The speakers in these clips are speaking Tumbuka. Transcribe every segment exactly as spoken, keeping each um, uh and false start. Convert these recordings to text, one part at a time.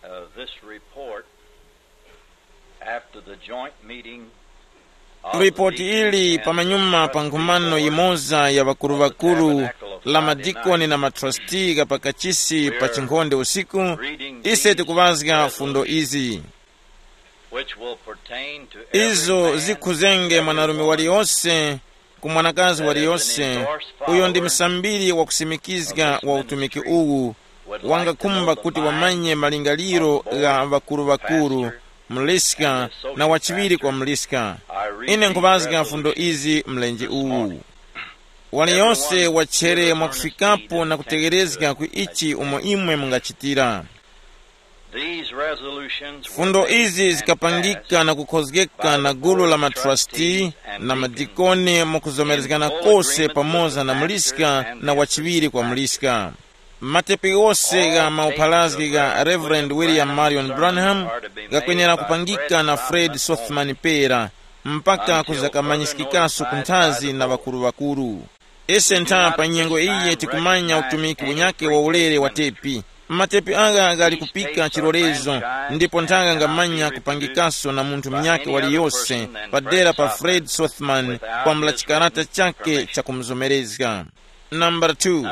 Uh, this report, after the joint meeting of the Ripoti deacons ili and pamanyuma pa nkhumano yimoza ya ŵakuru-ŵakuru la madikoni na matrustee gha pakachisi pa chinkhonde usiku, ise tikuŵazga fundo izi. Which will pertain to every izo man zikhuzenge and mwanarume every woman waliyonse, ku mwanakazi waliyonse, uyo ndi msambiri wakusimikizga wa utumiki uwu, wangakhumba kuti wamanye malingaliro gha ŵakuru-ŵakuru, mliska, na wachiŵiri kwa mliska. Ine nkhupazga fundo izi mlenje uwu. Waliyonse wachere mwakufikapo na kutegherezga ku ichi umo imwe mungachitira. These resolutions were fundo made izi and zikapangika passed na kukhozgeka by na the gulu la board of matrustee trustees and na deacons madikoni mukuzomerezgana in full kose agreement pamoza with na the muliska pastor and na the wachiŵiri kwa assistant muliska. Matepi ghose gha maupharazgi gha Reverend William Marion Branham gakwenera kupangika na Fred Sothmann pera mpaka kuzakamanyiskikaso ku nthazi na ŵakuru-ŵakuru. Ise ntha pa nyengo iyi tikumanya utumiki unyake wa ulere wa tepi. Matepi agha ghali kupika chilolezo, ndipo nthaka ngamanya kupangikaso na munthu munyake waliyose padera pa Fred Sothmann kwambula chikarata chake chakumuzomerezga. Nambala two,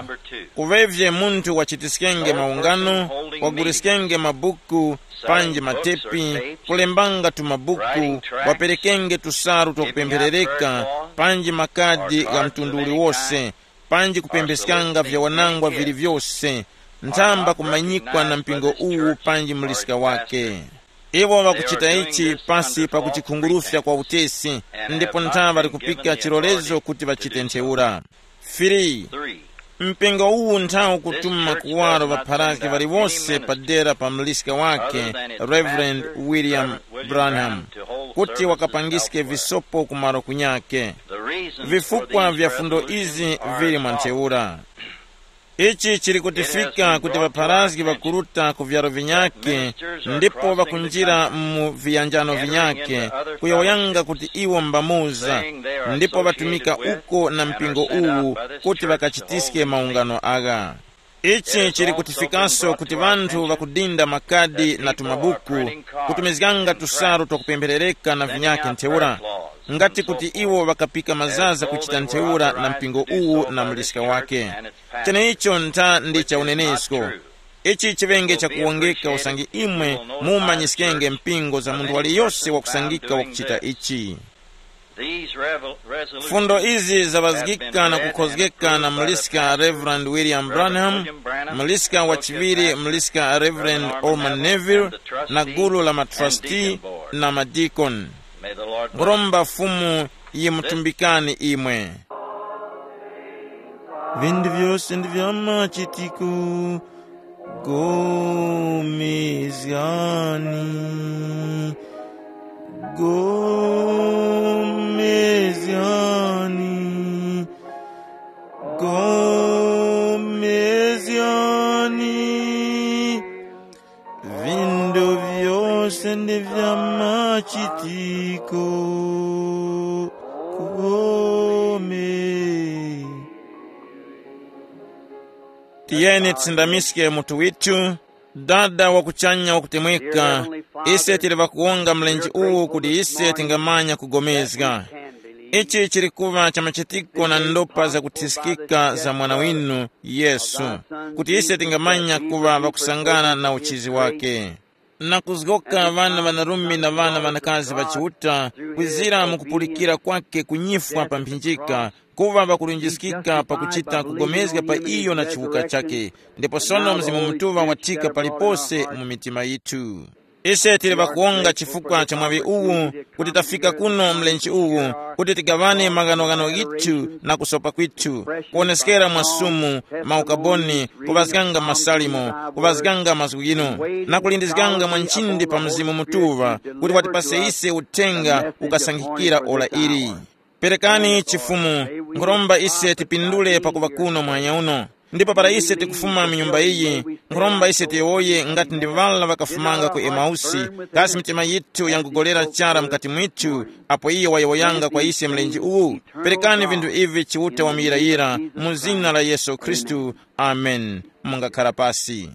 kuŵevye munthu wachitiskenge maungano, waguriskenge mabuku, panji matepi, kulembanga tumabuku, waperekenge tusalu twakupempherereka, panji makadi gha mtundu uliwose, panji kupempheskanga vyawanangwa vili vyose, nthamba kumanyikwa na mpingo uwu panji muliska wake. Iwo ŵakuchita ichi pasi pa kuchikhungurufya kwa utesi, ndipo ntha ŵali kupika chilolezo kuti ŵachite ntheura. Firi, mpingo uwu ntha ukutuma kuwaro ŵapharazgi ŵaliwose padera pa muliska wake, Reverend William Branham, kuti wakapangiske visopo kumaro kunyake. Vifukwa vya fundo izi vili mwa ntheura. Ichi chili kutifika kuti ŵapharazgi ŵakuruta ku vyaro vinyake ndipo ŵakunjira mu viyanjano vinyake, kuyowoyanga kuti iwo mbamuza, ndipo ŵatumika uko na mpingo uwu kuti ŵakachitiske maungano agha. Ichi chili kutifikaso kuti ŵanthu ŵakudinda makadi na tumabuku, kutumizganga tusalu twakupempherereka na vinyake ntheura, ngati kuti iwo ŵakapika mazaza kuchita ntheura na mpingo uwu na muliska wake. Cheneicho ntha ndi cha unenesko. Ichi chiŵenge chakuwongeka usange imwe mumanyiskenge mpingo za munthu waliyose wakusangika wakuchita ichi. Fundo izi zaŵazgika na kukhozgeka na muliska Reverend William Branham, muliska wachiŵiri muliska Reverend Orman Neville, na gulu la matrustee na madikoni. Nkhuromba Fumu yimutumbikani imwe. Vindu vyose ndi vya machitiko, gomezgani, gomezgani, gomezgani. Vindu vyose ndi vya machitiko, kugome. Tiyeni tisindamiske mutu withu. Dada wa kuchanya wakutemweka, ise tili ŵakuwonga mlenje uwu kuti ise tingamanya kugomezga. Ichi chili kuŵa cha machitiko na ndopa zakuthiskika za mwana winu Yesu, kuti ise tingamanya kuŵa ŵakusangana na uchizi wake. Na kuzgoka ŵana ŵanarume na ŵana ŵanakazi ŵa Chiuta, kwizira mu kupulikira kwake kunyifwa pa mphinjika, kuŵa ŵakulunjiskika pakuchita kugomezga pa iyo na chiwuka chake, ndipo sono Mzimu Mutuŵa wathika palipose mu mitima yithu. Ise tili ŵakuwonga chifukwa cha mwaŵi uwu, kuti tafika kuno mlenje uwu, kuti tigaŵane maghanoghano ghithu na kusopa kwithu, kuwoneskera mwa Sumu, maukaboni, kuŵazganga masalimo, kuŵazganga mazgu ghinu, na kulindizganga mwa nchindi pa Mzimu Mutuŵa, kuti watipase ise uthenga ukasankhikira ora ili. Perekani chifumu, nkhuromba ise tipindule pakuŵa kuno muhanya uno. Ndipo para ise tikufuma mu nyumba iyi, nkhuromba ise tiyowoye ngati ndi ŵala ŵakafumanga ku Emausi, kasi mitima yithu yangugolera chara mukati mwithu, apo iyo wayowoyanga kwa ise mlenje uwu? Perekani vinthu ivi Chiuta wamuyirayira, mu zina la Yesu Khristu. Amen. Mungakhara pasi.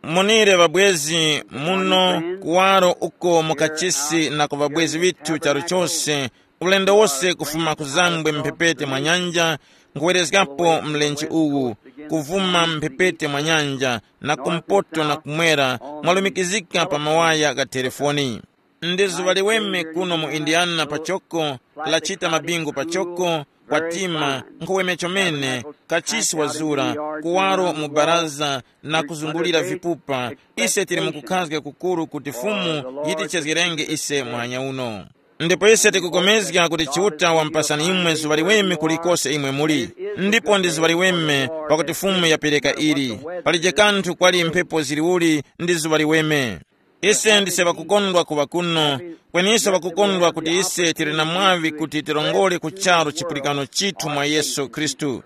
Monire ŵabwezi muno, kuwaro uko mu kachisi na ku ŵabwezi ŵithu charu chose, ulendo wose kufuma ku zambwe mphepete mwa nyanja, nkhuwerezgapo mlenje uwu, kuvuma mphepete mwa nyanja, na kumpoto na kumwera, mwalumikizika pa mawaya gha telefoni. Ndi zuŵa liweme kuno mu Indiana pachoko, lachita mabingu pachoko, kwatima, nkhuweme chomene, kachisi wazura, kuwaro mu baraza, na kuzungulira vipupa. Ise tili mukukhazga kukuru kuti Fumu yitichezgerenge ise muhanya uno. Ndipo ise tikupulikana kuti Chiuta wamupasani imwe zuŵa liweme kulikose imwe muli. Ndipo ndi zuŵa liweme, pakuti Fumu yapereka ili. Palije kanthu kwali mphepo ziliuli, ndi zuŵa liweme. Ise ndise ŵakukondwa kuŵa kuno, kweniso ŵakukondwa kuti ise tili na mwaŵi kuti tirongore ku charu chipulikano chithu mwa Yesu Khristu.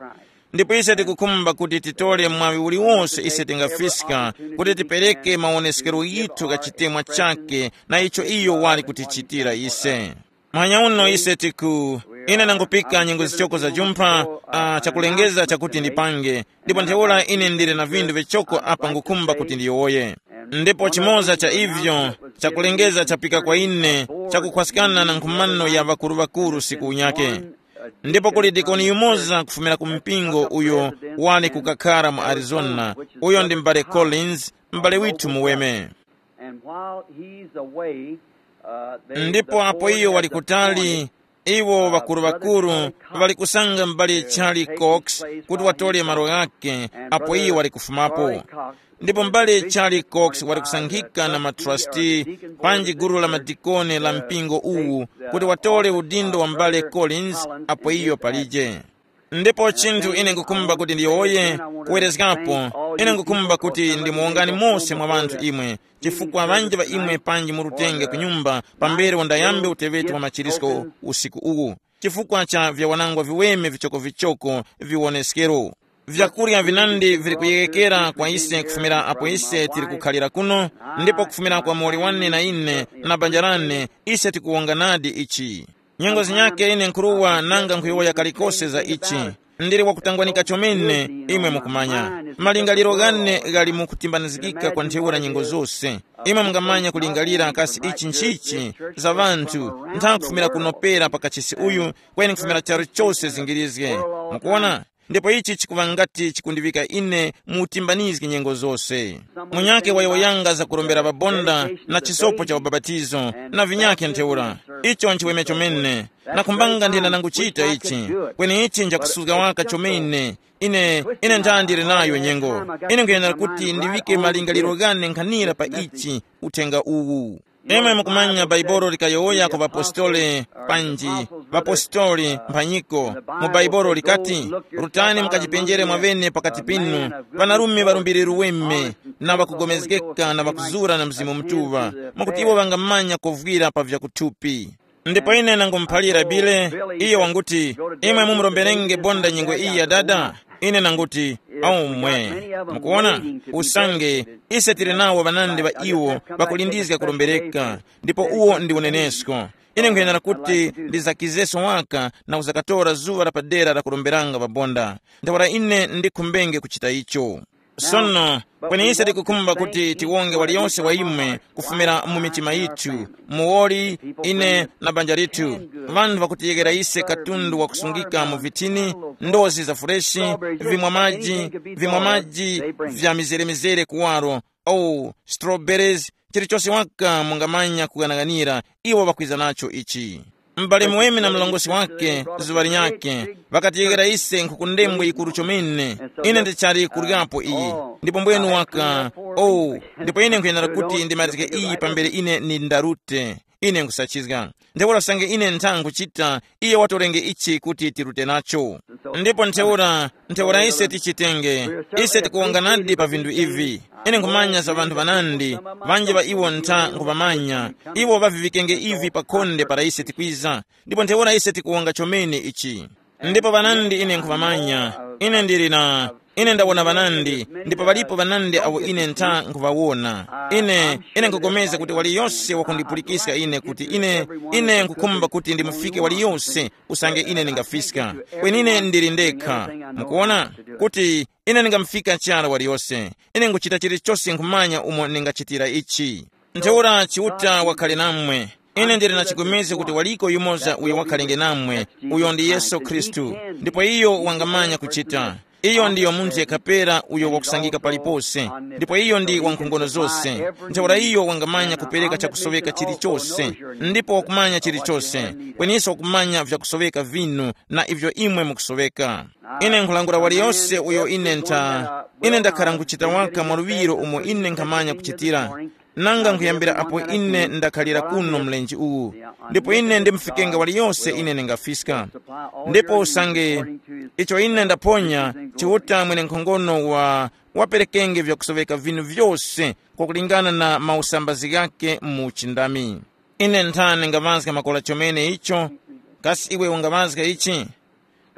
Ndipo ise tikukhumba kuti titore mwaŵi uliwonse ise tingafiska kuti tipereke mawoneskero yithu gha chitemwa chake na icho iyo wali kutichitira ise. Muhanya uno ise tiku, ine nangupika nyengo zichoko za jumpha, uh, chakulengeza chakuti ndipange, ndipo ntheura ine ndili na vindu vichoko apa ngukhumba kuti ndiyowoye. Ndipo chimoza cha ivyo chakulengeza chapika kwa ine, chakukhwaskana na nkhumano ya ŵakuru-ŵakuru siku unyake. Ndipo kuli dikoni yumoza kufumira ku mpingo uyo wali kukakhara mu Arizona, uyo ndi m'bale Collins, m'bale withu muweme. And while he's away, uh, they, ndipo the apo iyo wali kutali, iwo ŵakuru-ŵakuru ŵali kusanga m'bale Charlie Cox kuti watole malo ghake apo iyo wali kufumapo. Ndipo m'bale Charlie Cox wali kusankhika na matrustee panji gulu la madikoni la mpingo uwu kuti watole udindo wa m'bale Collins apo iyo palije. Ndipo chinthu ine nkukhumba kuti ndiyowoye, kuwerezgapo, ine nkukhumba kuti ndimuwongani mose mwa ŵanthu imwe, chifukwa ŵanji ŵa imwe panji murutenge ku nyumba pambere undayambe uteŵeti wa machirisko usiku uwu, chifukwa cha vyawanangwa viweme vichokovichoko viwoneskero. Vyakurya vinandi vili kuyeyekera kwa ise kufumira apo ise tili kukhalira kuno, ndipo kufumira kwa muwoli wane na ine na banja lane, ise tikuwonganadi ichi. Nyengo zinyakhe ine nkhuruwa nanga nkhuyowoya kalikose za ichi. Ndili wakutangwanika chomene, imwe mukumanya. Malingaliro ghane ghali mu kutimbanizgika kwa ntheura nyengo zose. Imwe mungamanya kulingalira kasi ichi nchichi za ŵanthu, ntha kufumira kunopera pa kachisi uyu, kweni kufumira charu chose zingirizge. Mukuwona? Ndipo ichi chikuŵa ngati chikundiŵika ine mu utimbanizgi nyengo zose. Munyakhe wayowoyanga za kurombera ŵabonda na chisopo cha ubapatizo na vinyakhe ntheura. Icho nchiweme chomene. Nakhumbanga nthenda nanguchita ichi, kweni ichi njakusuzga waka chomene. Ine, ine ntha ndili nayo nyengo. Ine nkhuyenera kuti ndiŵike malingaliro ghane nkhanira pa ichi, uthenga uwu. Imwe mukumanya Baibolo likayowoya ku ŵapostoli, panji ŵapostoli mphanyiko. Mu Baibolo likati, rutani mukachipenjere mwaŵene pakati pinu, ŵanarume ŵalumbiriro weme, na ŵakugomezgeka na ŵakuzura na Mzimu Mutuŵa, mwakuti iwo ŵangamanya kovwira pa vyakuthupi. Ndipo ine nangumuphalira Bile, iyo wanguti, imwe mumuromberenge bonda nyengo iyi ya dada? Ine nanguti, omwe. Mukuwona? Usange ise tili nawo ŵanandi ŵa iwo ŵakulindizga kurombereka, ndipo uwo ndi unenesko. Ine nkhuyenera kuti ndizakizeso waka na kuzakatora zuŵa la padera la kuromberanga ŵabonda. Ntheura ine ndikhumbenge kuchita icho. Sono, kweni ise tikukhumba kuti tiwonge waliyonse wa imwe kufumira mu mitima yithu, muwoli, ine na banja lithu, ŵanthu ŵakutiyeghera ise katundu wakusungika mu vithini, ndozi za fureshi, vimwa maji, vimwa maji vya mizere-mizere kuwaro, oh, strawberries, chilichose waka mungamanya kughanaghanira, iwo ŵakwiza nacho ichi. M'bale muweme na mlongosi wake, zuŵa linyakhe, ŵakatiyeghera ise nkhuku ndembo yikuru chomene. Ine ndichali kuryapo iyi. Ndipo mbwenu waka, oh, ndipo ine nkhuyenera kuti ndimatike iyi pambere ine ni ndarute. Ine nkhusachizga. Ntheura usange ine ntha nkhuchita, iye watorenge ichi kuti tirute nacho. Ndipo ntheura, ntheura ise tichitenge, ise tikuwonganadi pa vinthu ivi. Ine nkhumanya za ŵanthu ŵanandi, ŵanji ŵa iwo ntha nkhuvamanya. Iwo ŵavivikenge ivi pa khonde para ise tikwiza, ndipo ntheura ise tikuwonga chomene ichi. Ndipo ŵanandi ine nkhuvamanya, Ine ndili na, ine ndawona ŵanandi, ndipo ŵalipo ŵanandi awo ine ntha nkhuŵawona. Ine, ine nkugomeza kuti waliyose wakundipulikiska ine kuti ine, ine nkukhumba kuti ndimufike waliyose usange ine ndingafiska. Kwenine ndili ndekha. Mukuona? Kuti ine ndingamufika chara waliyose. Ine nguchita chilichose nkhumanya umo ndingachitira ichi. Ntheura Chiuta wakhale namwe. Ine ndili na chigomezgo kuti waliko yumoza uyo wakhalenge namwe, uyo ndi Yesu Khristu. Ndipo iyo wangamanya kuchita. Iyo ndiyo munthu yekha pera uyo wakusangika palipose. Ndipo iyo ndi wankhongono zose. Ntheura iyo wangamanya kupereka chakusoweka chilichose. Ndipo wakumanya chilichose. Kweniso wakumanya vyakusoweka vinu na ivyo imwe mukusoweka. Ine nkhulangula waliyose uyo ine ntha, ine ndakhara nkuchita waka mwaluŵiro umo ine nkhamanya kuchitira. Nanga nkhuyambira apo ine ndakhalira kuno mlenje uwu, ndipo ine ndimufikenga waliyose ine ndingafiska. Ndipo usange icho ine ndaphonya, Chiuta mwene nkhongono wa waperekenge vyakusoveka vinu vyose kwakulingana na mausambazi ghake mu chindami. Ine nthani ngaŵazga makola chomene icho. Kasi iwe ungaŵazga ichi?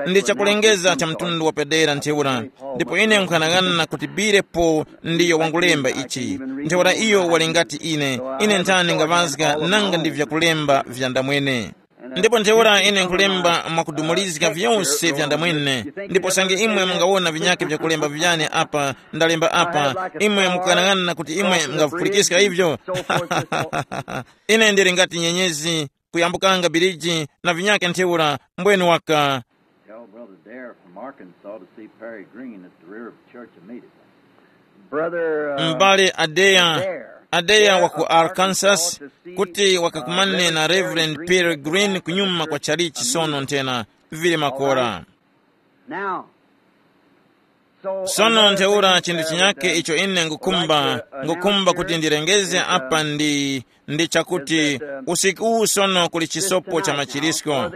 Ndi chakulengeza cha mtundu wapadera ntheura. Ndipo ine nkhanang'ana kuti bire po ndiyo wangulemba ichi. Ntheura iyo wali ngati ine. Ine nthani ngaŵazga nanga ndi vyakulemba vya ndamwene. Ndipo ntheura ine nkulemba mwakudumulizga vyose vya ndamwene. Ndipo sange imwe mungawona vinyake vyakulemba vyane apa, ndalemba apa, imwe mukanang'ana kuti imwe mungavipulikiska ivyo. Ine ndili ngati nyenyezi kuyambukanga biriji na vinyake ntheura. Mbweni waka. Tell Brother Dare from Arkansas to see Perry Green at the rear of the church immediately. Brother, uh, m'bale adeya, Dare. Adeya wa ku Arkansas, kuti wakakumane na Reverend Peter Green kunyuma kwa chalichi sono nthena vili makora. Now, sono ntheura chinthu chinyake icho ine ngukumba, ngukumba kuti ndirengeze apa ndi, ndi chakuti usiku uwu sono kuli chisopo cha machirisko.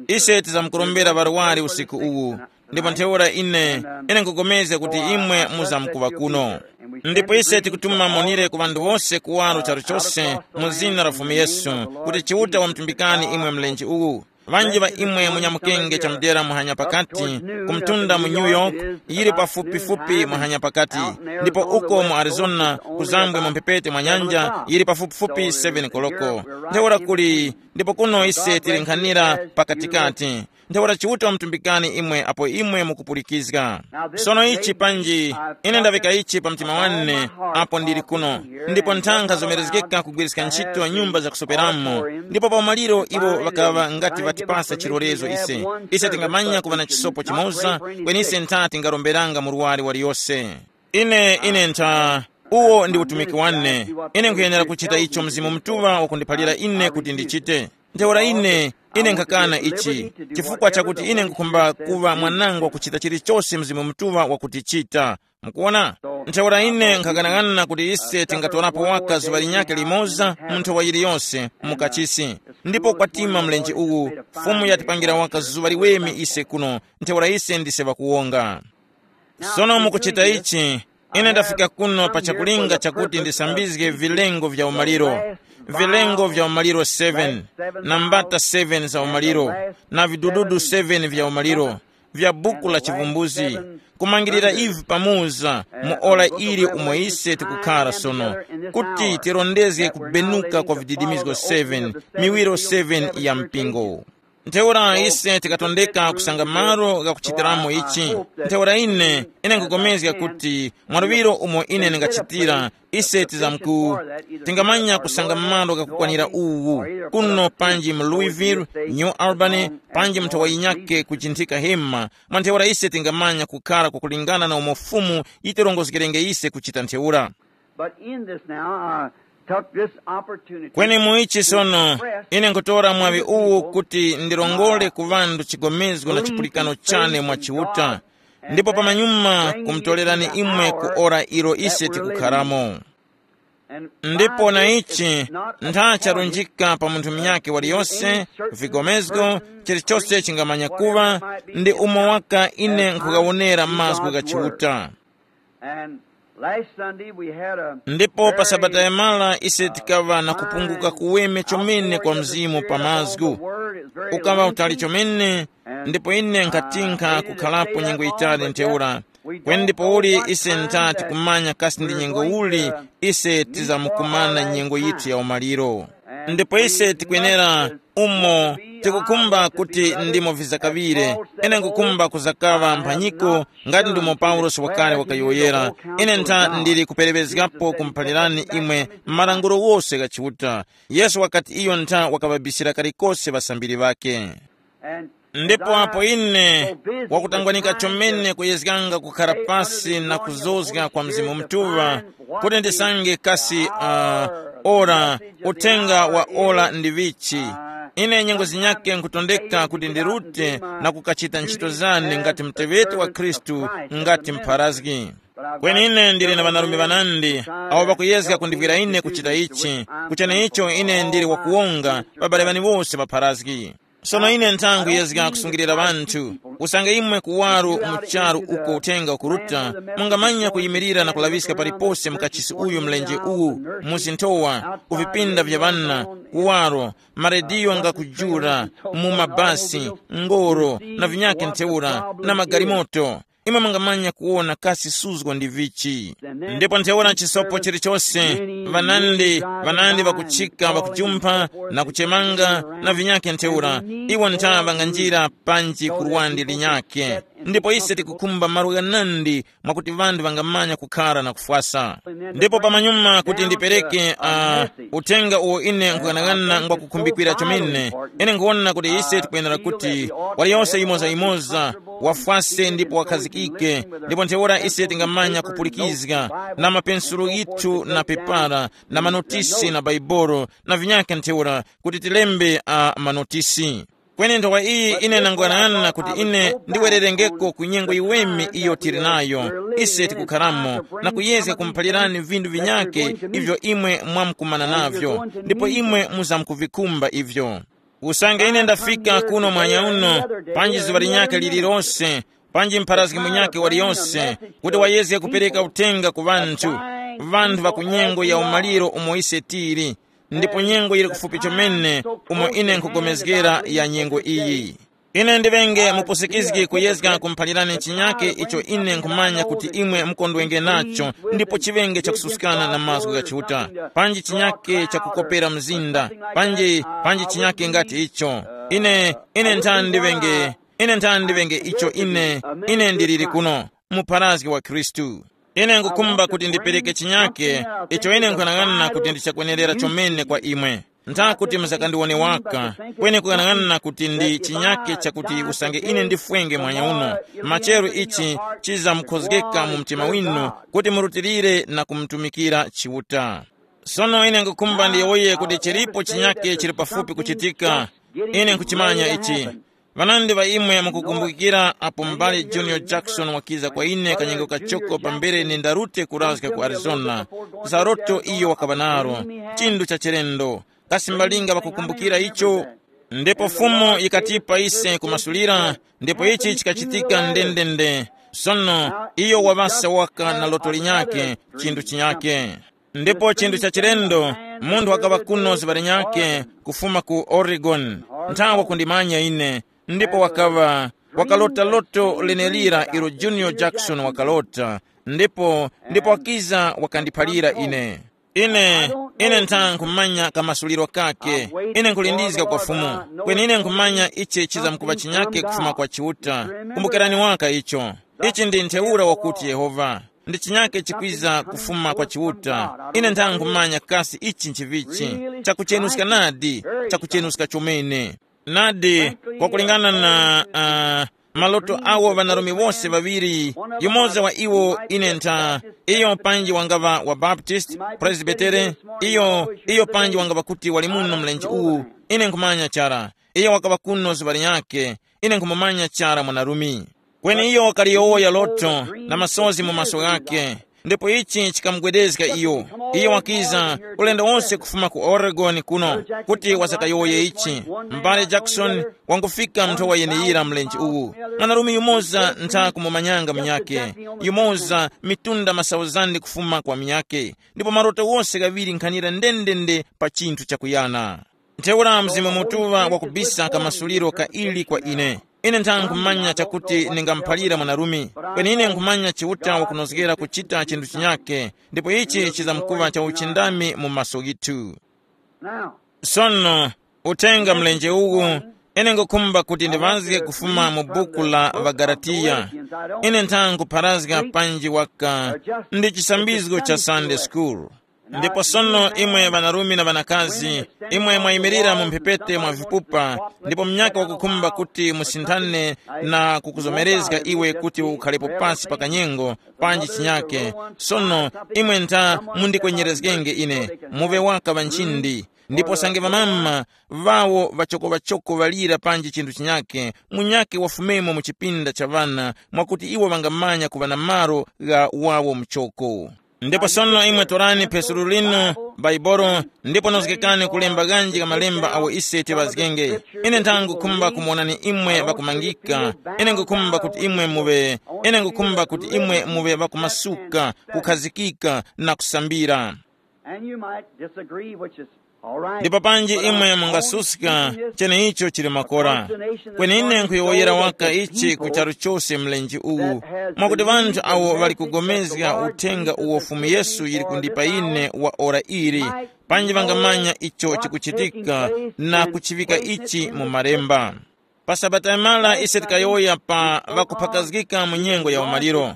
Ise tizamkurombera ŵarwari usiku uwu. Ndipo ntheura ine, ine nkupulikana kuti imwe muzamkuŵa kuno. Ndipo ise tikutuma monire ku ŵanthu wose kuwaro charu chose mu zina la Fumu Yesu, kuti Chiuta wamtumbikani imwe mlenje uwu. Ŵanji ŵa imwe munyamukenge chamudera muhanya pakati, kumtunda mu New York, yili pafupifupi muhanya pakati, ndipo uko mu Arizona, kuzambwe mu mphepete mwa nyanja, yili pafupifupi seven koloko. Ntheura kuli, ndipo kuno ise tili nkhanira pakatikati. Ntheura Chiuta wamtumbikani imwe apo imwe mukupulikizga. Sono ichi panji, ine ndavika ichi pa mtima wane, apo ndili kuno. Ndipo nthankha zomerezgeka kugwiriska ntchito nyumba zakusoperamo. Ndipo pa umaliro iwo ŵakaŵa ngati ŵatipasa chilolezo ise. Ise tingamanya kuŵa na chisopo chimoza, kweni ise ntha tingaromberanga murwari waliyose. Ine, ine ntha, uwo ndi utumiki wane. Ine nkhuyenera kuchita icho Mzimu Mutuŵa wakundiphalira ine kuti ndichite. Ntheura ine, ine nkhakana ichi, chifukwa chakuti ine nkhukhumba kuŵa mwanangwa kuchita chilichose Mzimu Mutuŵa wakutichita. Mukuona? Ntheura ine nkhakanang'ana kuti ise tingatorapo waka zuŵa linyakhe limoza mu nthowa yiliyose mu kachisi. Ndipo kwatima mlenje uwu, Fumu yatipangira waka zuŵa liweme ise kuno, ntheura ise ndise ŵakuwonga. Sono mukuchita ichi, ine ndafika kuno pa chakulinga chakuti ndisambizge vilengo vya umaliro, vilengo vya umaliro seven, na mbata seven za umaliro, na vidududu seven vya umaliro, vya buku la chivumbuzi, kumangirira ivi pamuza mu ora ili umo ise tikukhara sono, kuti tirondezge kubenuka kwa vididimizgo seven, miwiro seven ya mpingo. Ntheura ise tikatondeka kusanga malo ghakuchitiramo ichi. Ntheura ine, ine nkupulikana kuti mwaluŵiro umo ine ndingachitira, ise tizamku tingamanya kusanga malo ghakukwanira uwu, kuno panji mu Louisville, New Albany, panji mu nthowa yinyakhe kuchinthika hema. Mwa ntheura ise tingamanya kukhara kwakulingana na umo Fumu yitirongozgerenge ise kuchita ntheura. But in this now, I took this opportunity kweni mu ichi sono, ine nkutora mwaŵi uwu kuti ndirongole ku ŵanthu chigomezgo na chipulikano chane mwa Chiuta, ndipo pamanyuma kumutorerani imwe ku ora ilo ise tikukharamo. Ndipo na ichi, ntha charunjika pa munthu munyakhe waliyose, vigomezgo, chilichose chingamanya kuŵa, ndi umo waka ine nkhugawonera mazgu gha Chiuta. Last Sunday we had a Ndipo pa Sabata yamala ise tikaŵa na kupunguka kuweme chomene kwa mzimu pa mazgu. Ukaŵa utali chomene, ndipo ine nkatinkha kukhalapo nyengo yitali ntheura. Kweni ndipouli ise ntati kumanya kasi ndi nyengo uli ise tizamukumana nyengo yithu ya umaliro. Ndipo ise tikwenera umo tikukhumba kuti ndimo vizakaŵire. Ine nkukhumba kuzakaŵa mphanyiko, ngati ndimo Paulosi wakale wakayowoyera, ine ntha ndili kuperewezgapo kumuphalirani imwe malangulo wose gha Chiuta. Yesu wakati iyo ntha wakaŵabisira kalikose ŵasambiri ŵake. Ndipo apo ine wakutangwanika chomene kuyezganga kukhara pasi na kuzozga kwa Mzimu Mutuŵa, kuti ndisange kasi uh, ora uthenga wa ora ndi vichi, ine nyengo zinyake nkutondeka kuti ndirute na kukachita ntchito zane ngati muteŵeti wa Khristu, ngati mpharazgi. Kweni ine ndili na ŵanarume ŵanandi awo ŵakuyezga kundivwira ine kuchita ichi. Kuchene icho ine ndili wakuwonga ŵabale ŵani wose ŵapharazgi. Sono ine nthangwi yezga kusungilira ŵanthu. Usange imwe kuwaro mu charu uko uthenga ukuruta, mungamanya kuyimirira na kulaŵiska palipose mu kachisi uyu mlenje uwu, mu zinthowa, ku vipinda vya ŵana, kuwaro, marediyo ngakujula, mu mabasi, ngoro, na vinyake ntheura, na magalimoto. Imwe mungamanya kuwona kasi suzgo ndi vichi. Ndipo ntheura chisopo chilichose, vanandi vanandi vakuchika vakujumpha na kuchemanga na vinyakhe ntheura, iwo ntha vanganjira panji ku luwandi linyakhe. Ndipo ise tikukhumba malo ghanandi mwakuti ŵanthu vangamanya kukhara na kufwasa. Ndipo pamanyuma kuti ndipereke uh, uthenga uwo ine nkughanaghanana ngwakukhumbikira chomene, ine nkuwona kuti ise tikwenera kuti waliyonse yimoza-yimoza wafwase ndipo wakhazikike, ndipo ntheura ise tingamanya kupulikizga na mapensulu yithu na pepara na manotisi na baibolo na vinyakhe ntheura kuti tilembe a manotisi. Kweni nthowa iyi ine nangwanana kuti ine ndiwererengeko ku nyengo yiweme iyo tili nayo, ise tikukharamo, na kuyezga kumuphalirani vinthu vinyake ivyo imwe mwamkumana navyo, ndipo imwe muzamkuvikhumba ivyo. Usange ine ndafika kuno mwanya uno, panji zuŵa linyakhe lililose, panji mpharazgi munyakhe waliyose, kuti wayezge kupereka uthenga ku ŵanthu, ŵanthu ŵa ku nyengo ya umaliro umo ise tili, ndipo nyengo yili kufupi chomene umo ine nkhugomezgera ya nyengo iyi. Ine ndiŵenge mupusikizgi kuyezga kumuphalirani chinyake icho ine nkhumanya kuti imwe mukondwenge nacho, ndipo chiŵenge chakususkana na mazgu gha Chiuta, panji chinyake chakukopera mzinda, panji panji chinyake ngati icho. Ine ine nthani ndiŵenge, ine nthani ndiŵenge icho ine ine ndiliri kuno, mupharazgi wa Khristu. Ine nkukhumba kuti ndipereke chinyake icho ine nkhanang'ana kuti ndichakwenerera chomene kwa imwe. Ntha kuti musakandiwone waka, kweni kukhanang'ana kuti ndi chinyake chakuti usange ine ndifwenge mwanya uno, macheru ichi chizamukhozgeka mu mtima winu kuti murutilire na kumutumikira Chiuta. Sono ine nkukhumba ndiyowoye kuti chilipo chinyake chili pafupi kuchitika. Ine nkuchimanya ichi. Ŵanandi ŵa imwe mukukumbukira apo m'bale Junior Jackson wakiza kwa ine kanyengo kachoko pambere nindarute kurazga ku Arizona, za loto iyo wakaŵa naro, chinthu cha chilendo. Kasi mbalinga ŵakukumbukira icho? Ndipo Fumu yikatipa ise kumasulira, ndipo ichi chikachitika ndendende. Sono iyo waŵasa waka na loto linyakhe, chinthu chinyakhe. Ndipo chinthu cha chilendo, munthu wakaŵa kuno zuŵa linyakhe kufuma ku Oregon, nthawe kundimanya ine, ndipo wakaŵa wakalota loto lenelira ilo Junior Jackson wakalota, ndipo ndipo wakiza wakandiphalira ine. Ine ine ntha nkhumanya kamasuliro kake. Ine nkhulindizga kwa Fumu, kweni ine nkhumanya ichi chizamkuŵa chinyake kufuma kwa Chiuta. Kumbukirani waka icho. Ichi ndi ntheura wakuti Yehova. Ndi chinyake chikwiza kufuma kwa Chiuta. Ine ntha nkhumanya kasi ichi nchivichi, chakuchenuska nadi, chakuchenuska chomene. Nadi, kwakulingana na uh, maloto awo ŵanarume wose ŵaŵiri, yumoza wa iwo ine ntha, iyo panji wangaŵa wa Baptist, Presbytere, iyo iyo panji wangaŵa kuti wali muno mlenje uwu, ine nkhumanya chara. Iyo wakaŵa kuno zuŵa linyakhe, ine nkhumumanya chara mwanarume. Kweni iyo wakaliyowoya loto na masozi mu maso ghakhe. Ndipo ichi chikamugwedezga iyo. Iyo wakiza ulendo wonse kufuma ku Oregon kuno kuti wasakayowoye ichi. M'bale Jackson wangufika nthowa yeneyira mlenje uwu. Mwanarume yumoza ntha kumumanyanga munyake, yumoza mitunda masauzandi kufuma kwa munyake, ndipo maroto wose ghaŵiri nkhanira ndendende pa chinthu chakuyana. Ntheura Mzimu Mutuŵa wakubisa kamasuliro ka ili kwa ine. Ine ntha nkhumanya chakuti ningamuphalira mwanarume, kweni ine nkhumanya Chiuta wakunozgera kuchita chinthu chinyake, ndipo ichi chizamkuŵa cha uchindami mu maso ghithu. Now, sono, uthenga mlenje uwu, ine ngukhumba kuti ndiŵazge kufuma mu buku la ŵaGalatiya. Ine ntha nkupharazga panji waka ndi chisambizgo cha Sunday school. Ndipo sono imwe ŵanarume na ŵanakazi, imwe mwayimirira mu mphepete mwa vipupa, ndipo munyakhe wakukhumba kuti musinthane na kukuzomerezga iwe kuti ukhalepo pasi pa kanyengo panji chinyake. Sono imwe ntha mundikwenyerezgenge ine, muŵe waka ŵa nchindi. Ndipo sange ŵamama ŵawo ŵachokoŵachoko ŵalira panji chinthu chinyake, munyakhe wafumemo mu chipinda cha ŵana, mwakuti iwo ŵangamanya kuŵa na malo gha wawo muchoko. Ndipo sono imwe torani phesulu linu Baibolo, ndipo nozgekani kulemba ghanji ka malemba awo ise tiŵazgenge. Ine ntha ngukhumba kumuwonani imwe ŵakumangika. Ine ngukhumba kuti imwe muŵe, ine ngukhumba kuti imwe muŵe ŵakumasuka, kukhazikika na kusambira. And you might disagree, which is all right. Ndipo panji imwe mungasuska, cheneicho chili makora. Kweni ine nkhuyowoyera waka ichi ku charu chose mlenje uwu, mwakuti ŵanthu awo ŵali kugomezga uthenga uwo Fumu Yesu yili kundipa ine wa ora ili, panji ŵangamanya icho chikuchitika na kuchiŵika ichi mu malemba. Pa Sabata yamara ise tikayowoya pa ŵakuphakazgika mu nyengo ya umaliro.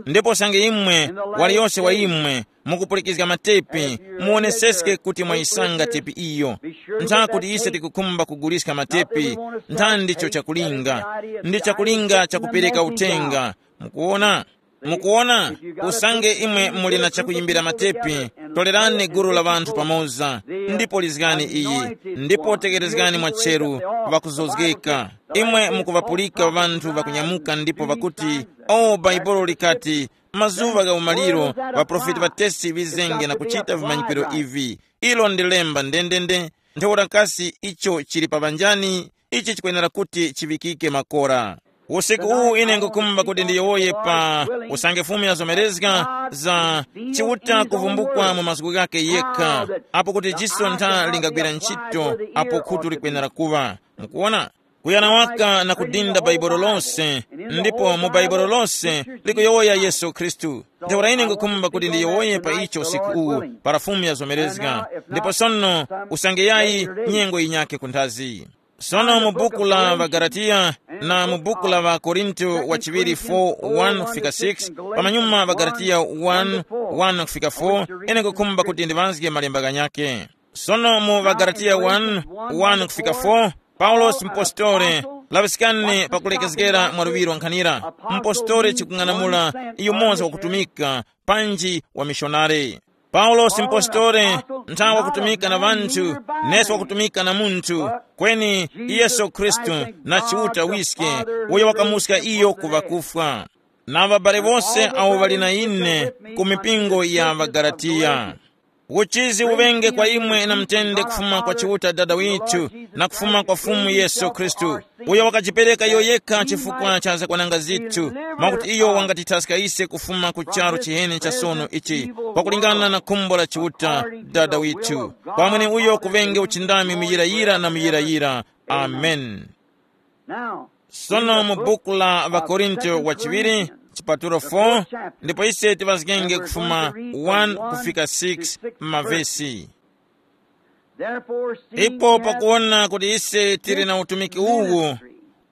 Ndipo usange imwe, waliyose wa imwe, mukupulikizga matepi, muwoneseske kuti mwayisanga tepi iyo. Ntha kuti ise tikukhumba kuguliska matepi, ntha ndicho chakulinga. Ndi chakulinga chakupereka uthenga. Mukuona? Mukuona? Usange imwe muli na chakuyimbira matepi, tolerani gulu la ŵanthu pamoza, ndipo lizgani iyi, ndipo tekerezgani mwacheru, ŵakuzozgeka. Imwe mukuŵapulika ŵanthu ŵakunyamuka ndipo ŵakuti, "O, Baibulo likati, mazuŵa gha umaliro, ŵaprofeti ŵatesi ŵizenge na kuchita vimanyikiro ivi." Ilo ndi lemba ndendende. Ntheura kasi icho chili pa ŵanjani? Ichi chikwenera kuti chiŵikike makora. Usiku uwu ine ngukumba kuti ndiyowoye pa usange Fumu yazomerezga za Chiuta kuvumbukwa mu mazgu ghakhe yekha, apo kuti jiso ntha lingagwira ntchito apo khutu likwenera kuŵa. Mukuona? Kuyana waka na kudinda Bhaibuli lose, ndipo mu Bhaibuli lose likuyowoya Yesu Khristu. Ntheura ine ngukumba kuti ndiyowoye pa icho usiku uwu, para Fumu yazomerezga. Ndipo sono, usange yayi, nyengo yinyakhe kunthazi. Sono mu buku la Ŵagalatiya na mu buku la Ŵakorinto wa chiŵiri four, one kufika six, pamanyuma Ŵagalatiya one, one kufika four, ine ngukhumba kuti ndiŵazge malemba ghanyakhe. Sono mu Ŵagalatiya one, one kufika four, Paulosi mpostore, laŵiskani pakulekezgera mwa luŵiro nkhanira, mpostore chikung'anamula yumoza wakutumika, panji wa mishonari. Paulosi mpostore nthawe wakutumika na ŵanthu, nesi wakutumika na munthu, kweni Yesu Khristu na Chiuta wiske, uyo wakamuska iyo ku ŵakufwa. Na ŵabale wose awo ŵali na ine ku mipingo ya ŵaGalatiya. Uchizi uŵenge kwa imwe na mtende kufuma kwa Chiuta Dada withu na kufuma kwa Fumu Yesu Khristu, uyo wakajipereka iyo yekha chifukwa cha zakwananga zithu, mwakuti iyo wangatithaska ise kufuma ku charu chiheni cha sono ichi, pakulingana na khumbo la Chiuta Dada withu. Kwa mweneuyo kuŵenge uchindami muyirayira na muyirayira. Amen. Sono mu buku la Ŵakorinto wa chiŵiri, chipatulo four, ndipo ise tiŵazgenge kufuma one kufika six mavesi. Ipo pakuwona kuti ise tili na utumiki uwu,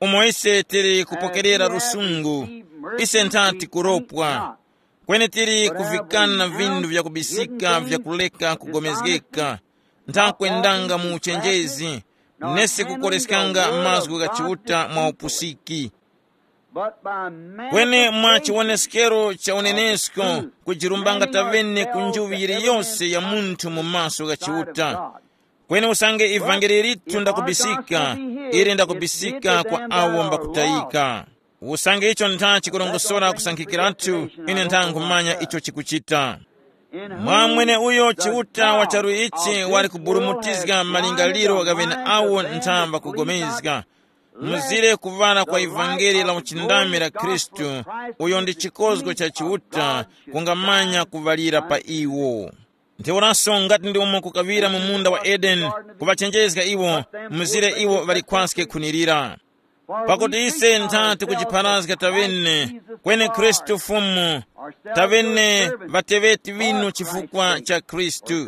umo ise tili kupokerera lusungu, ise nthati kuropwa, kweni tili kuvikana vinthu vyakubisika vyakuleka kugomezgeka, ntha kwendanga mu uchenjezi, nesi kukoreskanga mazgu gha Chiuta mwa upusiki. Kweni mwa chiwoneskero cha unenesko, kujirumbanga tavene ku njuŵi yiliyose ya munthu mu maso gha Chiuta. Kweni usange ivangeli lithu ndakubisika, ili ndakubisika kwa awo mbakutayika. Usange icho ntha chikurongosora kusankhikiratu, ine ntha nkhumanya icho chikuchita. Mwa mwene uyo Chiuta wa charu ichi wali kuburumutizga malingaliro gha ŵeneawo ntha ŵakugomezga. Muzire kuŵala kwa ivangeli la uchindami la Khristu, uyo ndi chikozgo cha Chiuta, kungamanya kuŵalira pa iwo. Ntheuraso ngati ndi umo kukaŵira mu munda wa Edeni, kuŵachenjezga iwo, muzire iwo ŵalikhwaske khunirira. Pakuti ise ntha tikujipharazga taŵene, kweni Khristu Fumu, taŵene ŵateŵeti ŵinu chifukwa cha Khristu.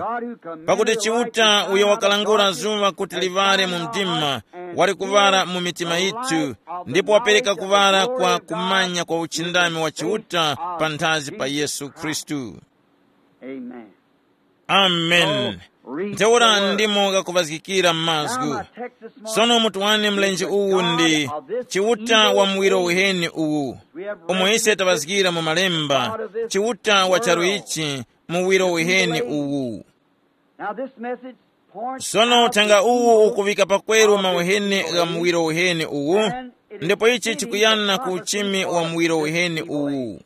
Pakuti Chiuta uyo wakalangula zuŵa kuti liŵale mu mdima, wali kuŵala mu mitima yithu, ndipo wapereka kuŵala kwa kumanya kwa uchindami wa Chiuta panthazi pa Yesu Khristu. Amen. Amen. Ntheura ndimo ghakuŵazgikira m'mazgu. Sono mutu wane mlenje uwu ndi Chiuta wa muwiro uheni uwu. Umo ise taŵazgira mu malemba, Chiuta wa charu ichi, muwiro uheni uwu. Now this message points Sono out uthenga the uwu evil ukuŵika pakweru of this mauheni evil gha age, muwiro uheni uwu, and it is ndipo ichi fitting chikuyana the ku prophecy uchimi wa of muwiro this uheni evil uwu. Age.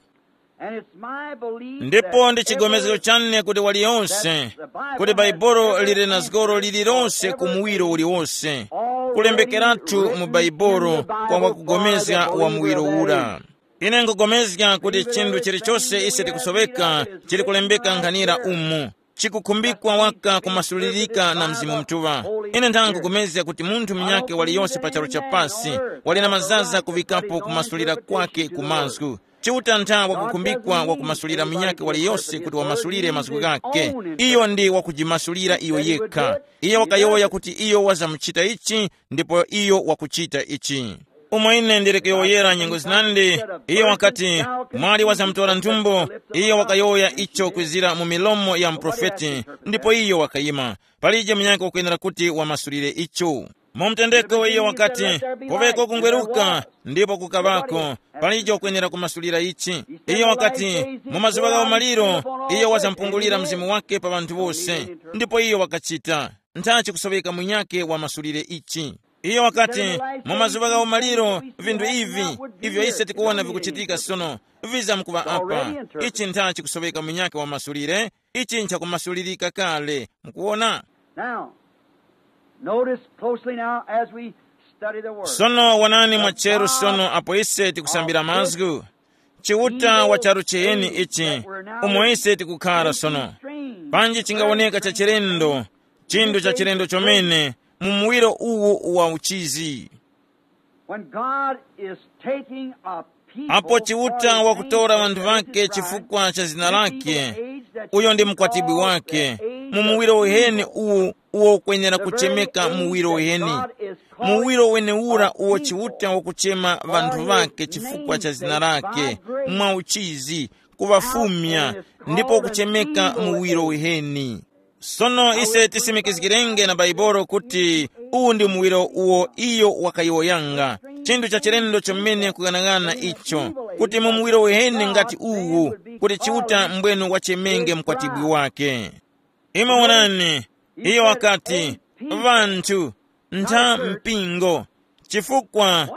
And it's my belief Ndipo that ndi chigomezero every chane kuti waliyonse, that the Bible kuti has Baibulo ever lili na zgoro answered lililonse or ku ever muwiro gave uliwonse, already kulembekeratu mu written Baibulo in the kwa Bible wakugomezga for the wa evil muwiro of that ura age. Ine nkugomezga kuti chinthu chilichonse ise tikusoweka chili kulembeka nkhanira umu, chikukhumbikwa waka kumasulirika na Mzimu Mutuŵa. Ine ntha nkugomezga kuti munthu munyakhe waliyonse pa charu cha pasi wali na mazaza kuŵikapo kumasulira kwakhe ku mazgu. Chiuta ntha wakukhumbikwa wakumasulira munyakhe waliyonse kuti wamasulire mazgu ghakhe. Iyo ndi wakujimasulira iyo yekha. Iye wakayowoya kuti iyo wazamuchita ichi, ndipo iyo wakuchita ichi. Umo ine ndili kuyowoyera nyengo zinandi, iyo wakati, mwali wazamutora nthumbo, iyo wakayowoya icho kwizira mu milomo ya muprofeti, ndipo iyo wakayima. Palije munyakhe wakwenera kuti wamasulire icho. Mu mtendeko iyo wakati, poveko kungweruka, ndipo kukaŵako, palije wakwenera kumasulira ichi. Iyo wakati, mu mazuŵa ghawo maliro, iyo wazampungulira mzimu wake pa ŵanthu wose, ndipo iyo wakachita. Nthachi kusoweka munyakhe wamasulire ichi. Iyo wakati, mu mazuŵa ghawo maliro, vinthu ivi, ivyo ise tikuwona vikuchitika sono, vizamkuŵa apa. Ichi nthachi kusoweka munyakhe wamasulire, ichi nchakumasulirika kale. Mukuwona? Now, notice closely now as we study the word. Sono wonani mwacheru sono apo ise tikusambira mazgu. Chiuta wa charu chiheni ichi, umo ise tikukhara sono. Panji chingawoneka cha chilendo, chinthu cha chilendo chomene, mu muwiro uwu wa uchizi. When God is taking a people Apo Chiuta wakutora ŵanthu ŵake chifukwa cha zina lake, uyo ndi mkwatibwi wake, mu muwiro uheni uwu uwo ukwenera kuchemeka muwiro uheni. Muwiro wenewura uwo Chiuta wakuchema ŵanthu ŵake chifukwa cha zina lake, mwa uchizi, kuŵafumya, ndipo kuchemeka muwiro uheni. Sono ise tisimikizgirenge na Baibolo kuti uwu ndi muwiro uwo iyo wakayowoyanga. Chinthu cha chilendo chomene kughanagana icho, kuti mu muwiro uheni ngati uwu, kuti Chiuta mbwenu wachemenge mkwatibwi wake. Imwe wonani, iyo wakati, ŵanthu, ntha mpingo. Chifukwa,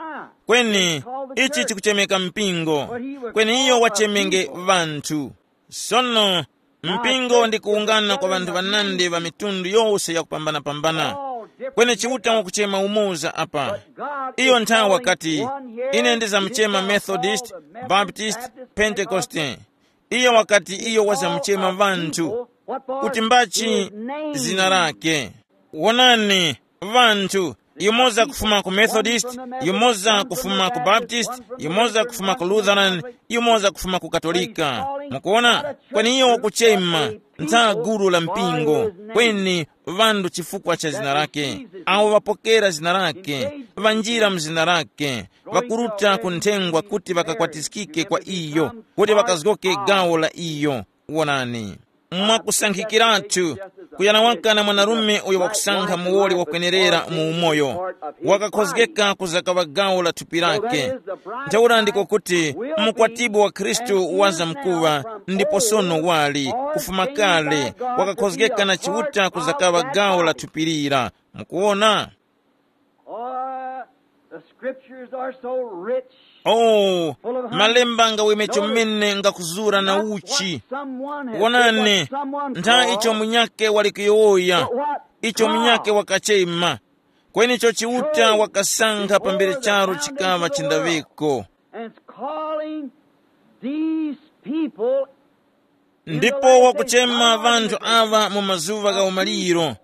kweni, ichi chikuchemeka mpingo, kweni iyo wachemenge ŵanthu. Sono, mpingo ndi kuwungana kwa ŵanthu ŵanandi ŵa mitundu yose yakupambana-pambana. Kweni Chiuta wakuchema umoza apa. Iyo nthawi wakati, ine ndizamuchema Methodist, Baptist, Pentekoste. Iyo wakati iyo wazamuchema ŵanthu kuti mbachi zina lake. Wonani, ŵanthu, yumoza kufuma ku Methodist, yumoza kufuma ku Baptist, yumoza kufuma ku Lutheran, yumoza kufuma ku Katolika. Mukuona? Kweni iyo wakuchema ntha gulu la mpingo, kweni ŵanthu chifukwa cha zina lake, awo ŵapokera zina lake, ŵanjira mu zina lake, ŵakuruta ku nthengwa kuti ŵakakwatiskike kwa iyo, kuti ŵakazgoke gawo la iyo. Wonani, mwakusankhikiratu, kuyana waka na mwanarume uyo wakusankha muwoli wakwenerera mu umoyo, wakakhozgeka kuzakaŵa gawo la thupi lake. Ntheura ndiko kuti mukwatibwi wa Khristu waza mkuŵa, ndipo sono wali kufuma kale, wakakhozgeka na Chiuta kuzakaŵa gawo la thupi lira. Mukuwona? Oh, the scriptures are so rich. Oh, malemba ngaweme chomene ngakuzura na uchi. Wonani, ntha icho munyake wali kuyowoya, icho munyake wakachema. Kweni icho Chiuta wakasankha pambere charo chikaŵa chindawiko. And it's calling these people in the ndipo last days, wakuchema vanthu awa mu mazuva gha umaliro,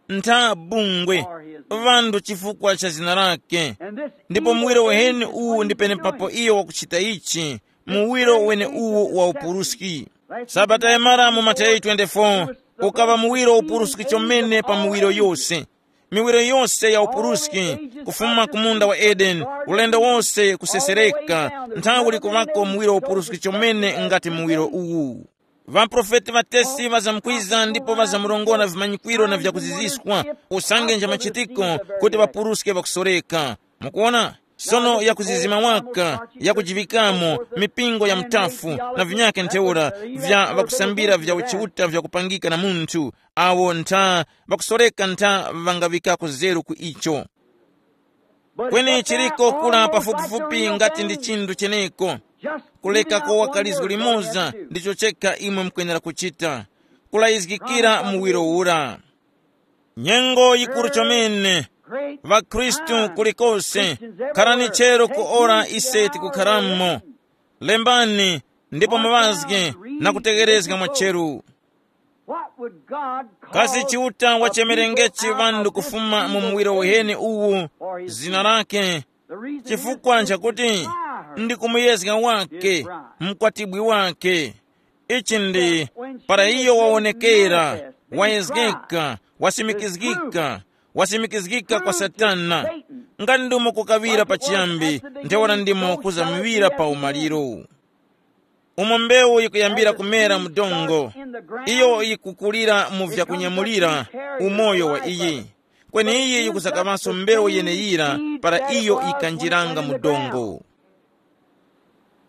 ntha bungwe, vanthu chifukwa cha zina lake. And this ndipo muwiro weheni uwu ndi penepapo iyo wakuchita ichi, muwiro wene uwu wa upuruski. Sabata yamara mu Mateyu twenty-four, ukaŵa muwiro upuruski chomene pa muwiro yose. Miwiro yose ya upuruski, kufuma ku munda wa Edeni, ulendo wose kusesereka, nthawi likuŵako muwiro upuruski chomene ngati muwiro uwu. Ŵaprofeti ŵatesi ŵazamkwiza ndipo ŵazamurongora vimanyikwiro na vyakuziziskwa, usange nja machitiko kuti ŵapuruske ŵakusoreka. Mukuona? Sono yakuzizima waka, yakujivikamo, mipingo ya mutafu, na vinyake ntheura, vya ŵakusambira vya uchiuta vyakupangika na munthu, awo ntha ŵakusoreka ntha ŵangaŵikako zeru ku icho. Kweni chiriko kula pafupifupi ngati ndi chinthu cheneko, kuleka kowaka lizgu limoza ndicho chekha imwe mukwenera kuchita, kulayizgikira muwiro ura. Nyengo yikuru chomene, ŵakhristu kulikose, kharani chero ku ora ise tikukharamo. Lembani, ndipo muŵazge na kutegherezga mwacheru. What would God call kasi chiuta wachemerengechi a people ŵanthu of this kufuma mu evil muwiro age uheni uwu? For his zina lake. The reason is chifukwa nchakuti ndi kumuyezga wake, mkwatibwi wake. Ichi ndi para iyo wawonekera, wayezgeka, wasimikizgika, wasimikizgika kwa satana. Ngati ndimo kukawira pachiyambi, ntheura ndimo kuzamiwira pa umaliro. Umo mbewu yikuyambira kumera mu dongo, iyo yikukulira mu vyakunyamulira umoyo wa iyi. Kweni iyi yikuzakaŵanso mbewu yeneyira para iyo yikanjiranga mu dongo.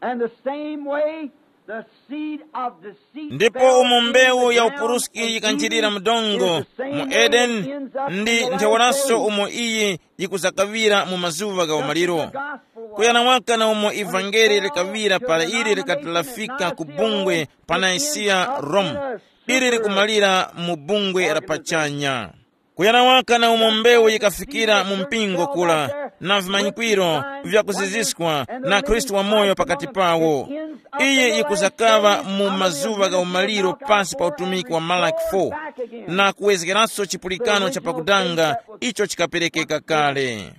And the same way, the seed of deceit ndipo fell umo in mbewu the ya ground upuruski and yikanjirira mu dongo mu Edeni, ndi ntheuraso umo iyi yikuzakaŵira mu mazuŵa gha umaliro. Kuyana waka na umo ivangeli likaŵira para ili likatilafika ku bungwe pa Nisiya, Rome, ili likumalira mu bungwe la pachanya. Kuyana waka na umo mbewu yikafikira mu mpingo kula, na vimanyikwiro vyakuziziskwa na Khristu wamoyo pakati pawo. Iyi yikuzakaŵa mu mazuŵa gha umaliro pasi pa utumiki wa Malaki four, na kuwezgeranso chipulikano cha pakudanga icho chikaperekeka kale.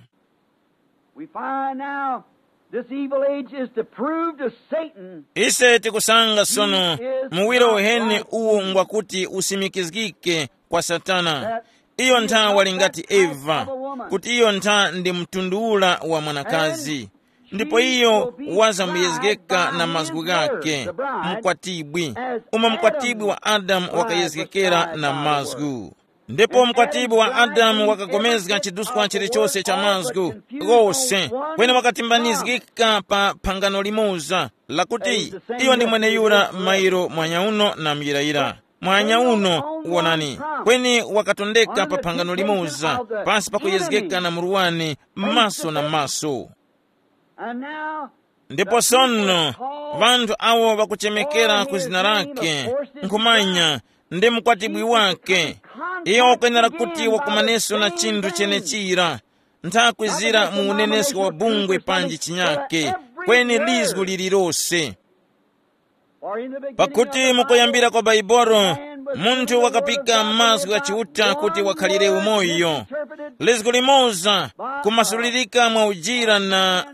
We find now this evil age is to prove to Satan ise tikusanga sono muwiro uheni uwu ngwakuti usimikizgike kwa satana. Iyo nthawa ali ngati eva, kuti iyo ntha ndi mtundu ula wa mwanakazi, ndipo iyo wazamuyezgeka na mazgu ghake, mkwatibwi, umo mkwatibwi wa adamu wakayezgekera na mazgu. Ndipo mkwatibwi wa adamu wakagomezga chiduskwa chilichose cha mazgu ghose, kweni wakatimbanizgika pa phangano limoza, lakuti iyo ndi mweneyura mairo mwanyauno na muyirayira. Mwanyauno, wonani, kweni wakatondeka pa phangano limoza, pasi pakuyezgeka na murwani, maso na maso. And now, ndipo sono, vanthu awo vakuchemekera ku zina lake, nkhumanya, ndi mkwatibwi wake. Iyo wakwenera kuti wakumaneso na chinthu chenechira, nthakwizira mu unenesko wa bungwe panji chinyake, kweni lizgu lilirose. Pakuti mukuyambira kwa Baibolo, munthu wakapika mazgu gha Chiuta kuti wakhalire umoyo. Lizgu limoza kumasulirika mwa ujira na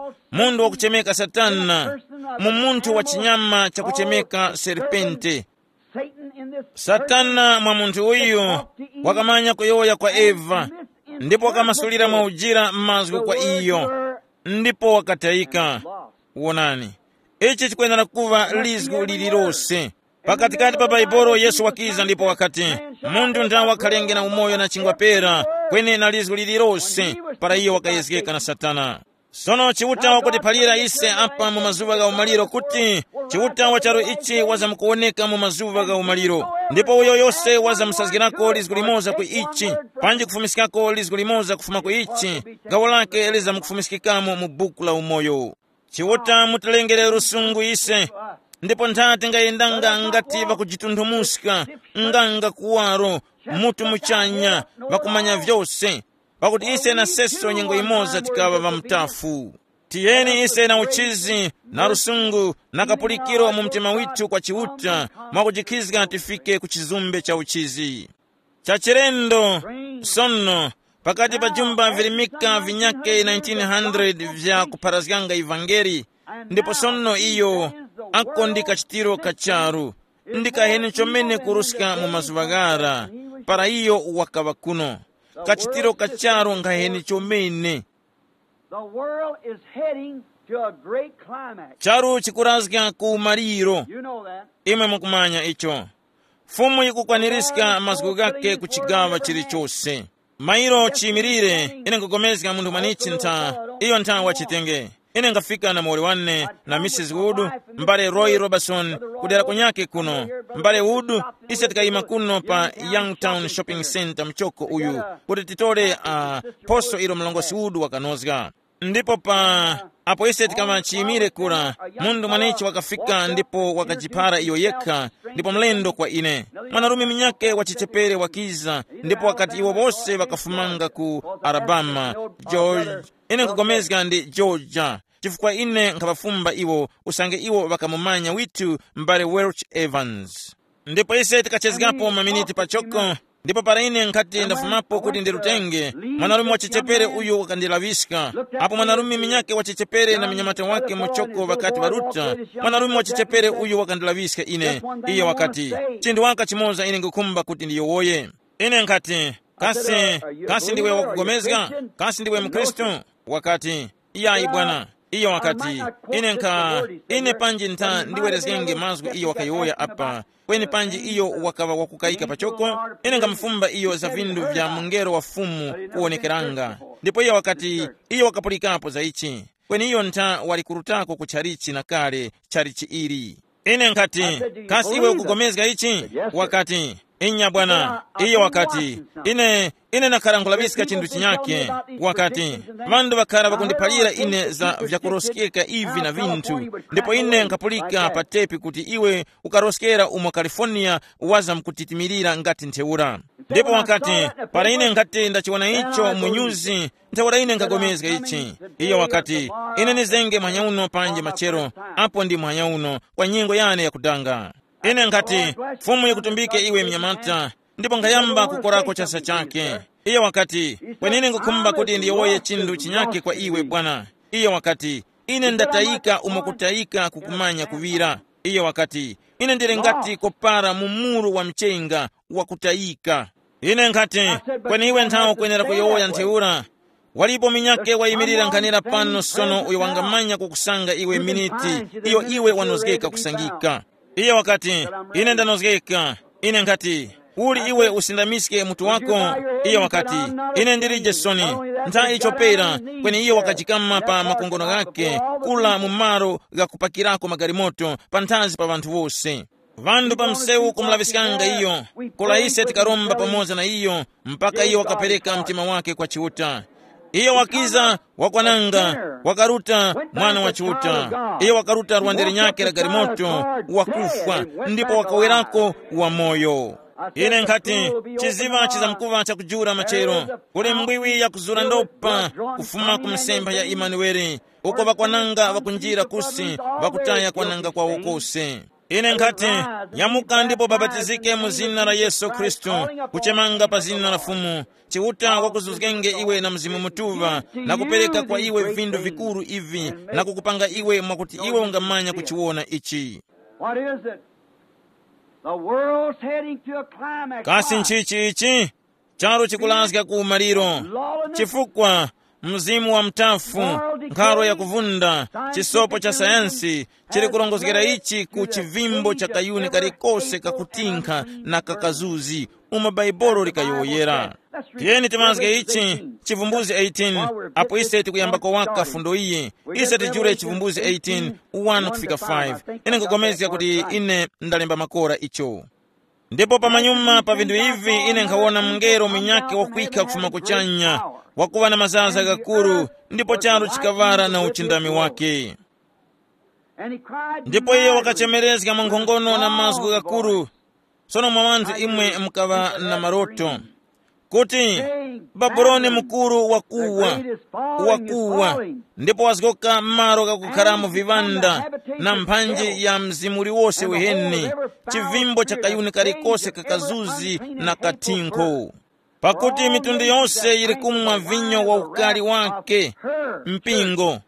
uh, munthu wakuchemeka Satana, mu munthu wa chinyama chakuchemeka serpente. Satana mwa munthu uyu wakamanya kuyowoya kwa Eva, ndipo wakamasulira mwa ujira mazgu kwa iyo, ndipo wakatayika. Wonani, ichi chikwenera kuŵa lizgu lililose. Pakatikati pa Baibolo Yesu wakiza ndipo wakati, munthu nthawe wakhalenge na umoyo na chingwa pera, kweni na lizgu lililose, para iyo wakayezgeka na Satana. Sono Chiuta wakutiphalira ise apa mu mazuŵa gha umaliro kuti Chiuta wa charu ichi wazamkuwoneka mu mazuŵa gha umaliro, ndipo uyo yose wazamusazgirako lizgu limoza ku ichi, panji kufumiskako lizgu limoza kufuma ku ichi, gawo lake lizamkufumiskikamo mu buku la umoyo. Chiuta mutilengere lusungu ise, ndipo ntha tingayendanga ngati ŵakujitunthumuska, nganga kuwaro, mutu muchanya, ŵakumanya vyose, pakuti ise na seso nyengo yimoza tikaŵa ŵamutafu. Tiyeni ise na uchizi, na lusungu, na kapulikiro mu mtima withu kwa Chiuta, mwakujikhizga tifike ku chizumbe cha uchizi. Chachilendo, sono, pakati pa jumba virimika vinyake nineteen hundred vya kupharazganga ivangeli, ndipo sono iyo ako ndi kachitiro ka charu, ndi kaheni chomene kuruska mu mazuŵa ghara, para iyo wakaŵa kuno. Kachitiro ka charu nkhaheni chomene. The world is heading to a great climax. Charu chikurazga ku maliro. You know that. Imwe mukumanya icho. Fumu yikukwanirizga mazgu ghake ku chigawa chilichose. Mairo chiyimirire, ine nkugomezga munthu mwanichi ntha, iyo ntha wachitenge. Ine ngafika na muwoli wane na Missus Wood, mbale Roy Robertson, kudera kunyake kuno. Mbale Wood, ise tikayima kuno pa Youngtown Shopping Center mchoko uyu, kuti titole uh, poso ilo mlongosi Wood wakanozga. Ndipo pa apo ise tikama chiyimire kura, munthu mwanichi wakafika ndipo wakajipara iyo yekha, ndipo mlendo kwa ine. Mwanarume munyake wa chichepere wakiza, ndipo wakati iwo bose wakafumanga ku Alabama, George, ine nkugomezga ndi Georgia, chifukwa ine nkhaŵafumba iwo, usange iwo ŵakamumanya withu mbale Welch Evans. Ndipo ise tikachezgapo maminiti pachoko, ndipo para ine nkhati ndafumapo kuti ndirutenge, mwanarume wa chichepere uyu wakandilaŵiska. Apo mwanarume minyake wa chichepere na mnyamata wake muchoko ŵakati ŵaruta, mwanarume wa chichepere uyu wakandilaŵiska ine. Iyo wakati, chinthu waka chimoza ine ngukhumba kuti ndiyowoye. Ine nkhati, kasi, kasi ndiwe wakugomezga? Kasi ndiwe mkhristu? Wakati, iyayi bwana. Iyo wakati, ine nkha, ine panji ntha ndiwerezgenge mazgu iyo wakayowoya apa, kweni panji iyo wakaŵa wakukayika pachoko. Ine ngamufumba iyo za vindu vya mungelo wa Fumu kuwonekeranga. Ndipo iyo wakati, iyo wakapulikapo za ichi, kweni iyo ntha wali kurutako ku chalichi na kale, chalichi ili. Ine nkhati, kasi iwe ukugomezga ichi? Wakati, inya bwana. Iyo wakati, ine, ine nakhala nkulaŵiska chinthu chinyake. Wakati, ŵanthu ŵakhara ŵakundiphalira ine za vyakuroskeka ivi na vinthu, ndipo ine nkhapulika pa tepi kuti iwe ukaroskera umo California waza mkutitimirira ngati ntheura. Ndipo wakati, para ine nkhati ndachiwona icho mu nyuzi, ntheura ine nkhapulikana ichi. Iyo wakati, ine nizenge muhanya uno panje machero, apo ndi muhanya uno, kwa nyengo yane yakudanga. Ine nkhati, Fumu yikutumbike iwe mnyamata, ndipo nkhayamba kukorako chasa chake. Iyo wakati, kwenene ngukhumba kuti ndiyowoye chinthu chinyake kwa iwe bwana. Iyo wakati, ine ndatayika umo kutayika kukumanya kuŵira. Iyo wakati, ine ndili ngati kopara mu muru wa mchenga wakutayika. Ine nkhati, kweni iwe nthawe ukwenera kuyowoya ntheura. Walipo minyake wayimirira nkhanira pano sono uyo wangamanya kukusanga iwe miniti iyo iwe wanozgeka kusangika. Iye wakati, ine ndanozgeka. Ine nkhati, uli iwe usindamiske mutu wako? Iye wakati, ine ndilije soni. Ntha icho pera, kweni iyo wakajikama pa makongono ghake, kula mu malo ghakupakirako magalimoto panthazi pa ŵanthu wose. Ŵanthu pa msewu kumulaŵiskanga iyo, kula ise tikaromba pamoza na iyo, mpaka iyo wakapereka mtima wake kwa Chiuta. Iyo wakiza, wakwananga, wakaruta mwana wa Chiuta. Iyo wakaruta lwande linyakhe la galimoto, wakufwa, ndipo wakawerako wamoyo. Ine nkhati, chiziŵa chizamkuŵa chakujula machero, kuli mbwiwi yakuzura ndopa, kufuma ku misempha ya Imanueli, uko ŵakwananga ŵakunjira kusi, ŵakutaya kwananga kwawo kose. Ine nkhati, nyamuka ndipo babatizike mu zina la Yesu Khristu, kuchemanga pa zina la Fumu, Chiuta wakuzuzgenge iwe na Mzimu Mutuŵa, na kupereka kwa iwe vindu vikuru ivi, na kukupanga iwe mwakuti iwe ungamanya kuchiwona ichi. What is it? The world's heading to a climax. Kasi nchichi ichi? Charu chikulazga ku umaliro. Chifukwa mzimu wa mtafu, nkhalo ya kuvunda, chisopo cha sayansi chili kurongozgera ichi ku chivimbo cha kayuni kalikose kakutinkha na kakazuzi, umo Bhaibuli likayowoyera. Tiyeni timazge ichi, Chivumbuzi eighteen, apo ise tikuyambako waka fundo iyi. Ise tijule Chivumbuzi eighteen, one kufika five. Ine nkupulikana kuti ine ndalemba makora icho. Ndipo pamanyuma pa vinthu ivi ine nkhawona mungelo munyakhe wakwikha kufuma kuchanya, wakuŵa na mazaza ghakuru, ndipo charu chikaŵala na uchindami wake. Ndipo iye wakachemerezga mwankhongono na mazgu ghakuru. Sono mwa wanthu imwe mukaŵa na maroto kuti, "Babuloni mukuru wakuwa, wakuwa, ndipo wazgoka malo ghakukharamo viŵanda, na mphanji ya mzimu uliwose weheni, chivimbo cha kayuni kalikose kakazuzi na kathinkho. Pakuti mitundu yonse yiri kumwa vinyo wa ukali wake, mpingo,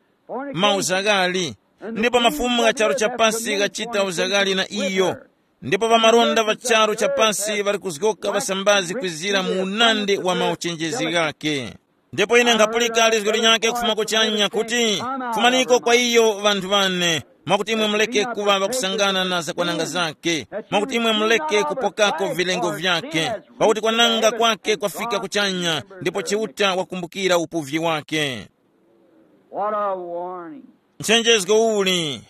mauzaghali, ndipo mafumu gha charu cha pasi ghachita uzaghali na iyo, ndipo ŵamalonda ŵa charu cha pasi ŵali kuzgoka ŵasambazi kwizira mu unandi wa mauchenjezi ghake." Ndipo ine nkhapulika lizgu linyakhe kufuma kuchanya kuti, "Fumaniko kwa iyo ŵanthu ŵane, mwakuti imwe muleke kuŵa ŵakusangana na zakwananga zake, mwakuti imwe muleke kupokako vilengo vyake, pakuti kwananga kwake kwafika kuchanya, ndipo Chiuta wakumbukira upuvyi wake." What a warning. Nchenjezgo uli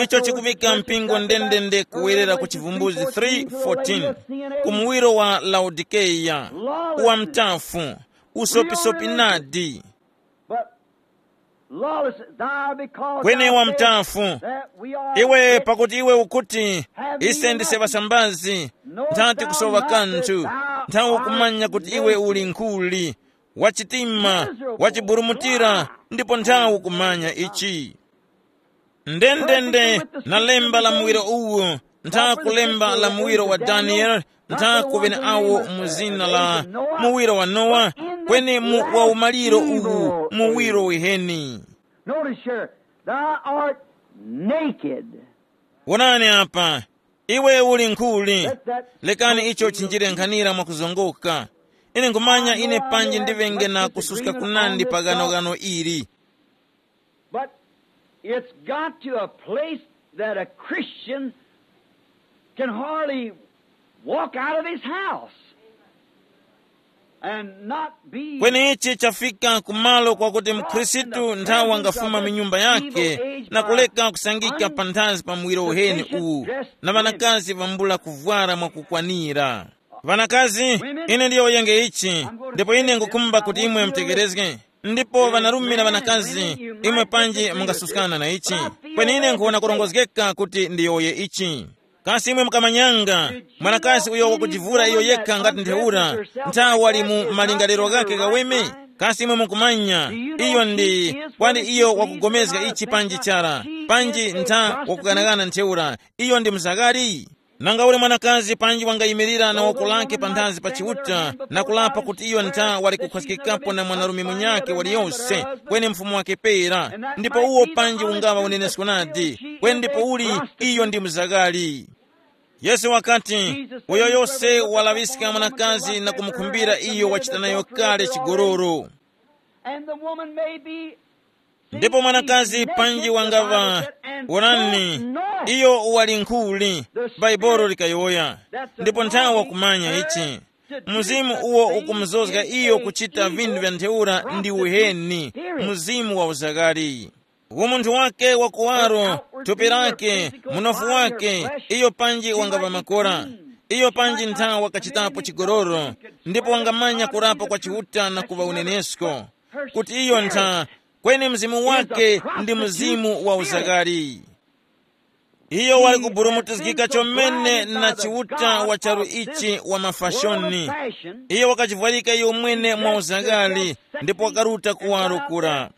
icho chikuvika mpingo ndendende kuwerera ku Chivumbulutso three fourteen, ku muwiro wa Laodikeya, wa mtafu, usopisopi nadi. But lawless, thou because kweni thou wa said mtafu, that we are iwe, pakuti iwe ukuti, "Ise ndise ŵasambazi, nthati kusowa kanthu, nthawi ukumanya kuti iwe uli nkhuli, wachitima, wachiburumutira, ndipo nthawi ukumanya ichi." Ndendende, na lemba la muwiro uwu, ntha kulemba la muwiro wa Daniele, ntha kuŵene awo mu zina la muwiro wa Nowa, kweni mu wa umaliro uwu, muwiro wiheni. Notice here, thou art naked. Wonani apa, iwe uli nkhuli. Lekani icho chinjire nkhanira mwakuzongoka. Ine nkhumanya ine panji ndiŵenge na kususka kunandi pa ghanoghano ili. But it's got to a place that a Christian can hardly walk out of his house and not be. Kweni ichi chafika kumalo kwakuti mkhristu nthawi angafuma mu nyumba yake na kuleka kusangika panthazi pa muwiro uheni uwu, na ŵanakazi vambula kuvwara mwakukwanira. Ŵanakazi, ine ndiyowoyenge ichi, ndipo ine ngukhumba kuti imwe mutegerezge. Ndipo ŵanarume na ŵanakazi, imwe panji mungasuskana na ichi. Kweni ine nkhuwona kurongozgeka kuti ndiyowoye ichi. Kasi imwe mukamanyanga mwanakazi uyo wakujivura iyo yekha ngati ntheura, ntha wali mu malingaliro ghakhe ghaweme? Kasi imwe mukumanya iyo ndi, kwani iyo wakugomezga ichi panji chara, panji ntha wakughanaghana ntheura, iyo ndi mzaghali? Nanga uli mwanakazi panji wangayimirira na woko lake panthazi pa Chiuta na kulapa kuti iyo ntha wali kukhwaskikapo na mwanarume munyakhe waliyose, kweni mfumu wake pera, ndipo uwo panji ungaŵa unenesko nadi, kweni ndipo uli iyo ndi mzaghali. Yesu wakati, "Uyo yose walaŵiska mwanakazi na kumukhumbira iyo wachita nayo kale chigololo." And the woman may be Ndipo mwanakazi panji wangaŵa, wonani, iyo wali nkhuli, Baibolo likayowoya, ndipo nthawe wakumanya ichi. Mzimu uwo ukumuzozga iyo kuchita vinthu vya ntheura ndi uheni, mzimu wa uzaghali. Umunthu wake wa kuwaro, thupi lake, munofu wake, iyo panji wangaŵa makora. Iyo panji nthawe wakachitapo chigololo, ndipo wangamanya kurapa kwa Chiuta na kuŵa unenesko, kuti iyo ntha, kweni mzimu wake ndi mzimu wa uzaghali. Iyo wali kuburumutizgika chomene na Chiuta wa charu ichi wa mafashoni. Iyo wakachivwarika iyo mwene mwa uzaghali, ndipo wakaruta kuwaro kura.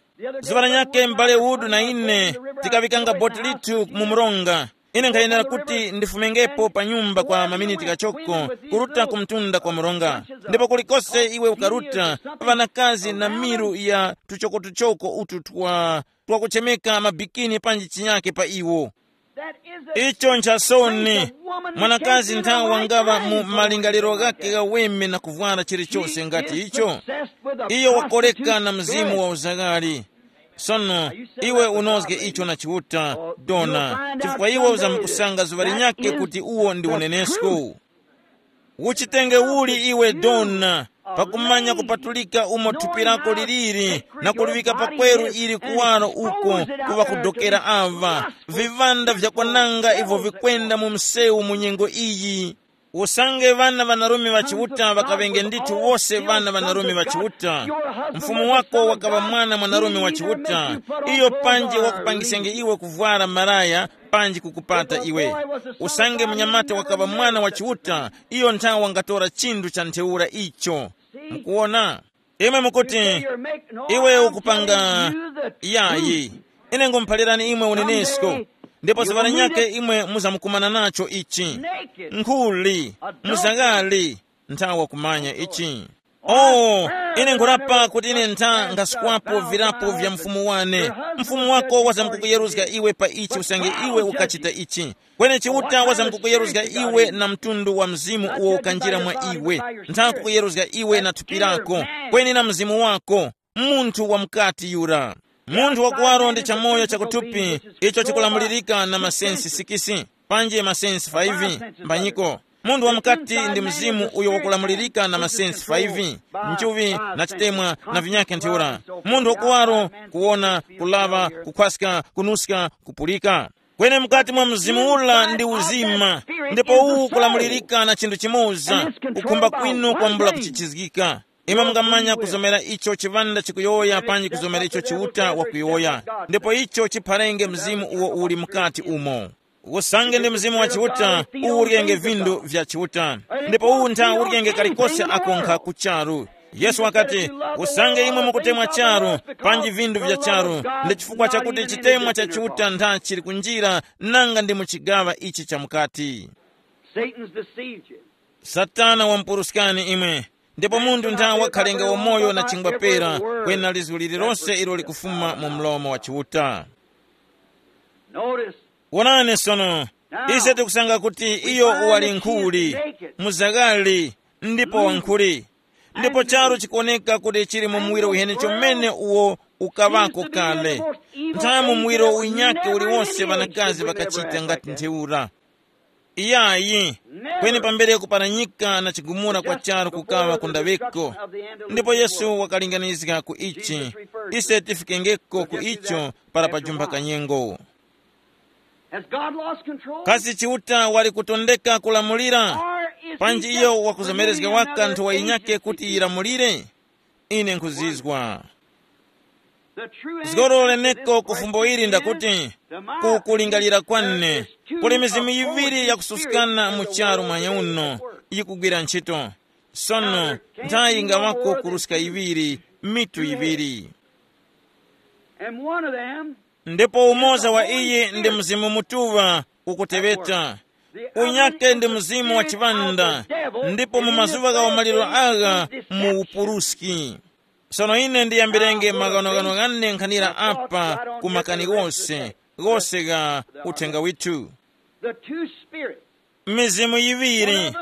Zuŵa lanyakhe m'bale Wood na ine tikaŵikanga boti lithu mu mronga. Ine nkhayenera kuti ndifumengepo pa nyumba kwa maminiti ghachoko, kuruta ku mtunda kwa mronga. Ndipo kulikose iwe ukaruta, ŵanakazi na miru ya tuchokotuchoko utu twa twakuchemeka mabikini panji chinyake pa iwo. Icho nchasoni. Mwanakazi nthawe wangaŵa mu malingaliro ghake ghaweme na kuvwara chilichose ngati icho, iyo wakoleka na mzimu wa uzaghali. Sono, iwe unozge icho na Chiuta, dona, chifukwa iwe uzamukusanga zuŵa linyakhe kuti uwo ndi unenesko. Uchitenge uli iwe dona, pakumanya kupatulika umo thupi lako liliri, na kuliŵika pakweru ili kuwaro uko kuŵa kudokera ava, viŵanda vyakwananga ivyo vikwenda mu msewu mu nyengo iyi. Usange ŵana ŵanarume ŵa Chiuta ŵakaŵenge ndithu wose ŵana ŵanarume ŵa Chiuta, mfumu wako wakaŵa mwana mwanarume wa Chiuta, iyo panji wakupangisenge iwe kuvwara malaya panji kukupata iwe. Usange munyamata wakaŵa mwana wa Chiuta, iyo nthawe wangatora chinthu cha ntheura icho. Mukuwona? Imwe mukuti, iwe ukupanga yayi. Ine ngumuphalirani imwe unenesko, ndipo ziŵa linyakhe imwe muzamukumana nacho ichi. Nkhuli, muzang'ali, nthawa kumanya ichi. Oh, ine nkhurapa kuti ine ntha nkhasukwapo virapo vya mfumu wane. Mfumu wako wazamkukuyeruzga iwe pa ichi usange iwe ukachita ichi. Kweni Chiuta wazamkukuyeruzga iwe na mtundu wa mzimu uwo ukanjira mwa iwe. Ntha kukuyeruzga iwe na thupi lako, kweni na mzimu wako, munthu wa mukati yura. Munthu wakuwaro ndi chamoyo chakuthupi, icho chikulamulirika na masensi sikisi, panji masensi faivi, mbanyiko. Munthu wa mukati ndi mzimu uyo wakulamulirika na masensi faivi, nchuvi, na chitemwa, na vinyakhe ntheura. Munthu wakuwaro, kuwona, kulaŵa, kukhwaska, kunuska, kupulika. Kweni mukati mwa mzimu ula ndi uzima, ndipo uwu ukulamulirika na chinthu chimoza, kukhumba kwinu kwambula kuchichizgika. Imwe mungamanya kuzomera icho chiŵanda chikuyowoya panji kuzomera icho Chiuta wakuyowoya, ndipo icho chipharenge mzimu uwo uli mukati umo. Usange ndi mzimu wa Chiuta, uwuryenge vindu vya Chiuta, ndipo uwu ntha uryenge kalikose akonkha ku charu. Yesu wakati, usange imwe mukutemwa charu, panji vindu vya charu, ndi chifukwa chakuti chitemwa cha Chiuta ntha chili kunjira, nanga ndi mu chigaŵa ichi cha mukati. Satan's deceived you. Satana wamupuruskani imwe, ndipo munthu ntha wakhalenge wamoyo na chingwa pera, kwena lizgu lililonse ilo likufuma mu mlomo wa Chiuta. Notice. Wonani sono, ise tikusanga kuti iyo wali nkhuli, muzagari, ndipo wankhuli. Ndipo charu chikuwoneka kuti chili mu muwiro uheni chomene uwo ukaŵako kale. Nthawe mu muwiro unyakhe uliwonse ŵanakazi ŵakachita ngati ntheura. Iyayi, kweni pambere kuparanyika na chigumula kwa charu kukaŵa ku ndaŵiko. Ndipo Yesu wakalinganizga ku ichi, ise tifikengeko ku icho para pajumba kanyengo. Has God lost control? Kasi Chiuta wali kutondeka kulamulira? Or is he panji just iyo wakuzomerezga permitting waka another nthowa yinyakhe agency kuti to yilamulire? Ine nkhuzizwa. The true answer to zgoro this leneko ku question fumbo ili is ndakuti, the ku kulingalira kwanne, there is two kuli mizimu yiŵiri yakususkana mu charu mwanya uno yikugwira ntchito. Sono nthayi ingawako kuruska yiŵiri, mitu yiŵiri. And one of them ndipo umoza wa iyi ndi Mzimu Mutuŵa ukuteŵeta. Unyake ndi mzimu wa chiŵanda, ndipo mu mazuŵa gha umaliro agha mu upuruski. Sono ine ndiyambirenge maghanoghano ghane nkhanira apa ku makani ghose, ghose gha uthenga withu. The two spirits. Mizimu yiŵiri.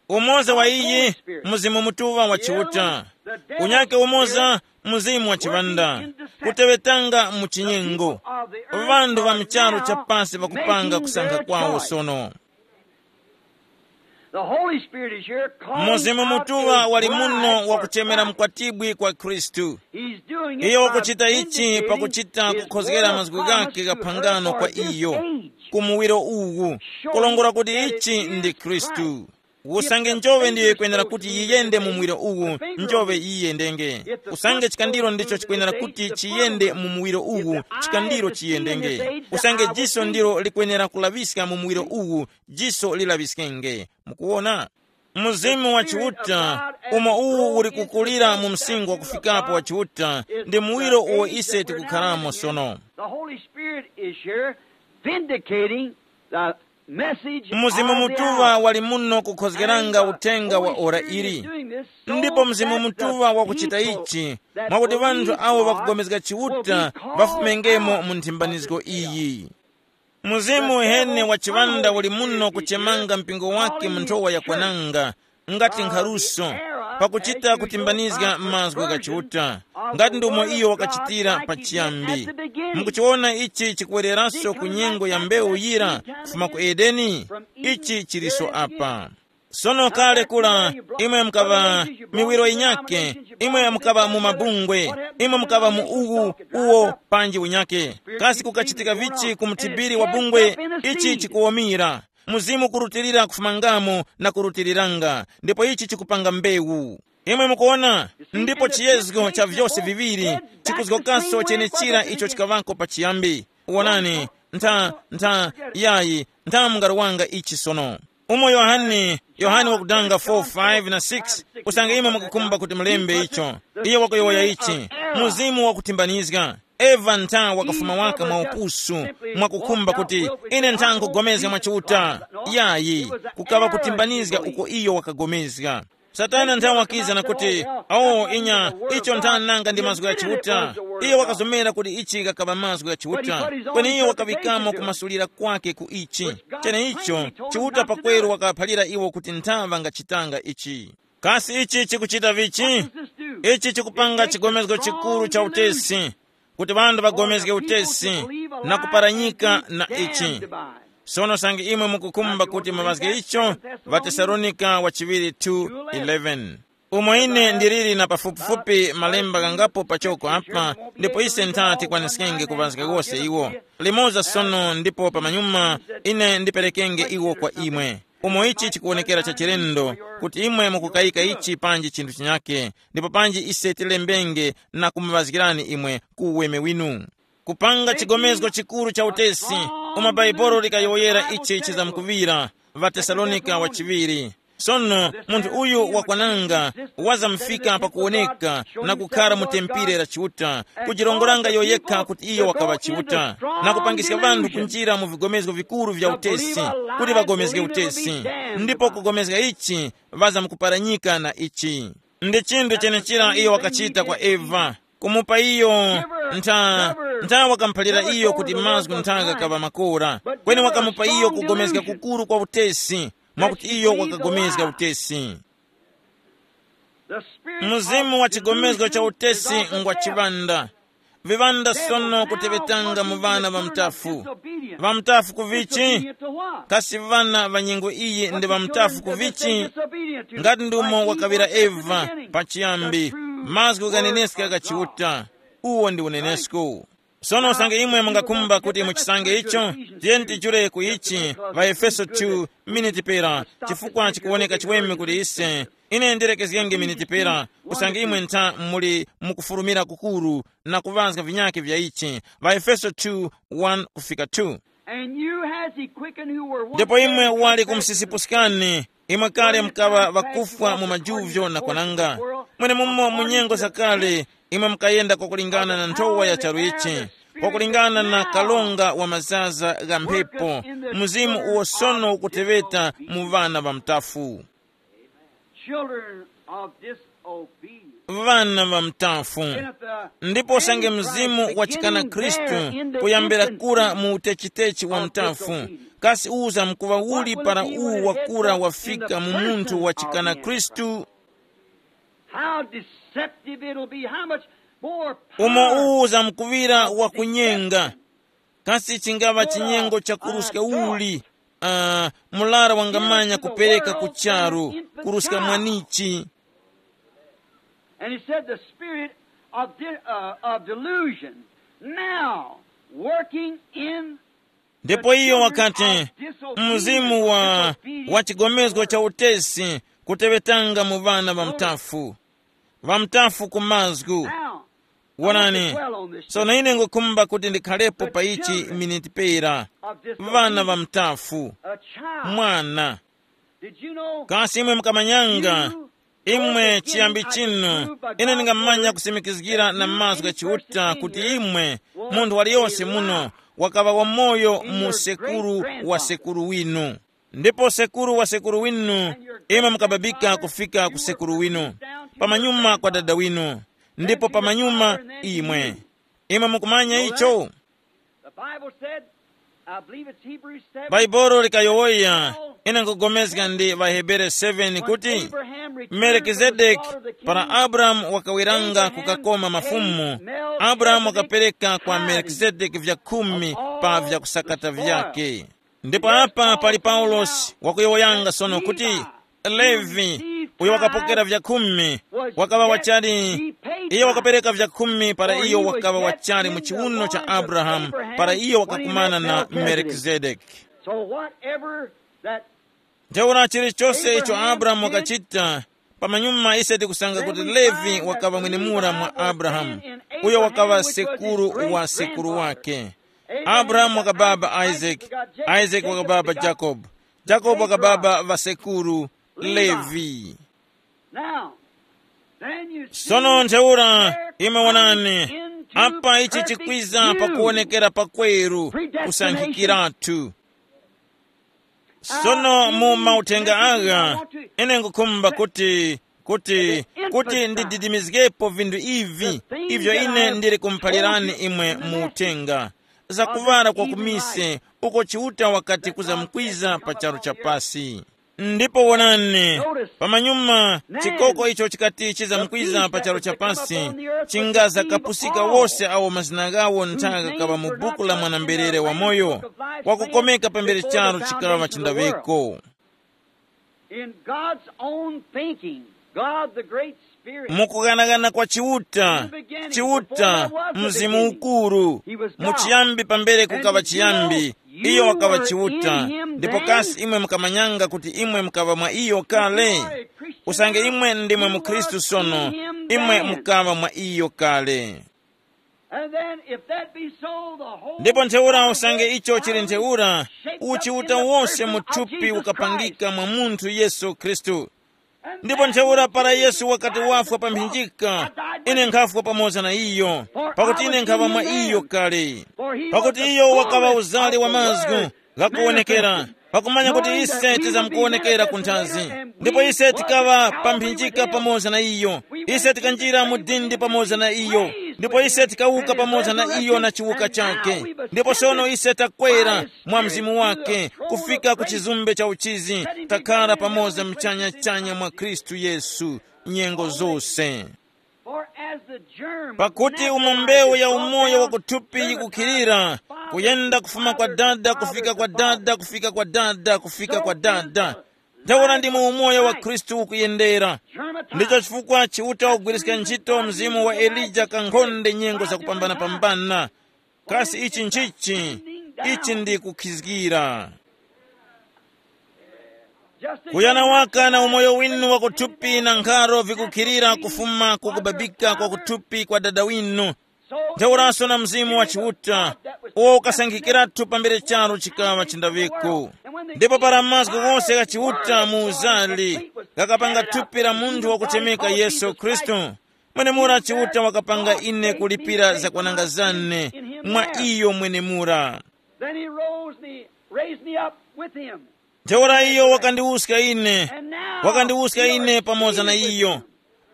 Umoza wa iyi, Mzimu Mutuŵa wa Chiuta. Unyake umoza, mzimu wa chiŵanda, kuteŵetanga mu chinyengo. Ŵanthu ŵa mu charu cha pasi ŵakupanga kusankha kwawo sono. The Holy Spirit is here calling Mzimu out Mutuŵa the wali muno bride wakuchemera for Christ. Mkwatibwi kwa Khristu. He's doing it iyo by wakuchita ichi vindicating pakuchita his kukhozgera word of mazgu promise ghake to the gha phangano kwa earth, this iyo age. Ku muwiro uwu, kulongola kuti ichi ndi Khristu. Usange njove ndiyo yikwenera kuti yiyende mu muwiro uwu, njove yiyendenge. Usange chikandiro ndicho chikwenera kuti chiyende mu muwiro uwu, chikandiro chiyendenge. Usange jiso ndilo likwenera kulaŵiska mu muwiro uwu, jiso lilaŵiskenge. Mukuwona? Mzimu wa Chiuta, umo uwu uli kukulira mu msingo wa kufikapo wa Chiuta, ndi muwiro uwo ise tikukharamo sono. The Holy Spirit is here vindicating the mzimu mutuŵa wali muno kukhozgeranga uthenga wa ora ili. Ndipo mzimu mutuŵa wakuchita ichi, mwakuti ŵanthu awo ŵakugomezga Chiuta ŵafumengemo mu nthimbanizgo iyi. Mzimu uheni wa chiŵanda uli muno kuchemanga mpingo wake mu nthowa yakwananga, ngati nkharuso, pakuchita kutimbanizga mazgu gha Chiuta, ngati ndomwe iyo wakachitira pachiyambi. Mukuchiwona ichi chikuwereranso ku nyengo ya mbewu yira kufuma ku Edeni? Ichi chiliso apa. Sono kale kula, imwe mukaŵa miwiro yinyake, imwe mukaŵa mu mabungwe, imwe mukaŵa mu uwu, uwo, panji unyake. Kasi kukachitika vichi ku muthibiri wa bungwe? Ichi chikuwomira. Mzimu kurutilira kufumangamo na kurutiriranga, ndipo ichi chikupanga mbewu. Imwe mukuona, ndipo chiyezgo cha vyose viŵiri chikuzgokanso chenechira icho chikaŵako pachiyambi. Wonani, ntha, ntha, yayi, ntha mungarowanga ichi sono. Umo Yohane, Yohane wakudanga four, five na six, usange imwe mukukhumba kuti mulembe icho. Iyo wakuyowoya ichi, mzimu wakutimbanizga. Eva ntha wakafuma waka mwa upusu, mwakukhumba kuti, ine ntha nkugomezga mwa Chiuta. Yayi, kukaŵa kutimbanizga uko iyo wakagomezga. Satana ntha wakiza na kuti, awo inya, icho ntha nanga ndi mazgu gha Chiuta. Iyo wakazomera kuti ichi gakaŵa mazgu gha Chiuta, kweni iyo wakaŵikamo kumasulira kwake ku ichi. Cheneicho, Chiuta pakweru wakaphalira iwo kuti ntha ŵangachitanga ichi. Kasi ichi chikuchita vichi? Ichi chikupanga chigomezgo chikuru cha utesi, kuti ŵanthu ŵagomezge utesi na kuparanyika na ichi. Sono sange imwe mukukhumba kuti muŵazge icho, ŵaTesalonika wa chiŵiri two eleven. Umo ine ndiliri na pafupifupi malemba ghangapo pachoko apa, ndipo ise ntha tikwaniskenge kuŵazga wose iwo. Limoza sono ndipo pamanyuma ine ndiperekenge iwo kwa imwe. Umo ichi chikuwonekera cha chilendo, kuti imwe mukukayika ichi panji chinthu chinyake, ndipo panji ise tilembenge na kumuŵazgirani imwe ku uweme winu. Kupanga chigomezgo chikuru cha utesi, umo Bhaibuli likayowoyera ichi chizamkuŵira, ŵaTesalonika wa chiŵiri. Sono munthu uyu wakwananga wazamufika pakuwoneka na kukhara mu tempile la Chiuta, kujirongoranga iyo yekha kuti iyo wakaŵa Chiuta, na kupangiska ŵanthu kunjira mu vigomezgo vikuru vya utesi, kuti ŵagomezge utesi, ndipo kugomezga ichi ŵazamkuparanyika na ichi. Ndi chinthu chenechira iyo wakachita kwa Eva, kumupa iyo ntha, ntha wakamuphalira iyo kuti mazgu ntha ghakaŵa makora, kweni wakamupa iyo kugomezga kukuru kwa utesi, mwakuti iyo wakagomezga utesi. Mzimu wa chigomezgo cha utesi ngwa chiŵanda. Viŵanda sono kuteŵetanga mu ŵana ŵa mtafu. Ŵa mtafu ku vichi? Kasi ŵana ŵa nyengo iyi ndi ŵa mtafu ku vichi? Ngati ndi umo wakaŵira Eva pachiyambi, mazgu ghaneneska gha Chiuta. Uwo ndi unenesko. Sono usange imwe mungakhumba kuti muchisange icho, tiyeni tijule ku ichi, ŵaEfeso two, miniti pera, chifukwa chikuwoneka chiweme kuti ise, ine ndilekezgenge miniti pera, usange imwe ntha muli mukufulumira kukuru na kuŵazga vinyakhe vya ichi, ŵaEfeso two, one kufika two. And you has he quickened who were once Ndipo imwe dead in wali trespasses. Kumsisipuskani, imwe kale mukaŵa ŵakufwa mu majuvyo na kwananga. Mwenemumo mu nyengo zakale, imwe mukayenda kwakulingana na nthowa ya charu ichi, kwakulingana na kalonga wa mazaza gha mphepo, mzimu uwo sono ukuteŵeta mu ŵana ŵa mtafu. Children of disobedience. Ŵana ŵa mtafu. Ndipo sange mzimu wachikana Khristu kuyambira kura mu utechitechi wa mtafu, kasi uza mkuŵa uli para uwu wakura wafika mu munthu wachikana Khristu? How deceptive it'll be, how much more Umo power uwu uzamkuŵira wakunyenga. Kasi chingaŵa chinyengo cha kuruska uli, uh, mulara wangamanya kupereka ku charu, kuruska mwanichi. And he said the spirit of, de- uh, of delusion now working in Ndipo iyo wakati, mzimu wa, wa chigomezgo cha utesi kuteŵetanga mu ŵana ŵa mtafu, ŵa mtafu ku mazgu. Now, Wonani, sono ine ngukhumba kuti ndikhalepo pa ichi miniti pera. Ŵana ŵa mtafu, a child. Mwana. Did you know? Kasi imwe mukamanyanga? Imwe chiyambi chinu, ine ndingamanya kusimikizgira na mazgu gha Chiuta kuti imwe, munthu waliyonse muno, wakaŵa wamoyo mu sekuru wa sekuru winu. Ndipo sekuru wa sekuru winu, imwe mukababika kufika ku sekuru winu. Pamanyuma kwa dada winu. Ndipo pamanyuma imwe. Imwe mukumanya icho? The Bible said, I believe it's Hebrews seven. Bhaibuli likayowoya, ine nkugomezga ndi ŵaHebere seven kuti, Melkizedeki, para Abrahamu wakawiranga kukakoma mafumu, Abrahamu wakapereka kwa Melkizedeki vya khumi pa vyakusakata vyake. Ndipo apa pali Paulosi wakuyowoyanga sono kuti, Levi, uyo wakapokera vya khumi, wakaŵa wachali, iyo wakapereka vya khumi para iyo wakaŵa wachali mu chiwuno cha Abrahamu, para iyo wakakumana na Melkizedeki. So whatever Ntheura chilichose icho Abrahamu wakachita, pamanyuma ise tikusanga kuti Levi wakaŵa mwenemura mwa Abrahamu, uyo wakaŵa sekuru wa sekuru wake. Abrahamu wakababa Isaac, Isaac wakababa Jacob, Jacob wakababa ŵasekuru Levi. Now, then you see, sono ntheura, imwe wonani, apa ichi chikwiza pakuwonekera pakweru, kusankhikiratu. Sono mu mauthenga agha, ine ngukhumba kuti kuti kuti ndididimizgepo vinthu ivi, ivyo ine ndili kumuphalirani imwe mu uthenga, zakuŵala kwa kumise, uko Chiuta wakati kuzamkwiza pa charu cha pasi. Ndipo wonani, pamanyuma, chikoko icho chikati chizamkwiza pa charu cha pasi, chingazakapusika wose awo mazina ghawo nthaka kaŵa mu buku la mwana-mberere wamoyo, wakukomeka pambere charu chikaŵa chindaŵeko. In God's own thinking, God the great Spirit, mukughanagana kwa Chiuta, Chiuta, Mzimu Ukuru, muchiyambi pambere kukaŵa chiyambi, iyo wakaŵa Chiuta. Ndipo kasi imwe mukamanyanga kuti imwe mukaŵa mwa iyo kale? Usange imwe ndimwe mukhristu sono, imwe mukaŵa mwa iyo kale. And then, if that be so, the whole ndipo ntheura, usange icho chili ntheura, uchiuta wose mu thupi ukapangika mwa munthu Yesu Khristu. Ndipo ntheura, para Yesu wakati wafwa pa mphinjika, ine nkhafwa pamoza na iyo, pakuti ine nkhaŵa mwa iyo kale. Pakuti iyo wakaŵa uzali wa mazgu ghakuwonekera, pakumanya kuti ise tizamkuwonekera ku nthazi. Ndipo ise tikaŵa pa mphinjika pamoza na iyo, ise tikanjira mu dindi pamoza na iyo, ndipo ise tikawuka pamoza na iyo na chiwuka chake. Ndipo sono ise takwera mwa mzimu wake kufika ku chizumbe cha uchizi, takhala pamoza mchanya-chanya mwa Khristu Yesu nyengo zose. For as the germ pakuti umo mbewu ya umoyo wa kuthupi yikukhilira, kuyenda kufuma kwa dada kufika kwa dada kufika kwa dada kufika kwa dada, ntheura ndimo umoyo wa Khristu ukuyendera. Ndicho chifukwa Chiuta wagwiriska ntchito mzimu wa Elija kankhonde nyengo zakupambana-pambana. Kasi ichi nchichi? Ichi ndi kukhizgira. Kuyana waka na umoyo winu wakuthupi na nkharo vikukhirira kufuma ku kubabika kwa kuthupi kwa dada winu, ntheuranso na Mzimu wa Chiuta, uwo ukasankhikiratu pambere charu chikaŵa chindawiko. Ndipo para mazgu ghose gha Chiuta mu uzali ghakapanga thupi la munthu wakuchemeka Yesu Khristu, mwenemura Chiuta wakapanga ine kulipira zakwananga zane mwa iyo mwenemura. Then he rose me, raised me up with him. Ntheura iyo wakandiwuska ine, wakandiwuska ine pamoza na iyo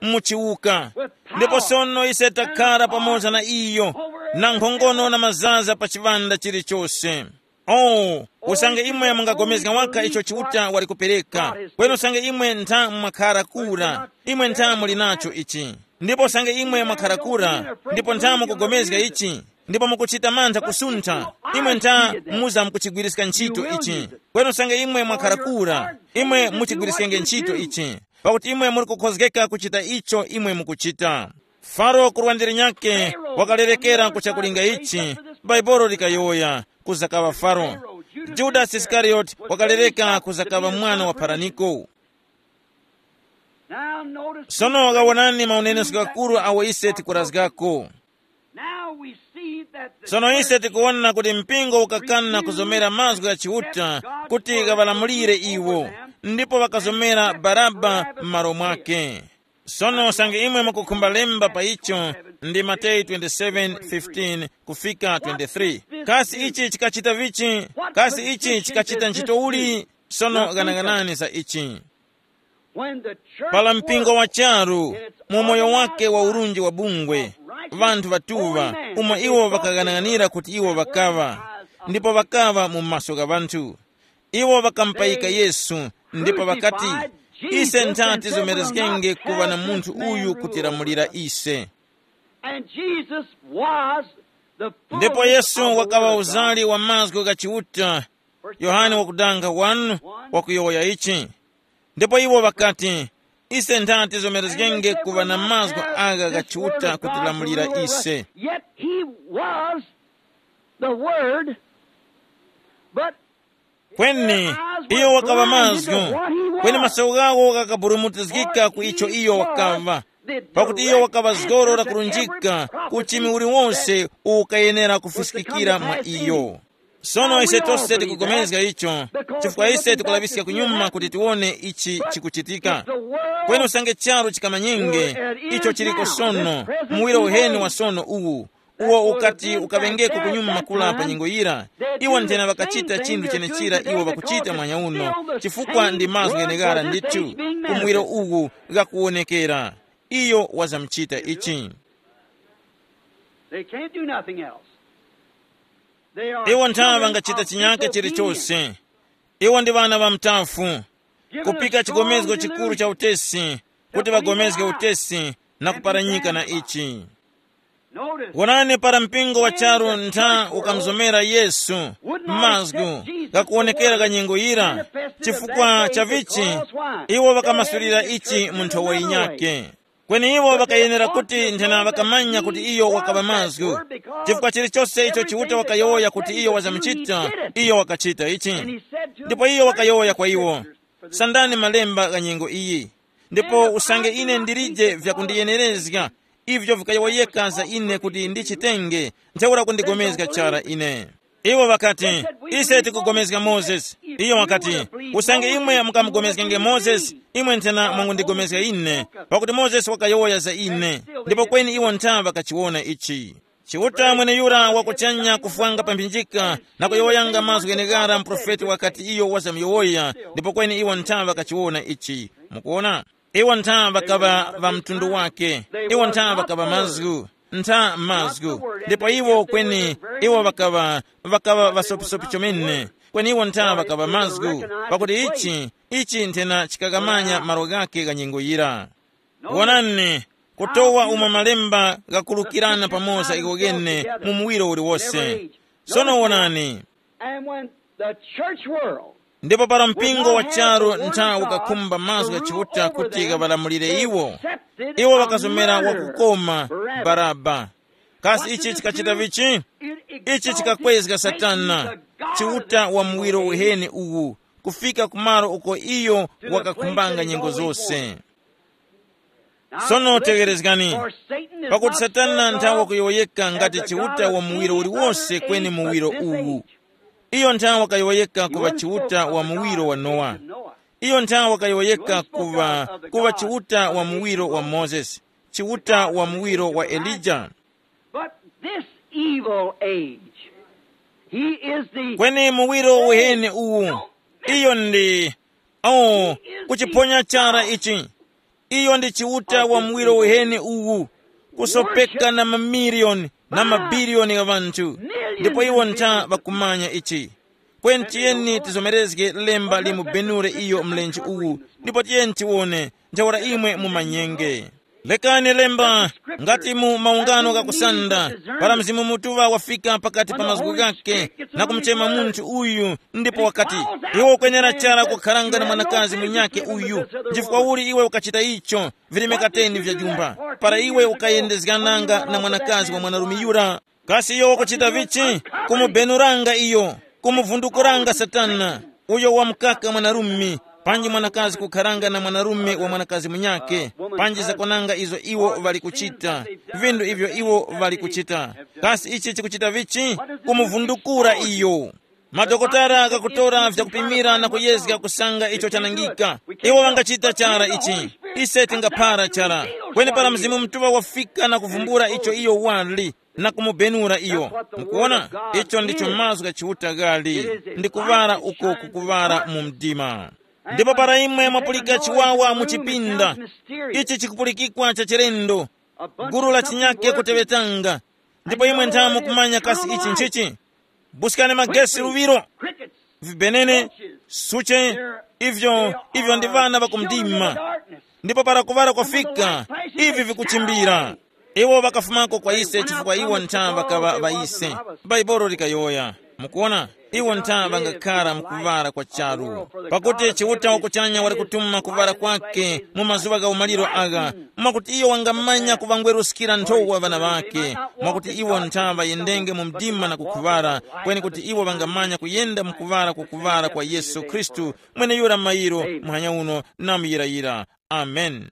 muchiwuka. Ndipo sono ise takhala pamoza na iyo na nkhongono na mazaza pa chiŵanda chilichose. Oh, usange imwe mungapulikana waka icho Chiuta wali kupereka, kweni usange imwe ntha mwakhara kura, imwe ntha muli nacho ichi. Ndipo usange imwe mwakhara kura, ndipo ntha mukupulikana ichi, ndipo mukuchita mantha kusuntha, imwe ntha muza mukuchigwiriska ntchito ichi. Kweni usange imwe mwakhara kura, imwe muchigwiriskenge ntchito ichi, pakuti imwe muli kukhozgeka kuchita icho imwe mukuchita. Faro kurwandere nyakhe wakalerekera kuchakulinga ichi, Baibolo likayowoya, kuzakaŵa Faro. Judasi Isikariyoti wakalereka kuzakaŵa mwana wa Paraniko. Now notice sono wakawonani maunenesko ghakuru awo ise tikurazgako. Now we see that the sono ise tikuwona kuti mpingo ukakana kuzomera mazgu gha Chiuta kuti ghaŵalamulire iwo, ndipo ŵakazomera Baraba m'malo mwake. Sono usange imwe mukukhumba lemba pa icho, ndi Mateyu twenty-seven fifteen kufika twenty-three. Kasi ichi chikachita vichi? Kasi ichi chikachita ntchito uli? Sono ghanaghanani za ichi. When the church pala mpingo wa charu, mu moyo wake wa urunji wa bungwe, vanthu vatuŵa, umo iwo ŵakaghanaghanira kuti iwo ŵakaŵa, ndipo ŵakaŵa mu maso gha vanthu. Iwo ŵakampayika Yesu, ndipo ŵakati, ise ntha tizomerezgenge kuŵa na munthu uyu kutilamulira ise. And Jesus was the ndipo fullness yesu of the wakaŵa word of God. Uzali wa mazgu gha Chiuta. Yohane wakudanga wanu wakuyowoya ichi. Ndipo iwo ŵakati, ise ntha tizomerezgenge kuŵa na mazgu agha gha Chiuta kutilamulira ise. Yet he was the word, but Kweni iyo wakaŵa mazgu, kweni maso ghawo ghakaburumutizgika ku icho iyo wakaŵa, pakuti iyo wakaŵa zgoro lakurunjika ku uchimi uliwonse uwo ukayenera kufiskikira mwa iyo. Sono ise tose tikugomezga icho, chifukwa ise tikulaŵiska kunyuma kuti tiwone ichi chikuchitika. Kweni usange charu chikamanyenge icho chiliko sono, muwiro uheni wa sono uwu, uwo ukati ukaŵengeko kunyuma kula pa nyengo yira, iwo nthena ŵakachita chinthu chenechira iwo ŵakuchita mwanya uno, chifukwa ndi mazgu gheneghara ndithu, ku muwiro uwu ghakuwonekera. Iyo wazamuchita ichi. They can't do nothing else. They are iwo nthawe children vangachita of chinyake disobedience. Chilichonse. Iwo ndi ŵana ŵa mtafu, kupika chigomezgo chikuru cha utesi, kuti ŵagomezge utesi na kuparanyika na ichi. Wonani, para mpingo wa charu ntha ukamuzomera Yesu, mazgu ghakuwonekera gha nyengo yira, chifukwa cha vichi, iwo ŵakamasulira ichi mu nthowa yinyakhe. Kweni iwo ŵakayenera kuti nthena ŵakamanya kuti iyo wakaŵa mazgu, chifukwa chilichose icho Chiuta wakayowoya kuti iyo wazamuchita, iyo wakachita ichi. Ndipo iyo wakayowoya kwa iwo, sandani malemba gha nyengo iyi. Ndipo usange ine ndilije vyakundiyenerezga, ivyo vikayowoyeka za ine kuti ndichitenge, ntheura kundigomezga chara ine. Iwo ŵakati, ise tikugomezga Mozesi. Iyo wakati, usange imwe mukamugomezgenge Mozesi, imwe nthena mwangundigomezga ine, pakuti Mozesi wakayowoya za ine. Ndipo kweni iwo ntha ŵakachiwona ichi. Chiuta mweneyura wakuchanya kufwanga pa mphinjika na kuyowoyanga mazgu gheneghara mprofeti wakati iyo wazamuyowoya, ndipo kweni iwo ntha ŵakachiwona ichi. Mukuona? Iwo ntha ŵakaŵa ŵa mtundu wake. Iwo ntha ŵakaŵa mazgu, ntha mazgu. Ndipo iwo kweni, iwo ŵakaŵa, ŵakaŵa ŵasopisopi chomene. Kweni iwo ntha ŵakaŵa mazgu, pakuti ichi, ichi nthena chikakamanya malo ghake gha nyengo yira. Wonani, kutowa umo malemba ghakulukirana pamoza iwo ghene mu muwiro uliwose. Sono wonani. And when the church world ndipo para mpingo wa charu ntha ukakhumba mazgu gha Chiuta kuti ghaŵalamulire iwo, iwo ŵakazomera wakukoma Baraba. Kasi ichi chikachita vichi? Ichi chikakwezga Satana, Chiuta wa muwiro uheni uwu, kufika kumalo uko iyo wakakhumbanga nyengo zose. Sono tegherezgani, pakuti Satana nthawe kuyowoyeka ngati Chiuta wa muwiro uliwose kweni muwiro uwu. Iyo nthawe wakayowoyeka kuŵa Chiuta wa muwiro wa Nowa. Iyo nthawe wakayowoyeka kuŵa, kuŵa Chiuta wa muwiro wa Mozesi, Chiuta wa muwiro wa Elija. But this evil age, he is the kweni muwiro uheni uwu, iyo ndi, oh, kuchiphonya chara ichi. Iyo ndi Chiuta wa muwiro uheni uwu, kusopeka na mamiliyoni na mabiliyoni gha ŵanthu. Ndipo iwo ntha ŵakumanya ichi. Kweni tiyeni tizomerezge lemba limubenure iyo mlenje uwu, ndipo tiyeni tiwone ntheura imwe mumanyenge. Lekani lemba, ngati mu maungano ghakusanda, para Mzimu Mutuŵa wafika pakati pa mazgu ghake na kumuchema munthu uyu, ndipo wakati, iwe ukwenera chara kukharanga na mwanakazi munyakhe uyu. Nchifukwa uli iwe ukachita icho? Virimika teni vya jumba, para iwe ukayendezgananga na mwanakazi wa mwanarume yura. Kasi iyo wakuchita vichi? Kumubenuranga iyo, kumuvundukuranga Satana, uyo wamukaka mwanarume, panji mwanakazi kukharanga na mwanarume wa mwanakazi munyakhe, panji zakwananga izo iwo ŵali kuchita, vindu ivyo iwo ŵali kuchita. Kasi ichi chikuchita vichi? Kumuvundukura iyo. Madokotala ghakutora vyakupimira na kuyezga kusanga icho chanangika. Iwo ŵangachita chara ichi. Ise tingaphara chara. Kweni para Mzimu Mutuŵa wafika na kuvumbula icho iyo wali, na kumubenura iyo. Mukuona? Icho ndicho mazgu gha Chiuta ghali, ndi kuŵala uko kukuŵala mu mdima. Ndipo para imwe mwapulika chiwawa mu chipinda, ichi chikupulikikwa cha chilendo, gulu la chinyake kuteŵetanga, ndipo imwe nthamu kumanya kasi ichi nchichi? Buskani magesi luŵiro, vibenene, suche, ivyo, ivyo ndi ŵana ŵakumdima. Ndipo para kuŵala kwafika, ivi vikuchimbira. Iwo ŵakafumako kwa ise chifukwa iwo ntha ŵakaŵa ŵa ise. Bhaibuli likayowoya, Mukuona, iwo ntha ŵangakhara mu kuŵala kwa charu, pakuti Chiuta wakuchanya wali kutuma kuŵala kwake mu mazuŵa gha umaliro agha, mwakuti iyo wangamanya kuŵangweruskira nthowa ŵana ŵake, mwakuti iwo ntha ŵayendenge mu mdima na kukhuŵala, kweni kuti iwo ŵangamanya kuyenda mu kuŵala kwa kuŵala kwa Yesu Khristu, mweneyura mairo, muhanya uno na muyirayira. Amen.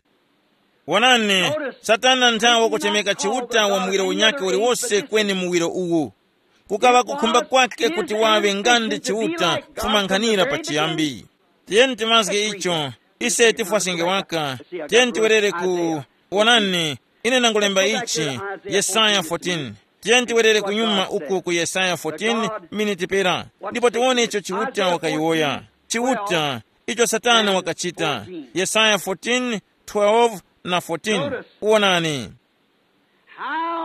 Wonani, Satana nthawe kuchemeka Chiuta wa muwiro unyakhe uliwose kweni muwiro uwu. Kukaŵa kukhumba kwake kuti waŵe nga ndi Chiuta kufumankhanira pachiyambi. Tiyeni timazge icho, ise tifwasinge waka. Tiyeni tiwerere ku, wonani, ine nangulemba ichi, Yesaya fourteen. Tiyeni tiwerere kunyuma uku ku Yesaya fourteen miniti pera, ndipo tiwone icho Chiuta wakayowoya. Chiuta, icho Satana wakachita. Yesaya fourteen, twelve na fourteen. Wonani.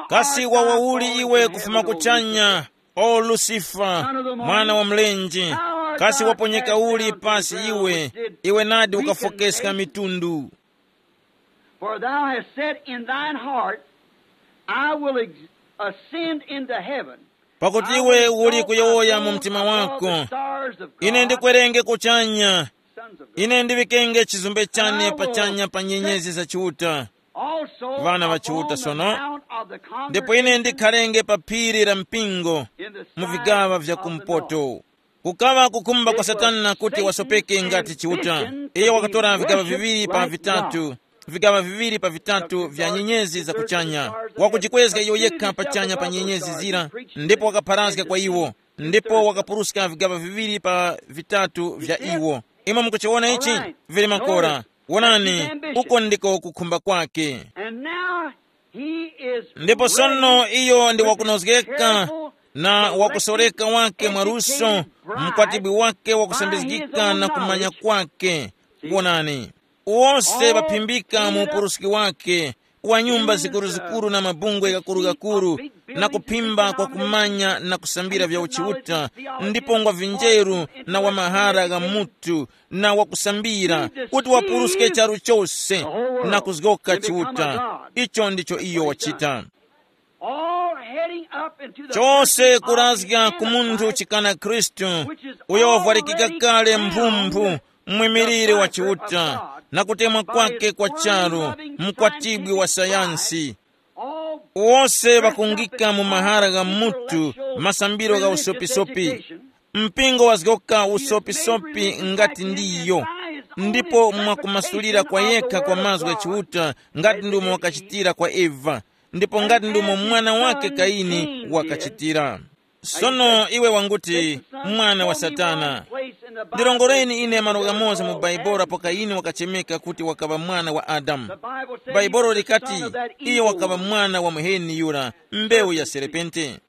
Kasi wawauli iwe kufuma kuchanya, o Lusifa, mwana wa mlenje? Kasi waponyeka uli pasi iwe, iwe nadi ukafokeska mitundu? For thou hast said in thine heart, I will ex- ascend into heaven. Pakuti iwe uli kuyowoya mu mtima wako, ine ndikwerenge kuchanya, ine ndiŵikenge chizumbe chane pachanya pa nyenyezi za Chiuta. Vana va Chiuta sono, ndipo ine ndikharenge pa phiri la mpingo, mu vigaŵa vya kumpoto. Kukaŵa kukhumba kwa Satana kuti wasopeke ngati Chiuta. Iye wakatora vigaŵa viŵiri pa vitatu, vigaŵa viŵiri pa vitatu vya nyenyezi za kuchanya, wakujikwezga iyo yekha pachanya pa nyenyezi zira, ndipo wakapharazga kwa iwo, ndipo wakapuruska vigaŵa viŵiri pa vitatu vya iwo. Imwe mukuchiwona ichi? Vili makora. Wonani, uko ndiko kukhumba kwake. And now he is ndipo sono iyo ndi wakunozgeka na wakusoreka wake mwaluso, mkwatibwi wake wakusambizgika na kumanya kwake. Wonani, wose ŵaphimbika mu upuruski wake, wa nyumba zikuruzikuru na mabungwe ghakurugakuru, na kuphimba kwa kumanya na kusambira vya uchiuta, ndipo ngwa vinjeru na wa mahara gha mutu, na wakusambira, kuti wapuruske charu chose na kuzgoka Chiuta. Icho ndicho iyo wachita. All heading up into the chose person of kurazga the ku munthu Antichrist, chikana Khristu, which is uyo wavwarikika already kale crowned mphumbu, mwimiriri wa the Chiuta, God, na kutemwa by kwake his kwa charu, world-loving mkwatibwi wa scientific sayansi. Pride. All wose vakungika mu mahara gha mutu, masambiro gha usopisopi, mpingo wazgoka usopisopi ngati ndiyo, ndipo mwakumasulira kwa yekha kwa mazgu gha Chiuta, ngati ndumo wakachitira kwa Eva, ndipo ngati ndumo mwana wake Kaini wakachitira. Sono iwe wanguti, mwana wa Satana. Ndirongoreni ine malo ghamoza mu Baibolo apo Kaini wakachemeka kuti wakaŵa mwana wa Adamu. Baibolo likati, iye wakaŵa mwana wa muheni yura, mbewu ya serepente.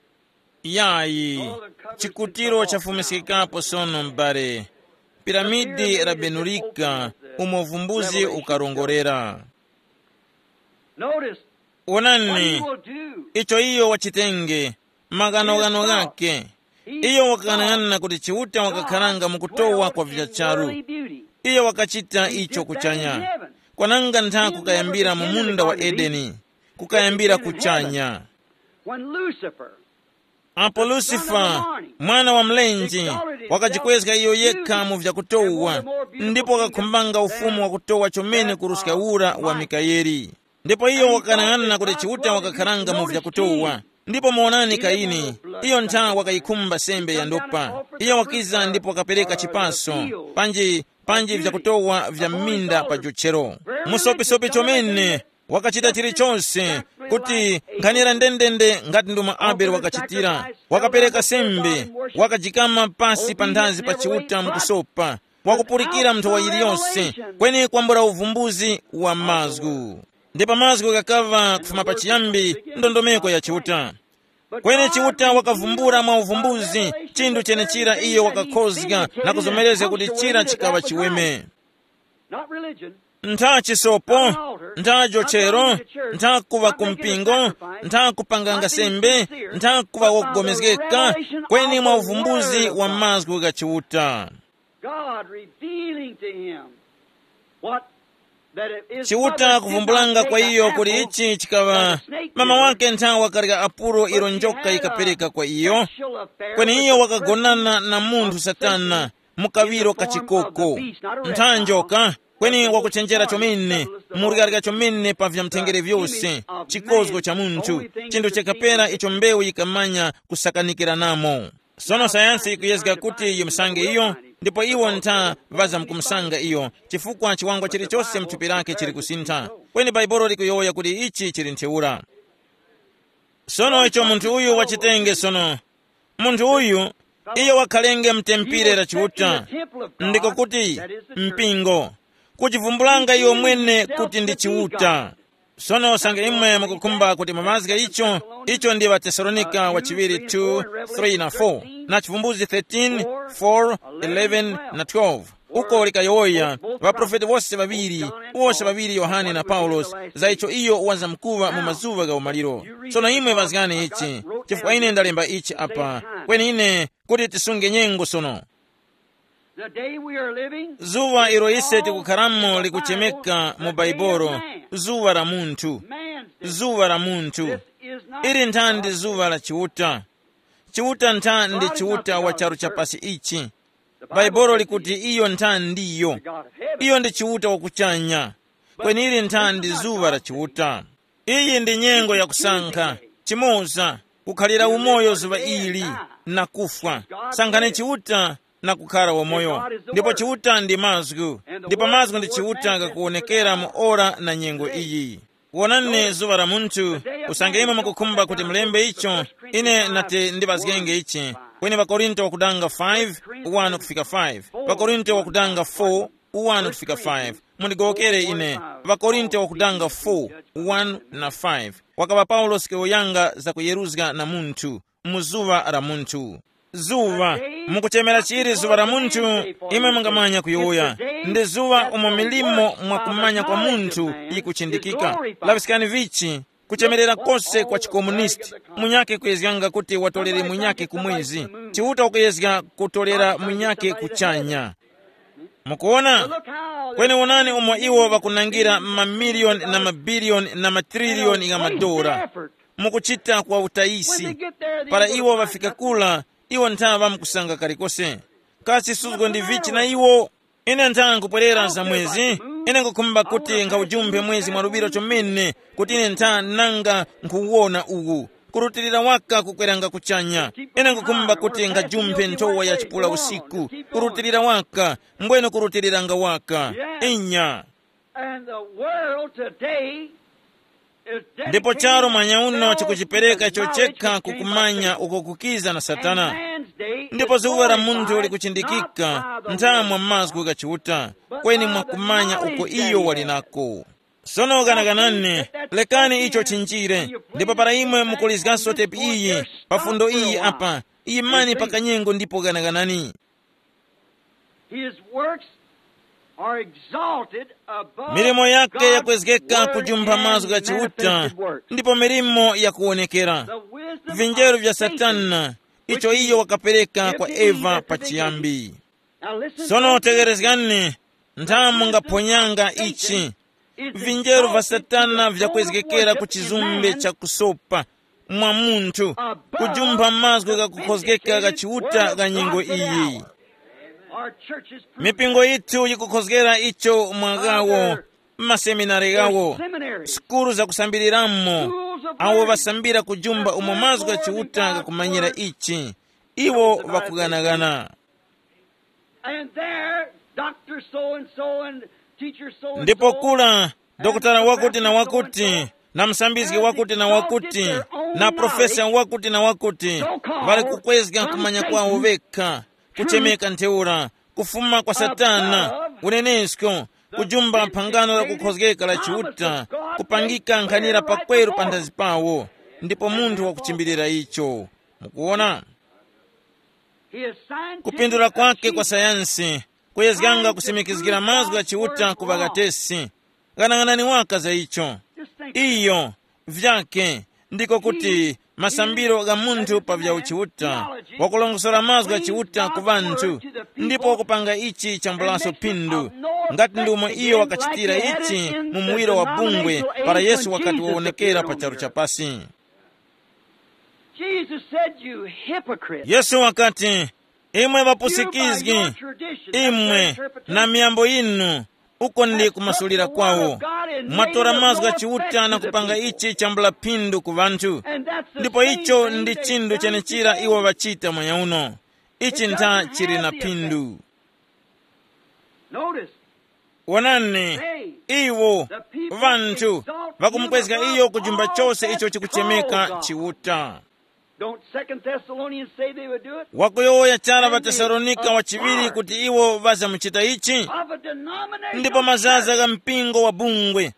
Yayi, chikutiro chafumiskikapo sono m'bale. Piramidi labenulika, umo vumbuzi ukarongorera. Notice, what he wonani will do. Icho iyo wachitenge, maghanoghano ghake. Iyo wakang'anang'ana kuti Chiuta wakakharanga mu kutowa kwa vichacharu. Iyo wakachita icho kuchanya, kwananga ntha kukayambira mu munda wa Edeni, kukayambira kuchanya. When Lucifer, apo Lusifa, mwana wa mlenje, wakajikwezga iyo yekha mu vyakutowa, ndipo wakakhumbanga ufumu wakutowa chomene kuruska ura wa Mikayeli. Ndipo iyo wakanang'ana kuti Chiuta wakakharanga mu vyakutowa. Ndipo muwonani Kaini, iyo ntha wakayikhumba sembe ya ndopa. Iyo wakiza ndipo wakapereka chipaso, panji, panji vyakutowa vya m'minda pa jochero. Musopisopi chomene, wakachita chilichonse kuti nkhanira ndendende ngati ndomwe Abele wakachitira. Wakapereka sembe, wakajikama pasi pa nthazi pa Chiuta mukusopa, wakupulikira nthowa yiliyonse, kweni kwambula uvumbuzi wa mazgu. Ndipo mazgu ghakaŵa kufuma pachiyambi ndondomeko ya Chiuta. Kweni Chiuta wakavumbula mwa uvumbuzi chinthu chenechira iyo wakakhozga na kuzomerezga kuti chira chikaŵa chiweme. Not religion. Ntha chisopo, ntha jochero, ntha kuŵa ku mpingo, ntha kupanganga sembe, ntha kuŵa wokugomezgeka, kweni mwa uvumbuzi wa mazgu gha Chiuta. God revealing to him what Chiuta kuvumbulanga kwa iyo kuti ichi chikaŵa mama wake nthawi wakarya apuro ilo njoka yikapereka kwa iyo, kweni iyo wakagonana na munthu Satana mu kaŵiro ka chikoko. Ntha njoka, kweni wakuchenjera chomene, muryarya chomene pa vyamtengere vyose, chikozgo cha munthu, chinthu chakapera icho mbewu yikamanya kusakanikiranamo. Sono sayansi yikuyezga kuti yimusange iyo, ndipo iwo ntha ŵazamkumusanga iyo, chifukwa chiwangwa chilichose mthupi lake chili kusintha. Kweni Bhaibuli likuyowoya kuti ichi chili ntheura. Sono icho munthu uyu wachitenge sono, munthu uyu, iyo wakhalenge mtempire la Chiuta, ndiko kuti, mpingo, kuchivumbulanga iyo mwene kuti ndi Chiuta. Sono usange imwe mukukhumba kuti mumazge icho, icho ndi ŵaTesalonika wa chiŵiri two, three na four, na Chivumbuzi thirteen, four, eleven na twelve. Uko likayowoya, ŵaprofeti wose ŵaŵiri, wose ŵaŵiri Yohane na Paulosi, za icho iyo wazamkuŵa mu mazuŵa gha umaliro. Sono imwe ŵazgani ichi, chifukwa ine ndalemba ichi apa, kweni ine kuti tisunge nyengo sono. The day we are living, zuwa ilo ise tikukharamo likuchemeka mu Baibolo, zuwa la munthu. Man's day. Zuwa la munthu. This is not ili ntha ndi zuwa la Chiuta. Chiuta ntha ndi Chiuta wa charu cha pasi ichi. Bhaibolo likuti iyo ntha ndiyo. Iyo ndi Chiuta wakuchanya. Kweni ili ntha ndi zuŵa la Chiuta. Iyi ndi nyengo yakusankha, chimoza, kukhalira umoyo zuŵa ili, na kufwa. Sankhani Chiuta na kukhala wamoyo. Ndipo Chiuta ndi mazgu, ndipo mazgu ndi Chiuta kakuwonekera mu ora na nyengo iyi. Wonani zuŵa la munthu, usange imwe mukukhumba kuti mulembe icho, ine nati ndiŵazgenge ichi. Kweni ŵakorinto wakudanga five, one kufika five. Ŵakorinto wakudanga four, one kufika five. Mundigowokere ine. Ŵakorinto wakudanga four, one na five. Wakaŵa Paulosi kuyowoyanga za kuyeruzga na munthu, mu zuŵa la munthu. Zuŵa, mukuchemera chili zuŵa la munthu, imwe mungamanya kuyowoya. Ndi zuŵa umo milimo mwa kumanya kwa munthu yikuchindikika. Laŵiskani vichi, kuchemerera kose kwa chikomunisti, munyakhe kuyezganga kuti watolere munyakhe ku mwezi. Chiuta ukuyezga kutolera munyakhe kuchanya. Mukuona? Kweni wonani umo iwo ŵakunangira mamiliyoni na mabiliyoni na matriliyoni gha madora. Mukuchita kwa utayisi. Para iwo ŵafika kula, iwo nthaŵa mukusanga kalikose. Kasi suzgo ndi vichi na iwo? Ine ntha nkupwerera za mwezi. Ine nkukhumba kuti nkhawujumphe mwezi mwaluŵiro chomene, kuti ine ntha nanga nkhuwona uwu. Kurutilira waka kukweranga kuchanya. Ine nkukhumba kuti ngajumphe nthowa ya chipula usiku. Kurutilira waka, mbwene kurutiliranga waka. Inya. And the world today is dedicated ndipo charo mwanya uno chikuchipereka icho chekha kukumanya uko kukiza na satana. Ndipo zuwa la munthu likuchindikika nthamwa mazgu gha Chiuta, kweni mwakumanya uko iyo wali nako. Sono ganaganani, lekani icho chinjire. Ndipo para imwe mukulizgaso tepi iyi, pa fundo iyi apa, imani pa kanyengo ndipo ganaganani. His works are exalted above milimo yake yakwezgeka kujumpha mazgu gha Chiuta, ndipo milimo yakuwonekera. Vinjeru vya Satana, icho iyo wakapereka kwa Eva pachiyambi. Sono tegerezgani, nthamu ngaphonyanga ichi. Vinjeru vya Satana vyakwezgekera ku chizumbe cha kusopa mwa munthu, kujumpha mazgu ghakukhozgeka gha Chiuta gha nyengo iyi. Mipingo yithu yikukhozgera icho mwa ghawo, m'maseminari ghawo, sukulu zakusambiriramo, awo ŵasambira kujumpha umo mazgu gha Chiuta ghakumanyira ichi. Iwo ŵakughanaghana. And there, Doctor so and so and teacher so and ndipo so kula, dokotala wakuti na wakuti, na msambizgi wakuti na wakuti, na profesa wakuti na wakuti, ŵali kukwezga kumanya kwawo vekha, kuchemeka ntheura, kufuma kwa satana, unenesko, kujumba phangano la kukhozgeka la Chiuta, kupangika nkhanira pakweru panthazi pawo, ndipo munthu wakuchimbilira icho. Mukuona? Kupindula kwake kwa sayansi kuyezganga kusimikizgira mazgu gha Chiuta ku ŵakatesi. Ghanang'anani waka za icho. Iyo, vyake, ndiko kuti masambiro gha munthu pa vya uchiuta, wakulongosora mazgu gha chiuta ku ŵanthu, ndipo wakupanga ichi chambulaso phindu, ngati ndi umo iyo wakachitira ichi mu muwiro wa bungwe para Yesu wakati wawonekera pa charu cha pasi. Jesus said, "You hypocrite." Yesu wakati, "Imwe ŵapusikizgi, imwe na miyambo yinu, uko ndi kumasulira kwawo. Mwatora mazgu gha chiuta na kupanga ichi chambula phindu ku ŵanthu, ndipo icho ndi chinthu chenechira iwo ŵachita mweya uno. Ichi ntha chili na phindu." Notice, Wonani, iwo, vanthu, vakumukwezga iyo ku chumba chose icho chikuchemeka chiuta. Don't Second Thessalonians say they would do it? Wakuyowoya chara ŵaTesalonika wachiŵiri kuti iwo ŵazamuchita ichi? Of a denomination Ndipo mazaza gha mpingo wa bungwe,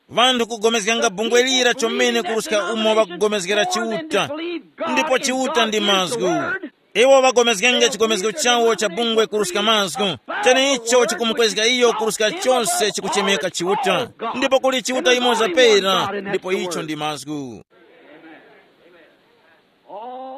vanthu kugomezganga bungwe lira chomene kuruska umo ŵakugomezgera chiuta, ndipo chiuta ndi mazgu. Iwo ŵagomezgenge chigomezgo chawo cha bungwe kuruska mazgu, chene icho chikumukwezga iyo kuruska chose chikuchemeka chiuta. Ndipo kuli chiuta imoza pera, ndipo icho ndi mazgu.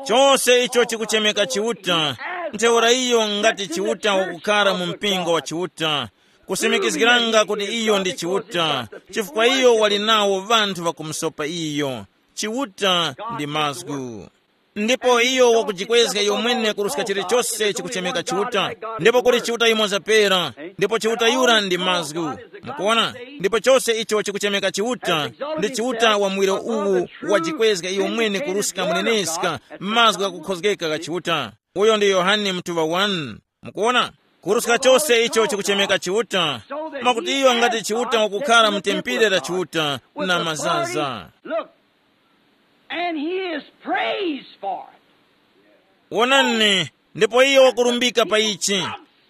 Chose icho chikuchemeka chiuta, ntheura iyo ngati chiuta wakukhala mu mpingo wa chiuta, kusimikizgiranga kuti iyo ndi chiuta, chifukwa iyo wali nawo vanthu vakumusopa iyo. Chiuta ndi mazgu. Ndipo iyo wakujikwezga iyo mwene kuruska chilichose chikuchemeka chiuta, ndipo kuli chiuta yumoza pera, ndipo chiuta yura ndi mazgu. Mukuona? Ndipo chose icho chikuchemeka chiuta, ndi chiuta wa muwiro uwu wajikwezga iyo mwene kuruska muneneska mazgu ghakukhozgeka gha chiuta. Uyo ndi Yohane mtuŵa wani. Mukuona? Kuruska chose icho chikuchemeka chiuta, mwakuti iyo ngati chiuta wakukhala mtempire la chiuta na mazaza. Look, and he is praised for it. Wonani, ndipo iyo wakurumbika pa ichi.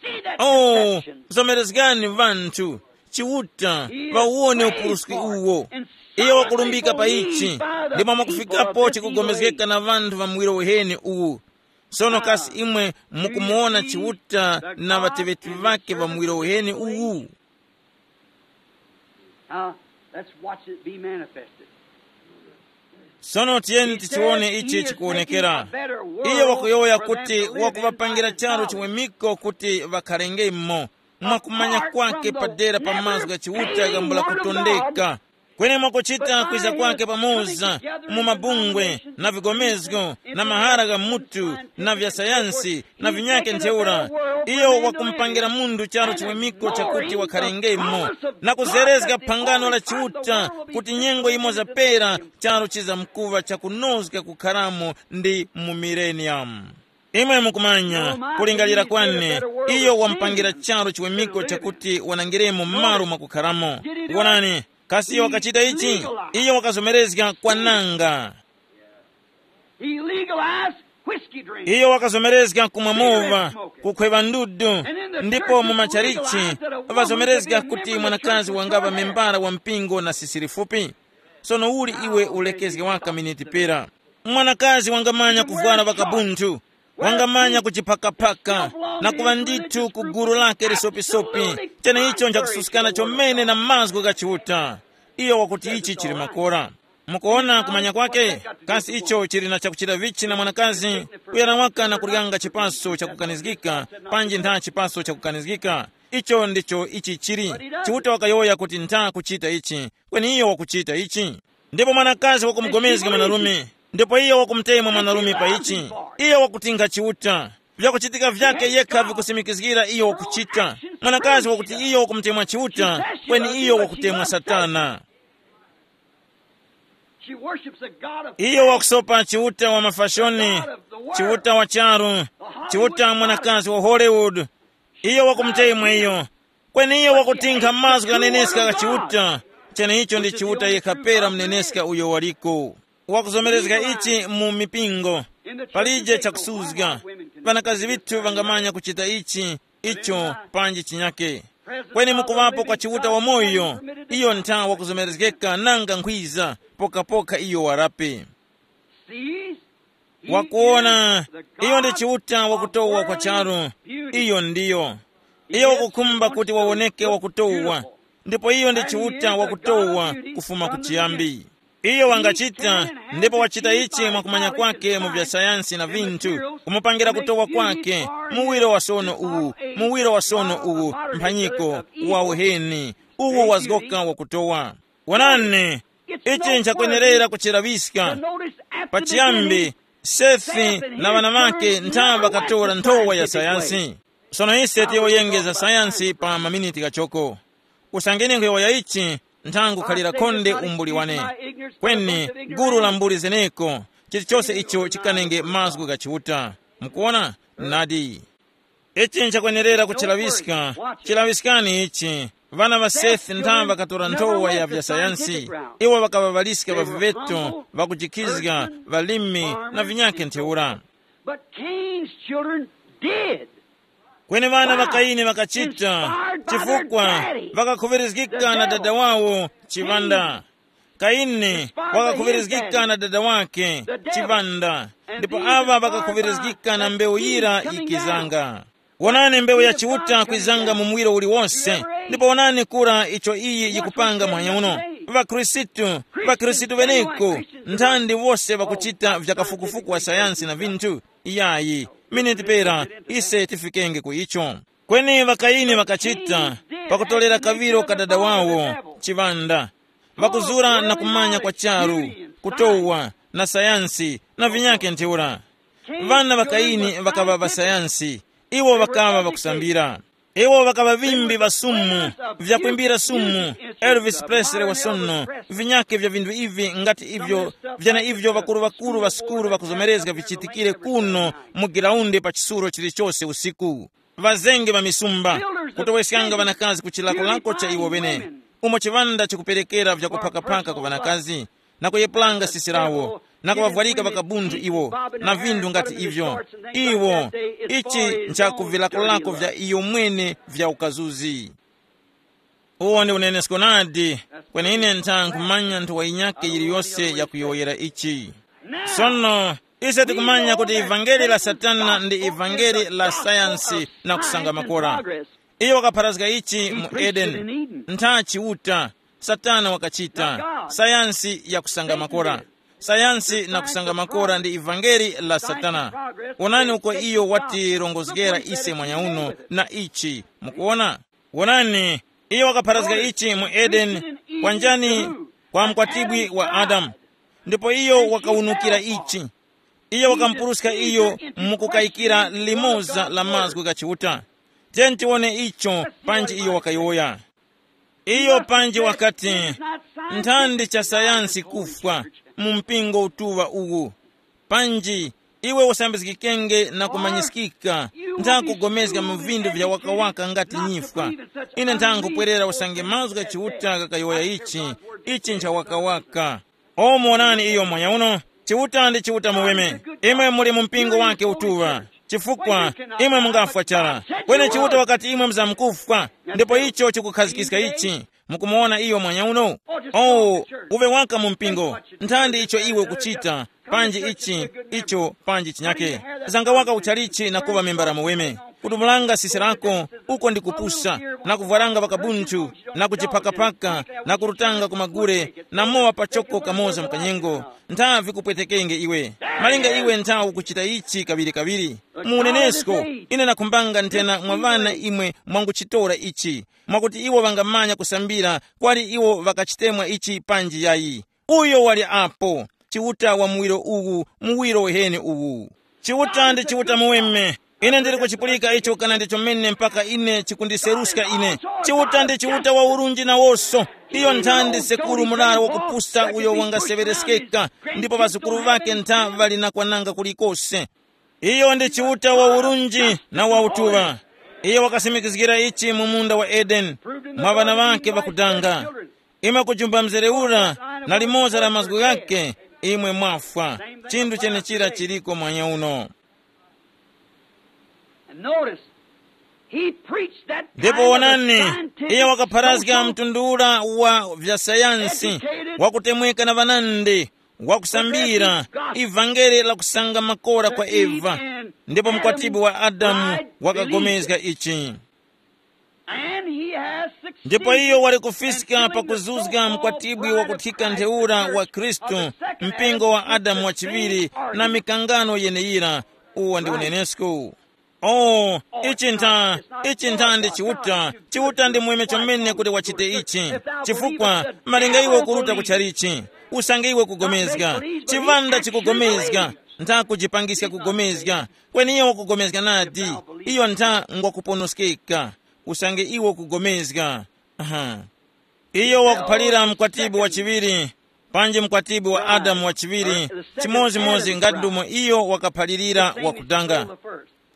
See that Oh, deception. zomerezgani vanthu, chiuta, vawone upuruski uwo. Iyo wakurumbika pa ichi, ndipo mwakufikapo chikugomezgeka na vanthu va muwiro uheni uwu. Sono kasi imwe mukumuwona chiuta na ŵateŵeti ŵake va muwiro uheni uwu? Now, let's watch it be manifested. Sono tiyeni tichiwone ichi chikuwonekera. Iyo wakuyowoya kuti wakuŵapangira charu chiwemiko kuti ŵakharengemo mwakumanya kwake padera pa mazgu gha chiuta gambula kutondeka. Kweni mwakuchita kwiza kwake pamoza mu mabungwe na vigomezgo na mahara gha mutu na vya sayansi na vinyake ntheura, iyo wakumupangira munthu charu chiwemiko chakuti wakharengemo na kuzerezga phangano la chiuta kuti nyengo yimoza pera charu chizamkuŵa chakunozga kukharamo ndi mu milenium. Imwe mukumanya, kulingalira kwane, iyo wamupangira charu chiwemiko chakuti wanangiremo m'malo mwakukharamo. Wonani, kasi iyo wakachita ichi? Iyo wakazomerezga kwananga. He legalized whiskey drinking. Iyo wakazomerezga kumwa mova, kukhweva ndudu, ndipo mu machalichi vazomerezga kuti mwanakazi wangava membara wa mpingo na sisiri fupi. Sono uli iwe ulekezge waka miniti pera. Mwanakazi wangamanya kuvwara vakabunthu, wangamanya kujiphakaphaka na kuŵa ndithu ku gulu lake lisopisopi, cheneicho nchakususkana chomene na mazgu gha Chiuta. Iyo wakuti ichi chili makora. Mukuona kumanya kwake? Kasi icho chili na chakuchita vichi na mwanakazi kuyana waka na kuryanga chipaso chakukanizgika, panji ntha chipaso chakukanizgika? Icho ndicho ichi chili. Chiuta wakayowoya kuti ntha kuchita ichi, kweni iyo wakuchita ichi. Ndipo mwanakazi wakumugomezga mwanarume, ndipo iyo wakumutemwa mwanarume pa ichi. Iyo wakutinkha Chiuta. Vyakuchitika vyake yekha vikusimikizgira iyo wakuchita. Mwanakazi wakuti iyo wakumutemwa Chiuta, kweni iyo wakutemwa Satana. She worships a god of Iyo wakusopa Chiuta wa mafashoni, Chiuta wa charu, Chiuta mwanakazi wa Hollywood. Iyo wakumutemwa iyo, kweni iyo wakutinkha mazgu ghaneneska gha Chiuta. Cheneicho ndi Chiuta yekha pera muneneska uyo waliko. Wakuzomerezga ichi mu mipingo. Palije chakusuzga. Ŵanakazi ŵithu ŵangamanya kuchita ichi, icho, panji chinyake. Kweni mukuŵapo kwa Chiuta wamoyo, iyo ntha wakuzomerezgeka nanga nkhwiza, pokapoka iyo warape. See? Wakuona, iyo ndi Chiuta wakutowa kwa charu. Iyo ndiyo. Iyo wakukhumba kuti wawoneke wakutowa. Ndipo iyo ndi Chiuta wakutowa kufuma kuchiyambi. Iyo wangachita, ndipo wachita ichi mwakumanya kwake mu vya sayansi na vinthu, kumupangira kutowa kwake, muwiro wa sono uwu, muwiro wa sono uwu, mphanyiko, wa uheni, uwu wazgoka wakutowa. Wonani, ichi nchakwenerera kuchiraŵiska. Pachiyambi, Sethi na ŵana ŵakhe ntha ŵakatora nthowa ya sayansi. Sono ise tiyowoyenge za sayansi pa maminiti ghachoko. Usangeni nkhuyowoya ichi, nthangukhalira khonde umbuli wane. Kweni, gulu la mbuli zeneko, chilichose icho chikanenge mazgu gha Chiuta. Mukuwona? Nadi. Ichi nchakwenerera kuchilaŵiska. Chilaŵiskani ichi. Ŵana ŵa Sethi ntha ŵakatora nthowa ya vya sayansi. Iwo ŵakaŵaŵaliska ŵa viŵeto, ŵakujikhizga, ŵalimi, na vinyakhe ntheura. But Cain's children did. Kweni ŵana ŵa Kaini ŵakachita, chifukwa ŵakakhuŵirizgika na dada wawo chiŵanda. Kaini wakakhuŵirizgika na dada wake chiŵanda, ndipo aŵa ŵakakhuŵirizgika na mbewu yira yikizanga. Wonani, mbewu ya Chiuta kwizanga mu muwiro uliwonse. Ndipo wonani kura icho iyi yikupanga mwanya uno. ВaKhristu, ŵaKhristu ŵeneko, nthandi wose ŵakuchita vya kafukufuku wa sayansi na vinthu? Iyayi, miniti pera ise tifikenge ku icho. Kweni ŵakaini ŵakachita, pakutolera kaŵiro ka dada wawo chiŵanda, ŵakuzura na kumanya kwa charu, kutowa, na sayansi, na vinyakhe ntheura. Ŵana ŵa Kaini ŵakaŵa ŵasayansi, iwo ŵakaŵa ŵakusambira. Iwo ŵakaŵa ŵimbi ŵa sumu, vyakwimbira sumu, Elvis Presley wa sono, vinyakhe vya vinthu ivi ngati ivyo, vyana ivyo ŵakuru-ŵakuru ŵa sukulu ŵakuzomerezga vichitikire kuno mu giraundi pa chisulo chilichose usiku. Ŵazenge ŵa misumba, kutoweskanga ŵanakazi ku chilakolako cha iwo ŵene, umo chiŵanda chikuperekera vyakuphakaphaka ku ŵanakazi, na kuyepulanga sisi lawo, na kuŵavwarika ŵakabunthu iwo, na vinthu ngati ivyo. Iwo, ichi nchakuvilakolako vya iyo mwene vya ukazuzi. Uwo ndi unenesko nadi. Kweni ine ntha nkhumanya nthowa yinyakhe yiliyose yakuyowoyera ichi. Sono, ise tikumanya kuti ivangeli la Satana ndi ivangeli la sayansi na kusanga makora. Iyo wakapharazga ichi mu Edeni. Ntha Chiuta, Satana wakachita sayansi ya kusanga makora. Sayansi na kusanga makora ndi ivangeli la Satana. Wonani uko iyo watirongozgera ise mwanya uno na ichi. Mukuona? Wonani, iyo wakapharazga ichi mu Edeni. Kwa njani? Kwa mkwatibwi wa Adamu. Ndipo iyo wakawunukira ichi. Iyo wakamupuruska iyo mukukayikira limoza la mazgu gha Chiuta. Tiyeni tiwone icho panji iyo wakayowoya. Iyo panji wakati, nthandi cha sayansi kufwa mu mpingo utuŵa uwu. Panji, iwe usambizgikenge na kumanyiskika, nthakugomezga mu vindu vya wakawaka ngati nyifwa. Ine nthangupwerera usange mazgu gha Chiuta ghakayowoya ichi, ichi ncha wakawaka. O muwonani iyo mwanya uno, Chiuta ndi Chiuta muweme. Imwe muli mu mpingo wake utuŵa, chifukwa imwe mungafwa chara. Kweni Chiuta wakati imwe muzamkufwa, ndipo icho chikukhazikiska ichi. Mukumuwona iyo mwanya uno? Oh, uve waka mu mpingo, nthandi icho iwe ukuchita, panji ichi, icho, panji chinyake. Zanga waka uchalichi na kuŵa membara muweme. Kudumulanga sisi lako, uko ndi kupusa, na kuvwaranga ŵakabunthu, na kujiphakaphaka, na kurutanga ku magure, na mowa pachoko kamoza mkanyengo. Nthavi kupwetekenge iwe. Malinga iwe nthawi ukuchita ichi kaŵiri-kaŵiri. Mu unenesko, ine nakhumbanga nthena mwa ŵana imwe mwanguchitora ichi, mwakuti iwo ŵangamanya kusambira kwali iwo ŵakachitemwa ichi panji yayi. Uyo wali apo, Chiuta wa muwiro uwu, muwiro weheni uwu. Chiuta ndi Chiuta muweme. Ine ndili kuchipulika icho kana ndi chomene mpaka ine chikundiseruska ine. Chiuta ndi Chiuta wa urunji nawoso. Iyo nthandi sekuru murara wakupusa uyo wangaseŵereskeka, ndipo ŵazukuru ŵake ntha ŵali na kwananga kulikose. Iyo ndi Chiuta wa urunji na wa utuŵa. Iyo wakasimikizgira ichi mu munda wa Edeni, mwa ŵana ŵakhe ŵakudanga. Imwe kujumba mzere ura na limoza la mazgu ghakhe, imwe mwafwa. Chinthu chenechira chiliko mwanya uno. And notice, he preached that ndipo kind of a wonani, scientific, iye wakapharazga social, mtundu ura wa vya sayansi, educated, wakutemweka na ŵanandi, wakusambira, progressive gospel, ivangeli la kusanga makora kwa Eve, ndipo mkwatibwi wa Adamu wakagomezga ichi. And he has succeeded. Ndipo iyo wali kufiska pakuzuzga mkwatibwi wakuthika ntheura wa Khristu, mpingo wa Adamu wachiŵiri, na mikangano yeneyira. Uwo ndi unenesko. Oh, ichi ntha, ichi ntha ndi Chiuta. Chiuta ndi mweme chomene kuti wachite ichi. Chifukwa malinga iwe ukuruta kuchalichi, usange iwe kugomezga, chivanda chikugomezga, ntha kujipangiska kugomezga, kweni iyo wakugomezga nadi, iyo ntha ngwakuponoskeka. Usange iwe ukugomezga. Aha. Iyo wakuphalira mkwatibwi wa chiŵiri, panji mkwatibwi wa Adamu wa chiŵiri, chimodzimodzi ngati ndumo iyo wakaphalirira wakudanga.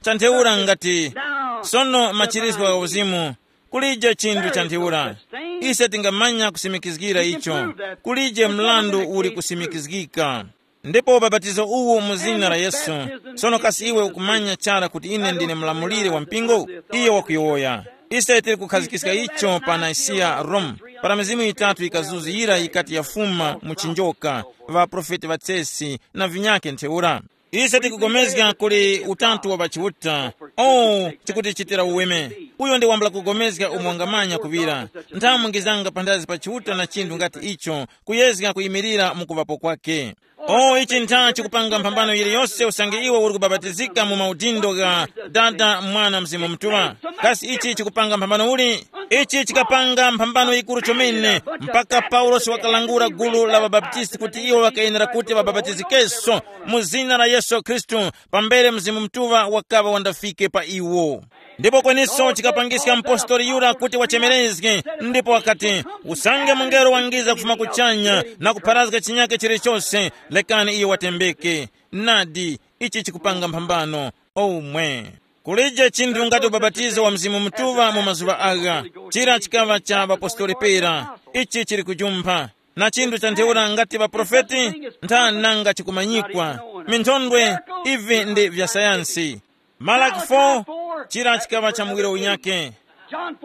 Chantheura ngati, sono machiriswa gha uzimu, kulije chinthu chantheura. Ise tingamanya kusimikizgira icho, kulije mlandu uli kusimikizgika. Ndipo ubapatizo uwu mu zina la Yesu. Sono kasi iwe ukumanya chara kuti ine ndine mlamuliri wa mpingo? Iyo wakuyowoya. Ise tili kukhazikiska icho pa Nisiya, Rome, para mizimu yitatu yikazuzira yikati yafuma mu chinjoka, ŵaprofeti ŵatsesi na vinyake ntheura. Ise tikugomezga kuli utatu wa pachiuta. Oh, chikutichitira uweme. Uyo ndi wambula kugomezga umo wangamanya kuŵira. Nthawi mungizanga panthazi pa chiuta na chinthu ngati icho, kuyezga kuyimirira mu kuŵapo kwake. Oh, ichi ntha chikupanga mphambano yiliyose usange iwe uri kubabatizika mu maudindo gha Dada, Mwana, Mzimu Mutuŵa. Kasi ichi chikupanga mphambano uli? Ichi chikapanga mphambano yikuru chomene, mpaka Paulosi wakalangula gulu la ŵabaptisti kuti iwo ŵakayenera kuti ŵabapatizikenso mu zina la Yesu Khristu, pambere Mzimu Mutuŵa wakaŵa wandafike pa iwo. Ndipo kweniso chikapangiska mpostoli yura kuti wachemerezge, ndipo wakati, usange mungelo wangiza kufuma kuchanya na kupharazga chinyake chilichose, lekani iyo watembeke. Nadi, ichi chikupanga mphambano. Omwe, kulije chinthu ngati ubapatizo wa Mzimu Mutuŵa mu mazuŵa agha. Chira chikaŵa cha ŵapostoli pera. Ichi chili kujumpha. Na chinthu cha ntheura ngati ŵaprofeti, ntha nanga chikumanyikwa. Minthondwe, ivi ndi vya sayansi. Malaki four, chira chikaŵa cha muwiro unyake.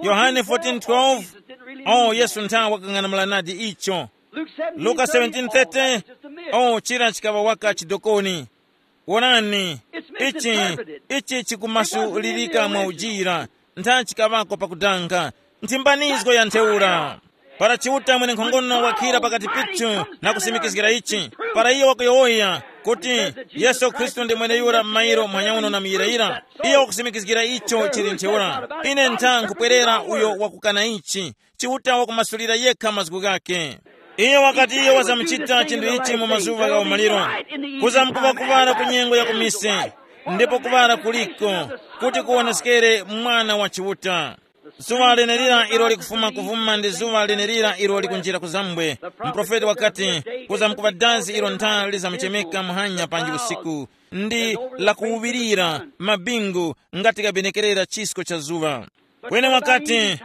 Yohane fourteen twelve, oh, Yesu ntha wakang'anamula nadi icho. Luka seventeen thirty, oh, chira chikaŵa waka chidokoni. Wonani, ichi, ichi chikumasulirika mwa ujira, ntha chikaŵako pakudanga, nthimbanizgo ya ntheura. Para Chiuta mwenenkhongono wakhira pakati pithu na kusimikizgira ichi, para iyo wakuyowoya kuti, Yesu Khristu ndi mweneyura m'mayiro mphanyauno na muyirayira, iyo wakusimikizgira icho chili ntheura. Ine ntha nkhupwerera uyo wakukana ichi. Chiuta wakumasulira yekha mazgu ghakhe. Iyo wakati iyo wazamuchita chinthu ichi mu mazuŵa gha umaliro, kuzamkuŵa kuŵala ku nyengo ya kumise, ndipo kuŵala kuliko, kuti kuwoneskere Mwana wa Chiuta. Zuŵa lenelira ilo likufuma kuvuma ndi zuŵa lenelira ilo likunjira kuzambwe. Muprofeti wakati, kuzamkuŵa dazi ilo nthali lizamuchemeka muhanya panji usiku, ndi lakuwuŵirira mabingu ngati kabenekerera chisko cha zuŵa. Kweni wakati,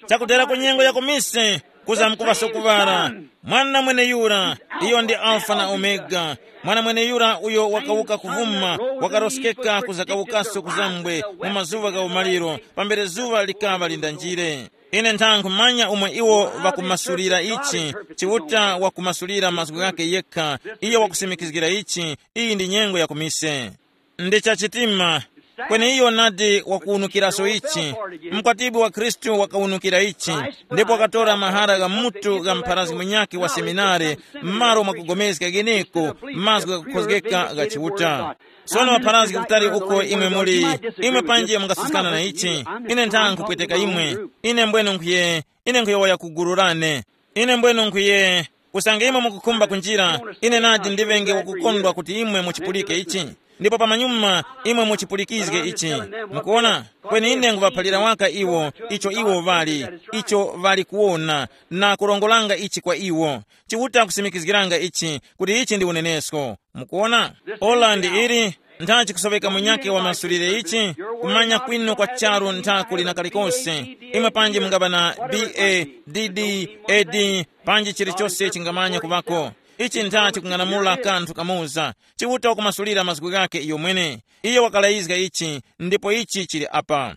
chakutera ku nyengo ya kumise, kuzamkuŵaso kuŵala. Mwana mweneyura, iyo ndi Alfa na Omega. Mwana mweneyura uyo wakawuka kuvuma, wakaroskeka kuzakawukaso kuzambwe mu mazuŵa gha umaliro, pambere zuŵa likaŵa lindanjire. Ine ntha nkhumanya umwe iwo ŵakumasulira ichi, Chiuta wakumasulira mazgu ghakhe yekha, iyo wakusimikizgira ichi, iyi ndi nyengo ya kumise. Ndi chachitima, kweni iyo nadi wakuwunukiraso ichi. Mkwatibwi wa Khristu wakawunukira ichi, ndipo wakatora mahara gha mutu gha mpharazgi munyakhe wa seminare, m'malo mwa kugomezga gheneko mazgu ghakukhozgeka gha Chiuta. Sono ŵapharazgi kutali uko imwe muli, imwe panji mungasuskana na ichi, ine ntha nkhupweteka imwe, ine mbwenu nkhuye, ine nkhuyowoya ku gulu lane. Ine mbwenu nkhuye, usange imwe mukukhumba kunjira, ine nadi ndiŵenge wakukondwa kuti imwe muchipulike ichi. Ndipo pamanyuma imwe muchipulikizge ichi. Mukuona? Kweni ine nguŵaphalira waka iwo, icho iwo ŵali, icho ŵali kuwona, na kurongolanga ichi kwa iwo. Chiuta kusimikizgiranga ichi, kuti ichi ndi unenesko. Mukuona? Ola ndi ili, ntha chikusoweka munyakhe wamasulire ichi, kumanya kwinu kwa charu ntha kuli na kalikose. Imwe panji mungaŵa na B A, D D, A D, panji chilichose chingamanya kuŵako. Ichi ntha chikung'anamula kanthu kamoza. Chiuta wakumasulira mazgu ghakhe iyo mwene. Iyo wakalayizga ichi, ndipo ichi chili apa.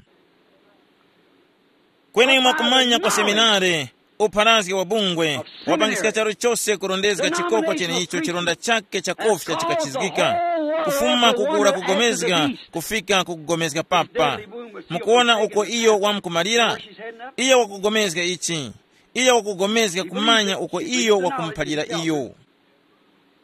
Kweni mwakumanya kwa seminare, upharazgi wa bungwe, wapangiska charu chose kurondezga chikoko cheneicho chironda chake cha kofya chikachizgika. kufuma kukura kugomezga kufika kukugomezga papa. Mukuona uko iyo wamkumalira? Iye wakugomezga ichi. Iye wakugomezga kumanya uko iyo wakumuphalira iyo.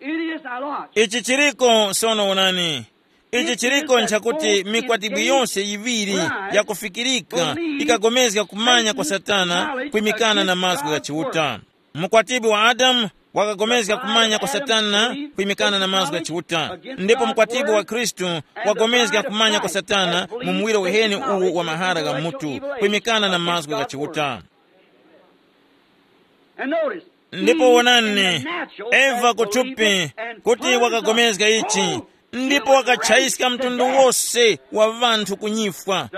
It is our Lord. Ichi chiriko sono, wonani. Ichi chiriko nchakuti mikwatibwi yonse yiŵiri yakufikirika ikagomezga kumanya kwa Satana kwimikana na mazgu gha Chiuta. Mukwatibwi wa Adamu wakagomezga kumanya kwa Satana kwimikana na mazgu gha Chiuta, ndipo mukwatibwi wa Khristu wagomezga kumanya kwa Satana mu muwiro weheni uwu wa mahara gha mutu kwimikana na mazgu gha Chiuta. And notice, ndipo wonani, Eva kuthupi kuti wakagomezga ichi, ndipo wakatchayiska mtundu wose wa ŵanthu kunyifwa,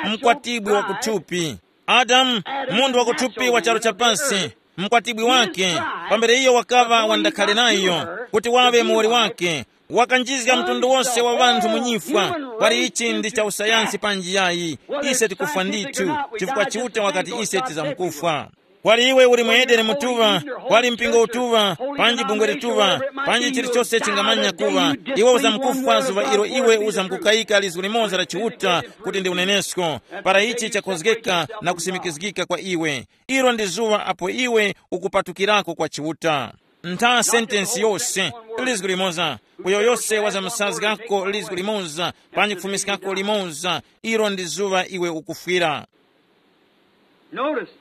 mkwatibwi wa kuthupi. Adamu, munthu wa kuthupi wa charu cha pasi, mkwatibwi wake, pambere iyo wakaŵa wandakhale nayo kuti waŵe muwoli wake, wakanjizga mtundu wose wa ŵanthu mu nyifwa. Kwali ichi ndi cha usayansi panji yayi? Ise tikufwa ndithu, chifukwa Chiuta wakati ise tizamkufwa. Kwali iwe uli mu Edeni mutuŵa, kwali mpingo utuŵa, panji bungwe lituŵa, panji chilichose chingamanya kuŵa, iwe uzamkufwa zuŵa ilo iwe uzamkukayika lizgu limoza la Chiuta kuti ndi unenesko, para ichi chakhozgeka na kusimikizgika kwa iwe. Ilo ndi zuŵa apo iwe ukupatukirako kwa Chiuta. Ntha sentensi yose, lizgu limoza, uyo yose wazamusazgako lizgu limoza, panji kufumiskako limoza, ilo ndi zuŵa iwe ukufwira. Notice,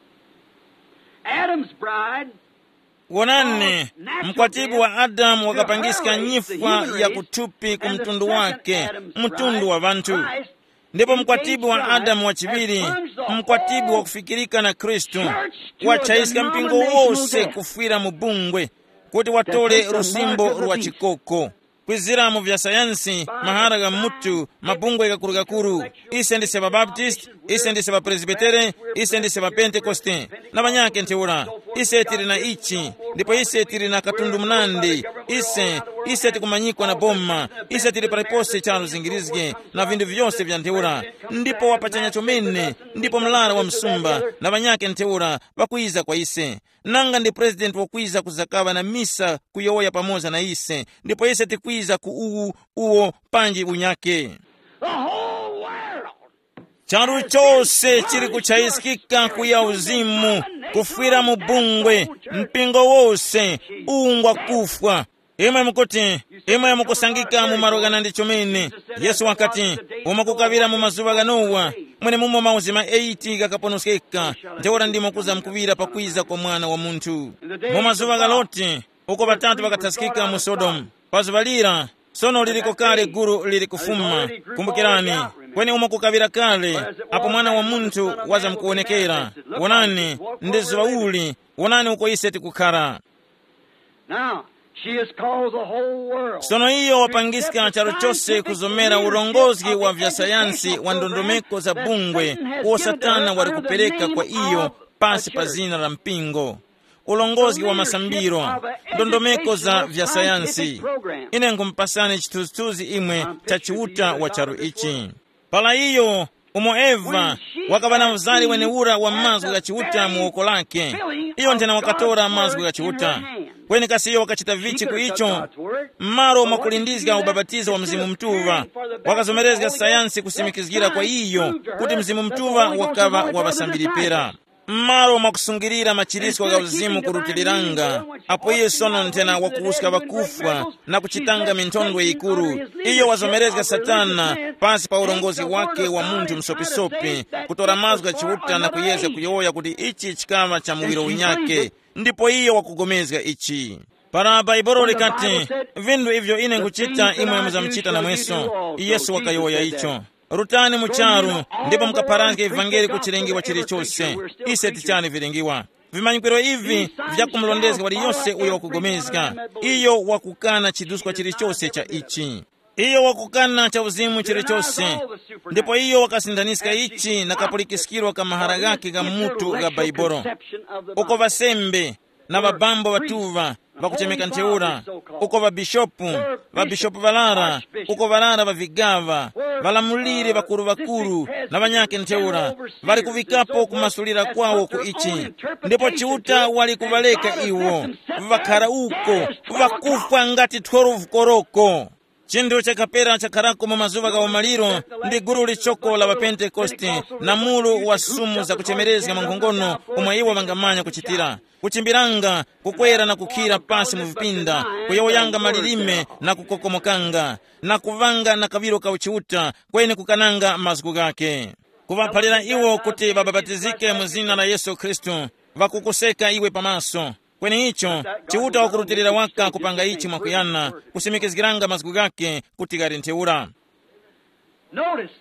Adam's bride wonani, mkwatibwi wa Adamu wakapangiska nyifwa ya kuthupi ku mtundu wake, mtundu wa ŵanthu. Ndipo mkwatibwi wa Adamu wachiŵiri, mkwatibwi wakufikirika na Khristu, wachayiska mpingo wose kufwira mu bungwe, kuti watole lusimbo lwa chikoko. Kwizira mu vya sayansi, mahara gha mutu, mabungwe gakuru-gakuru, ise ndise ŵabaptist, ise ndise ŵapresbitere, ise ndise ŵapentekoste, na ŵanyakhe ntheura. Ise tili na ichi, ndipo ise tili na katundu munandi. Ise ise tikumanyikwa na boma. Ise tili paliponse charu zingirizge, na vinthu vyose vya ntheura. Ndipo wapachanya chomene, ndipo mlara wa msumba na ŵanyakhe ntheura ŵakwiza kwa ise. Nanga ndi president wakwiza kuzakaŵa na misa kuyowoya pamoza na ise, ndipo ise tikwiza ku uwu uwo panji unyake. The whole world. Charu chose chili kuchayiskika kuya uzimu, kufwira mu bungwe, mpingo wose, ungwa kufwa. Imwe mukuti, imwe mukusangika mu malo ghanandi chomene. Yesu wakati, umo kukaŵira mu mazuŵa gha Nowa, mwenemumo mauzima eighty ghakaponoskeka, ntheura ndimo kuza mkuŵira pakwiza kwa Mwana wa Munthu. Mu mazuŵa gha Loti, uko ŵatatu ŵakathaskika mu Sodomu. Pa zuŵa lira, sono liliko kale guru lili kufuma. Kumbukirani, kweni umo kukaŵira kale, apo Mwana wa Munthu wazamkuwonekera. Wonani, ndi zuŵa uli, wonani uko ise tikukhara. Now, she has caused the whole world. Sono iyo wapangiska charu chose kuzomera ulongozi wa vya sayansi wa ndondomeko za bungwe uwo Satana wali kupereka kwa iyo pasi pa zina la mpingo. Ulongozi wa masambiro, ndondomeko za vya sayansi. Ine nkhumupasani chithunzithunzi imwe cha Chiuta wa charu ichi. Para iyo, umo Eva wakaŵa na uzari wenewura wa mazgu gha Chiuta mu woko lake, iyo nthena wakatora mazgu gha Chiuta. Kweni kasi iyo wakachita vichi ku icho? M'malo mwakulindizga ubapatizo wa Mzimu Mutuŵa, wakazomerezga sayansi kusimikizgira kwa iyo kuti Mzimu Mutuŵa wakaŵa wa ŵasambiri pera. M'malo mwakusungirira machiritso gha uzimu kurutiliranga, apo iyo sono nthena wakuwuska ŵakufwa na kuchitanga minthondwe yikuru, iyo wazomerezga Satana pasi pa urongozi wake wa munthu msopisopi, kutora mazgu gha Chiuta na kuyezga kuyowoya kuti ichi chikaŵa cha muwiro unyake, ndipo iyo wakugomezga ichi. Para Baibolo likati, vinthu ivyo ine nkuchita imwe muzamuchita namweso, Yesu wakayowoya icho. Rutani mu charu, ndipo mukapharazge ivangeli ku chilengewa chilichose. Ise tichani vilengewa. Vimanyikiro ivi vyakumulondezga waliyose uyo wakugomezga. Iyo wakukana chiduskwa chilichose cha ichi. Iyo wakukana cha uzimu chilichose. Ndipo iyo wakasindaniska ichi na kapulikiskiro ka mahara ghake gha mutu gha Baibolo. Uko ŵasembe, na ŵabambo ŵatuŵa ŵakuchemeka ntheura, uko ŵabishopu, ŵabishopu ŵarara, uko ŵarara ŵa vigaŵa, ŵalamuliri ŵakuru-ŵakuru na ŵanyakhe ntheura, ŵali kuŵikapo kumasulira kwawo ku ichi. Ndipo Chiuta wali kuŵareka iwo, ŵakhara uko, ŵakufwa ngati twelve koroko. Chinthu chakapera chakharako mu mazuŵa gha umaliro ndi gulu lichoko la ŵapentekoste na mulu wa sumu zakuchemerezga mwankhongono, umwe iwo ŵangamanya kuchitira, kuchimbiranga, kukwera na kukhira pasi mu vipinda, kuyowoyanga malilime na kukokomokanga, na kuŵanga na kaŵiro ka uchiuta, kweni kukananga mazgu ghakhe. Kuŵaphalira iwo kuti ŵabapatizike mu zina la Yesu Khristu, ŵakukuseka iwe pamaso. Kweni icho, Chiuta wakurutilira waka kupanga ichi mwakuyana, kusimikizgiranga mazgu ghakhe kuti ghali ntheura. Notice,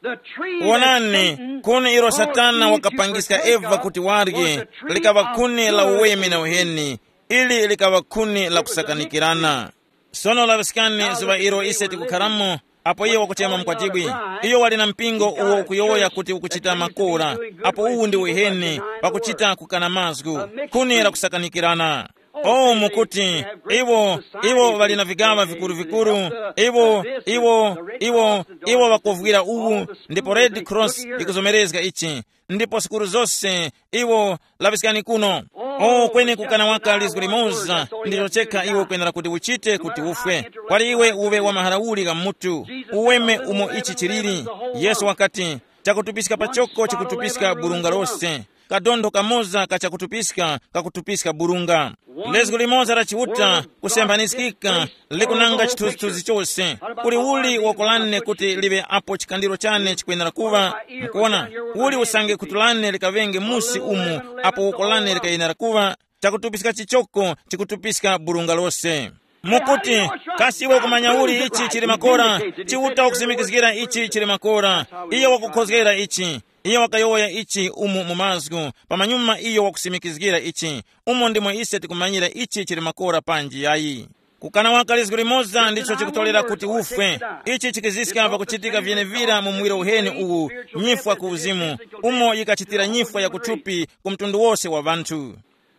the tree that Wonani, Satan khuni ilo caused Satana Eve to wakapangiska partake Eva of kuti warye, was the tree likaŵa of khuni la good uweme na and evil. Uheni, ili likaŵa khuni la kusakanikirana. Sono laŵiskani zuŵa ilo ise tikukharamo, apo iyo wakuchema mkwatibwi. Iyo wali na mpingo uwo ukuyowoya kuti ukuchita makora, apo uwu ndi uheni, pakuchita kukana mazgu, khuni la kusakanikirana. Oh, mukuti, iwo, iwo ŵali na vigaŵa vikuru-vikuru, iwo, iwo, iwo, iwo ŵakovwira uwu, ndipo Red Cross ikuzomerezga ichi, ndipo sukuru zose, iwo, laŵiskani kuno. Oh, kweni kukana waka lizgu limoza, ndicho chekha iwe ukwenera kuti uchite kuti ufwe. Kwali iwe uwe wa mahara uli gha mutu, uweme umo ichi chiliri. Yesu wakati, chakutupiska pachoko chikutupiska burunga lose. Kadontho kamoza ka chakutupiska kakutupiska burunga. Lizgu limoza la Chiuta kusemphanikika likunanga chithunzithunzi chose. Kuli uli wakolane kuti liŵe apo chikandiro chane chikwenera kuŵa? Mukuona, uli usange khutu lane likaŵenge musi umu apo woko lane likayenera kuŵa? Chakutupiska chichoko chikutupiska burunga lose. Mukuti, kasi iwe kumanya uli ichi chili makora? Chiuta wakusimikizgira ichi chili makora. Iyo wakukhozgera ichi. Iyo wakayowoya ichi umu mu mazgu, pamanyuma iyo wakusimikizgira ichi. Umo ndimo ise tikumanyira ichi chili makora panji yayi. Kukana waka lizgu limoza ndicho chikutolera kuti ufwe. Ichi chikiziska pakuchitika vyenevira mu muwiro uheni uwu, nyifwa ku uzimu, umo yikachitira nyifwa ya kuthupi ku mtundu wose wa ŵanthu.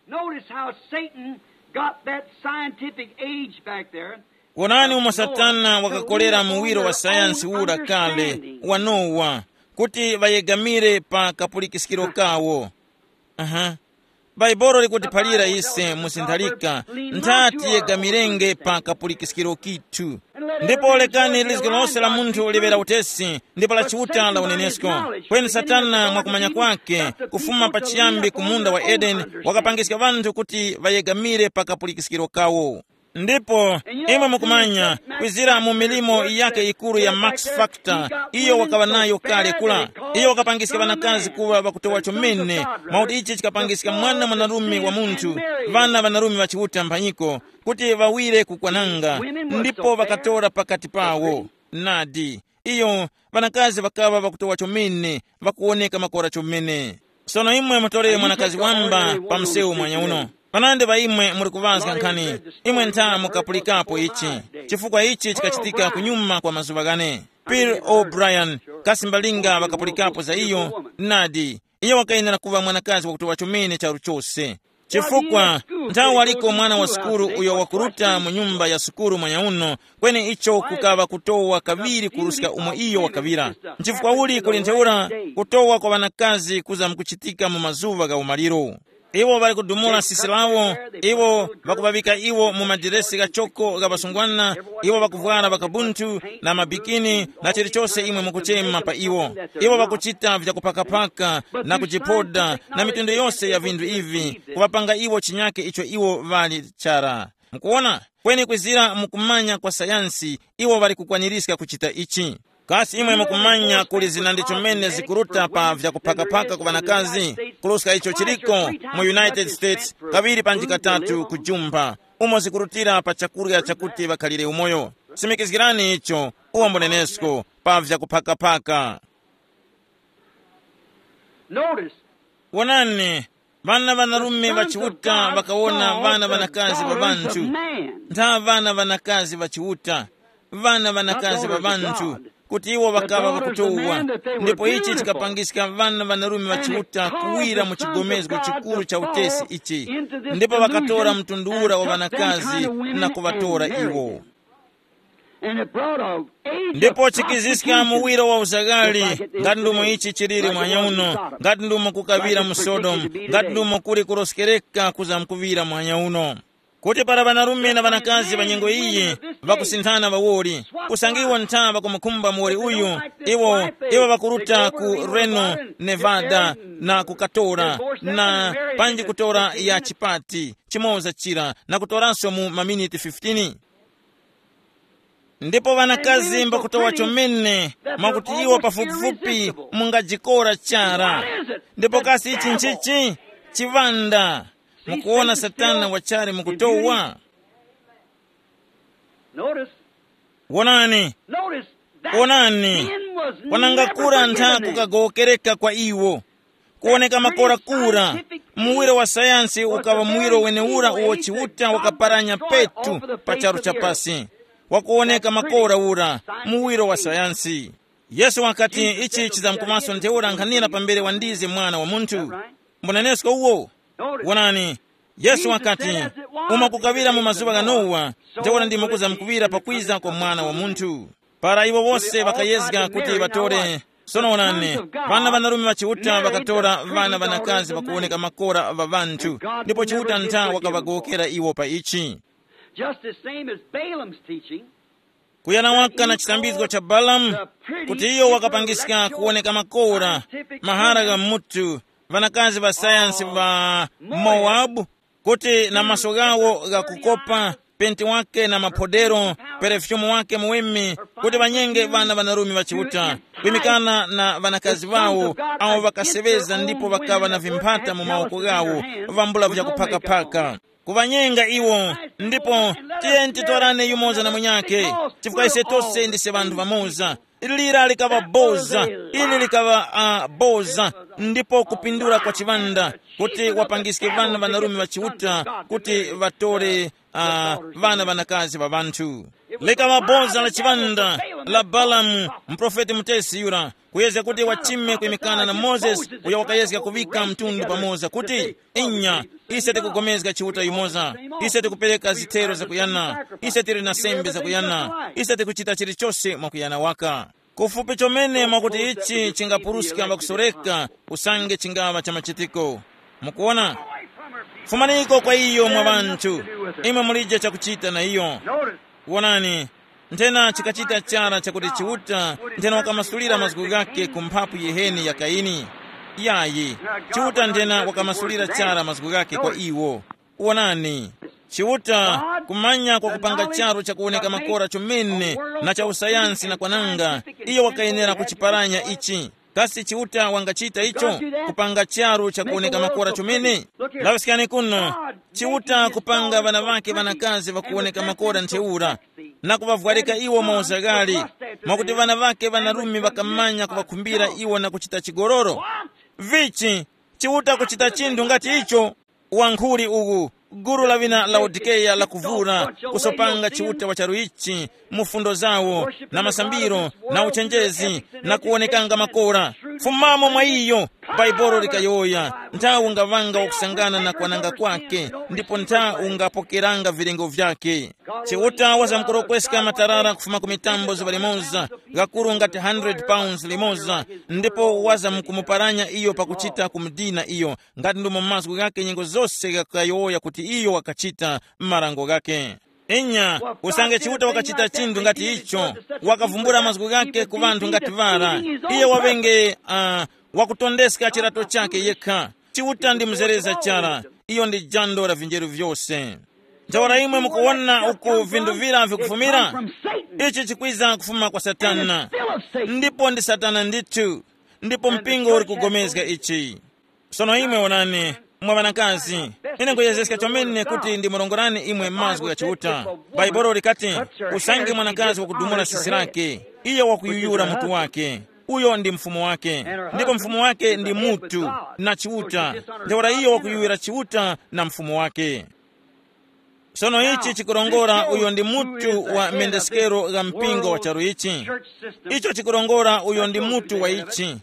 Notice how Satan got that scientific age back there. Wonani umo Satana wakakolera muwiro wa sayansi ura kale wa Nowa, kuti ŵayegamire pa kapulikiskiro kawo. Aha. Bhaibuli likutiphalira ise mu zinthalika, nthati yegamirenge pa kapulikiskiro kithu. Ndipo lekani lizgi lose la munthu liŵera utesi, ndipo la Chiuta la unenesko. Kweni Satana mwakumanya kwake, kufuma pachiyambi ku munda wa Edeni, wakapangiska ŵanthu kuti ŵayegamire pa kapulikiskiro kawo. Ndipo imwe mukumanya, kwizira mu milimo yake yikuru ya Max Factor, iyo wakaŵa nayo kale kula. Iyo wakapangiska ŵanakazi kuŵa ŵakutowa chomene, mwakuti ichi chikapangiska mwana mwanarume wa munthu, ŵana ŵanarume ŵa Chiuta mphanyiko, kuti ŵawire kukwananga, ndipo ŵakatora pakati pawo. Nadi, iyo, ŵanakazi ŵakaŵa ŵakutowa chomene, ŵakuwoneka makora chomene. Sono imwe mutore mwanakazi wamba pa msewu mwanya uno. Panandi pa imwe muli kuŵazga nkhani, imwe ntha mukapulikapo ichi, chifukwa ichi chikachitika kunyuma kwa mazuŵa ghane. Bill O'Brien, kasi mbalinga ŵakapulikapo za iyo? Nadi, iyo wakayenera kuŵa mwanakazi wakutowa chomene charu chose. Chifukwa, nthawi waliko mwana wa sukulu uyo wakuruta mu nyumba ya sukulu mwanya uno, kweni icho kukaŵa kutowa kaŵiri kuruska umo iyo wakaŵira. Nchifukwa uli kuli ntheura kutowa kwa ŵanakazi kuza mukuchitika mu mazuŵa gha umaliro? Iwo ŵali kudumula sisi lawo, iwo ŵakuŵaŵika iwo mu madiresi ghachoko gha ŵasungwana, iwo ŵakuvwara ŵakabunthu na mabikini na chilichose imwe mukuchema pa iwo. Iwo ŵakuchita vyakuphakaphaka na kujipoda na mitundu yose ya vinthu ivi, kuŵapanga iwo chinyake icho iwo ŵali chara. Mukuwona? Kweni kwizira mu kumanya kwa sayansi, iwo ŵali kukwanirizga kuchita ichi. Kasi imwe mukumanya kuli zinandi chomene zikuruta pa vyakuphakaphaka ku ŵanakazi, kuruska icho chiliko mu United States, kaŵiri panji katatu ku Jumba, umo zikurutira pa chakurya chakuti ŵakhalire umoyo? Simikizgirani icho, uwo mbunenesko pa vyakuphakaphaka. Notice, Wonani, ŵana ŵanarume ŵa Chiuta ŵakawona ŵana ŵanakazi ŵa ŵanthu. Ntha ŵana ŵanakazi ŵa Chiuta, ŵana ŵanakazi ŵa ŵanthu, kuti iwo ŵakaŵa ŵakutowa. Ndipo ichi chikapangiska ŵana ŵanarume ŵa Chiuta kuwira mu chigomezgo chikuru cha utesi ichi, ndipo ŵakatora mtundu ura wa ŵanakazi na kuŵatora iwo. And it brought a age ndipo of chikiziska muwiro wa uzaghali, ngati ndumo ichi chiliri mwanya uno, ngati ndumo kukaŵira mu Sodomu, ngati ndumo kuli kuroskereka kuza mkuŵira mwanya uno. Kuti para ŵanarume na ŵanakazi ŵa nyengo iyi ŵakusinthana ŵawoli, usange iwo ntha ŵakumukhumba muwoli uyu, iwo iwo ŵakuruta ku Reno, Nevada, na kukatora, na panji kutora ya chipati chimoza chira na kutoranso mu maminiti fifteen. Ndipo ŵanakazi mbakutowa chomene, mwakuti iwo pafupifupi mungajikora chara. Ndipo kasi ichi nchichi? Chiŵanda. Mukuwona, Satana wachali mukutowa. Notice, wonani. Notice that wonani, sin was wanangakura never ntha forgiven them. Kukagowokereka kwa iwo. Kuwoneka makora kura, muwiro wa sayansi ukaŵa muwiro wenewura uwo Chiuta wakaparanya petu pa charu cha pasi. Wakuwoneka makora ura, muwiro wa sayansi. Yesu wakati ichi chizamkumaso ntheura nkhanira pambere wandize mwana wa munthu. Mbunenesko uwo. Wonani, Yesu wakati, umo kukaŵira mu mazuŵa gha Nowa, ntheura ndimo kuzamkuŵira pakwiza kwa mwana wa munthu. Para iwo wose ŵakayezga kuti ŵatore, sono wonani, ŵana ŵanarume ŵa Chiuta ŵakatora ŵana ŵanakazi ŵakuwoneka makora ŵa ŵanthu, ndipo Chiuta ntha wakaŵagowokera iwo pa ichi. Just as same as Balaam's teaching, kuyana waka na chisambizgo cha Balamu, kuti iyo wakapangiska kuwoneka makora, mahara gha mutu, ŵanakazi ŵa sayansi ŵa Mowabu, kuti na maso ghawo ghakukopa, penti wake na maphodero, perefyumu wake muweme, kuti ŵanyenge ŵana ŵanarume ŵa Chiuta, kwimikana na ŵanakazi ŵawo, awo ŵakaseŵeza ndipo ŵakaŵa na vimphata mu mawoko ghawo, vambula vyakuphakaphaka. Kuŵanyenga iwo, ndipo tiyeni titorane yumoza na munyakhe, chifukwa ise tose ndise ŵanthu ŵamoza. Lira likaŵa boza, ili likaŵa uh, boza, ndipo kupindula kwa chiŵanda, kuti wapangiske ŵana ŵanarume ŵa Chiuta kuti ŵatore uh, ŵana ŵanakazi ŵa ŵanthu. Likaŵa boza la chiŵanda la Balamu, muprofeti mutesi yura, kuyezga kuti wachime kwimikana na Mozesi, uyo wakayezga kuŵika mtundu pamoza kuti, inya, ise tikugomezga Chiuta yumoza, ise tikupereka zithero zakuyana, ise tili na sembe zakuyana, ise tikuchita chilichose mwakuyana waka. Kufupi chomene mwakuti ichi chingapuruska mwakusoreka, usange chingaŵa cha machitiko. Mukuona? Fumaniko kwa iyo mwa ŵanthu, imwe mulije chakuchita na iyo. Wonani, nthena chikachita chara chakuti Chiuta nthena wakamasulira mazgu ghake ku mphapu yiheni ya Kaini. Yayi, Chiuta nthena wakamasulira chara mazgu ghake kwa iwo. Wonani, Chiuta, kumanya kwa kupanga charu chakuwoneka makora chomene na cha usayansi na kwananga, iyo wakayenera kuchiparanya ichi. Kasi Chiuta wangachita icho, kupanga charu chakuwoneka makora chomene? Laŵiskani kuno, Chiuta kupanga ŵana ŵake ŵanakazi ŵakuwoneka makora ntheura, na kuŵavwarika iwo mauzaghali, mwakuti ŵana ŵake ŵanarume ŵakamanya kuŵakhumbira iwo na kuchita chigololo. Vichi, Chiuta kuchita chinthu ngati icho? Wankhuli uwu, gulu la wina Laodikeya lakuvura, kusopanga Chiuta wa charu ichi mu fundo zawo, na masambiro, na uchenjezi, na kuwonekanga makora. Fumamo mwa iyo, Baibolo likayowoya, nthawi ungaŵanga wakusangana na kwananga kwake, ndipo nthawi ungapokeranga vilengo vyake. Chiuta wazamkurokweska matarara kufuma ku mitambo zuŵa limoza, ghakuru ngati hundred pounds limoza, ndipo wazamkumuparanya iyo pakuchita kumudina iyo, ngati ndumo mazgu ghake nyengo zose ghakuyowoya kuti iyo wakachita m'marango ghake. Inya, usange Chiuta wakachita chinthu ngati icho, wakavumbula mazgu ghake ku ŵanthu ngati ŵara, iye waŵenge uh, wakutondeska chirato chake yekha. Chiuta ndi mzereza chara, iyo ndi jando la vinjeru vyose. Ntheura imwe mukuwona uku vinthu vira vikufumira? Ichi chikwiza kufuma kwa Satana, ndipo ndi Satana ndithu, ndipo mpingo uli kugomezga ichi. Sono imwe wonani, mwa ŵanakazi, ine nkuyezeska chomene kuti ndimurongorani imwe mazgu gha Chiuta. Bhaibuli likati, usange mwanakazi wakudumula sisi lake, iyo wakuyuyura mutu wake, uyo ndi mfumu wake, ndipo mfumu wake ndi mutu na Chiuta. Ntheura iyo wakuyuyura Chiuta na mfumu wake. Sono ichi chikurongora uyo ndi mutu wa mendeskero gha mpingo wa charu ichi. Icho chikurongora uyo ndi mutu wa ichi.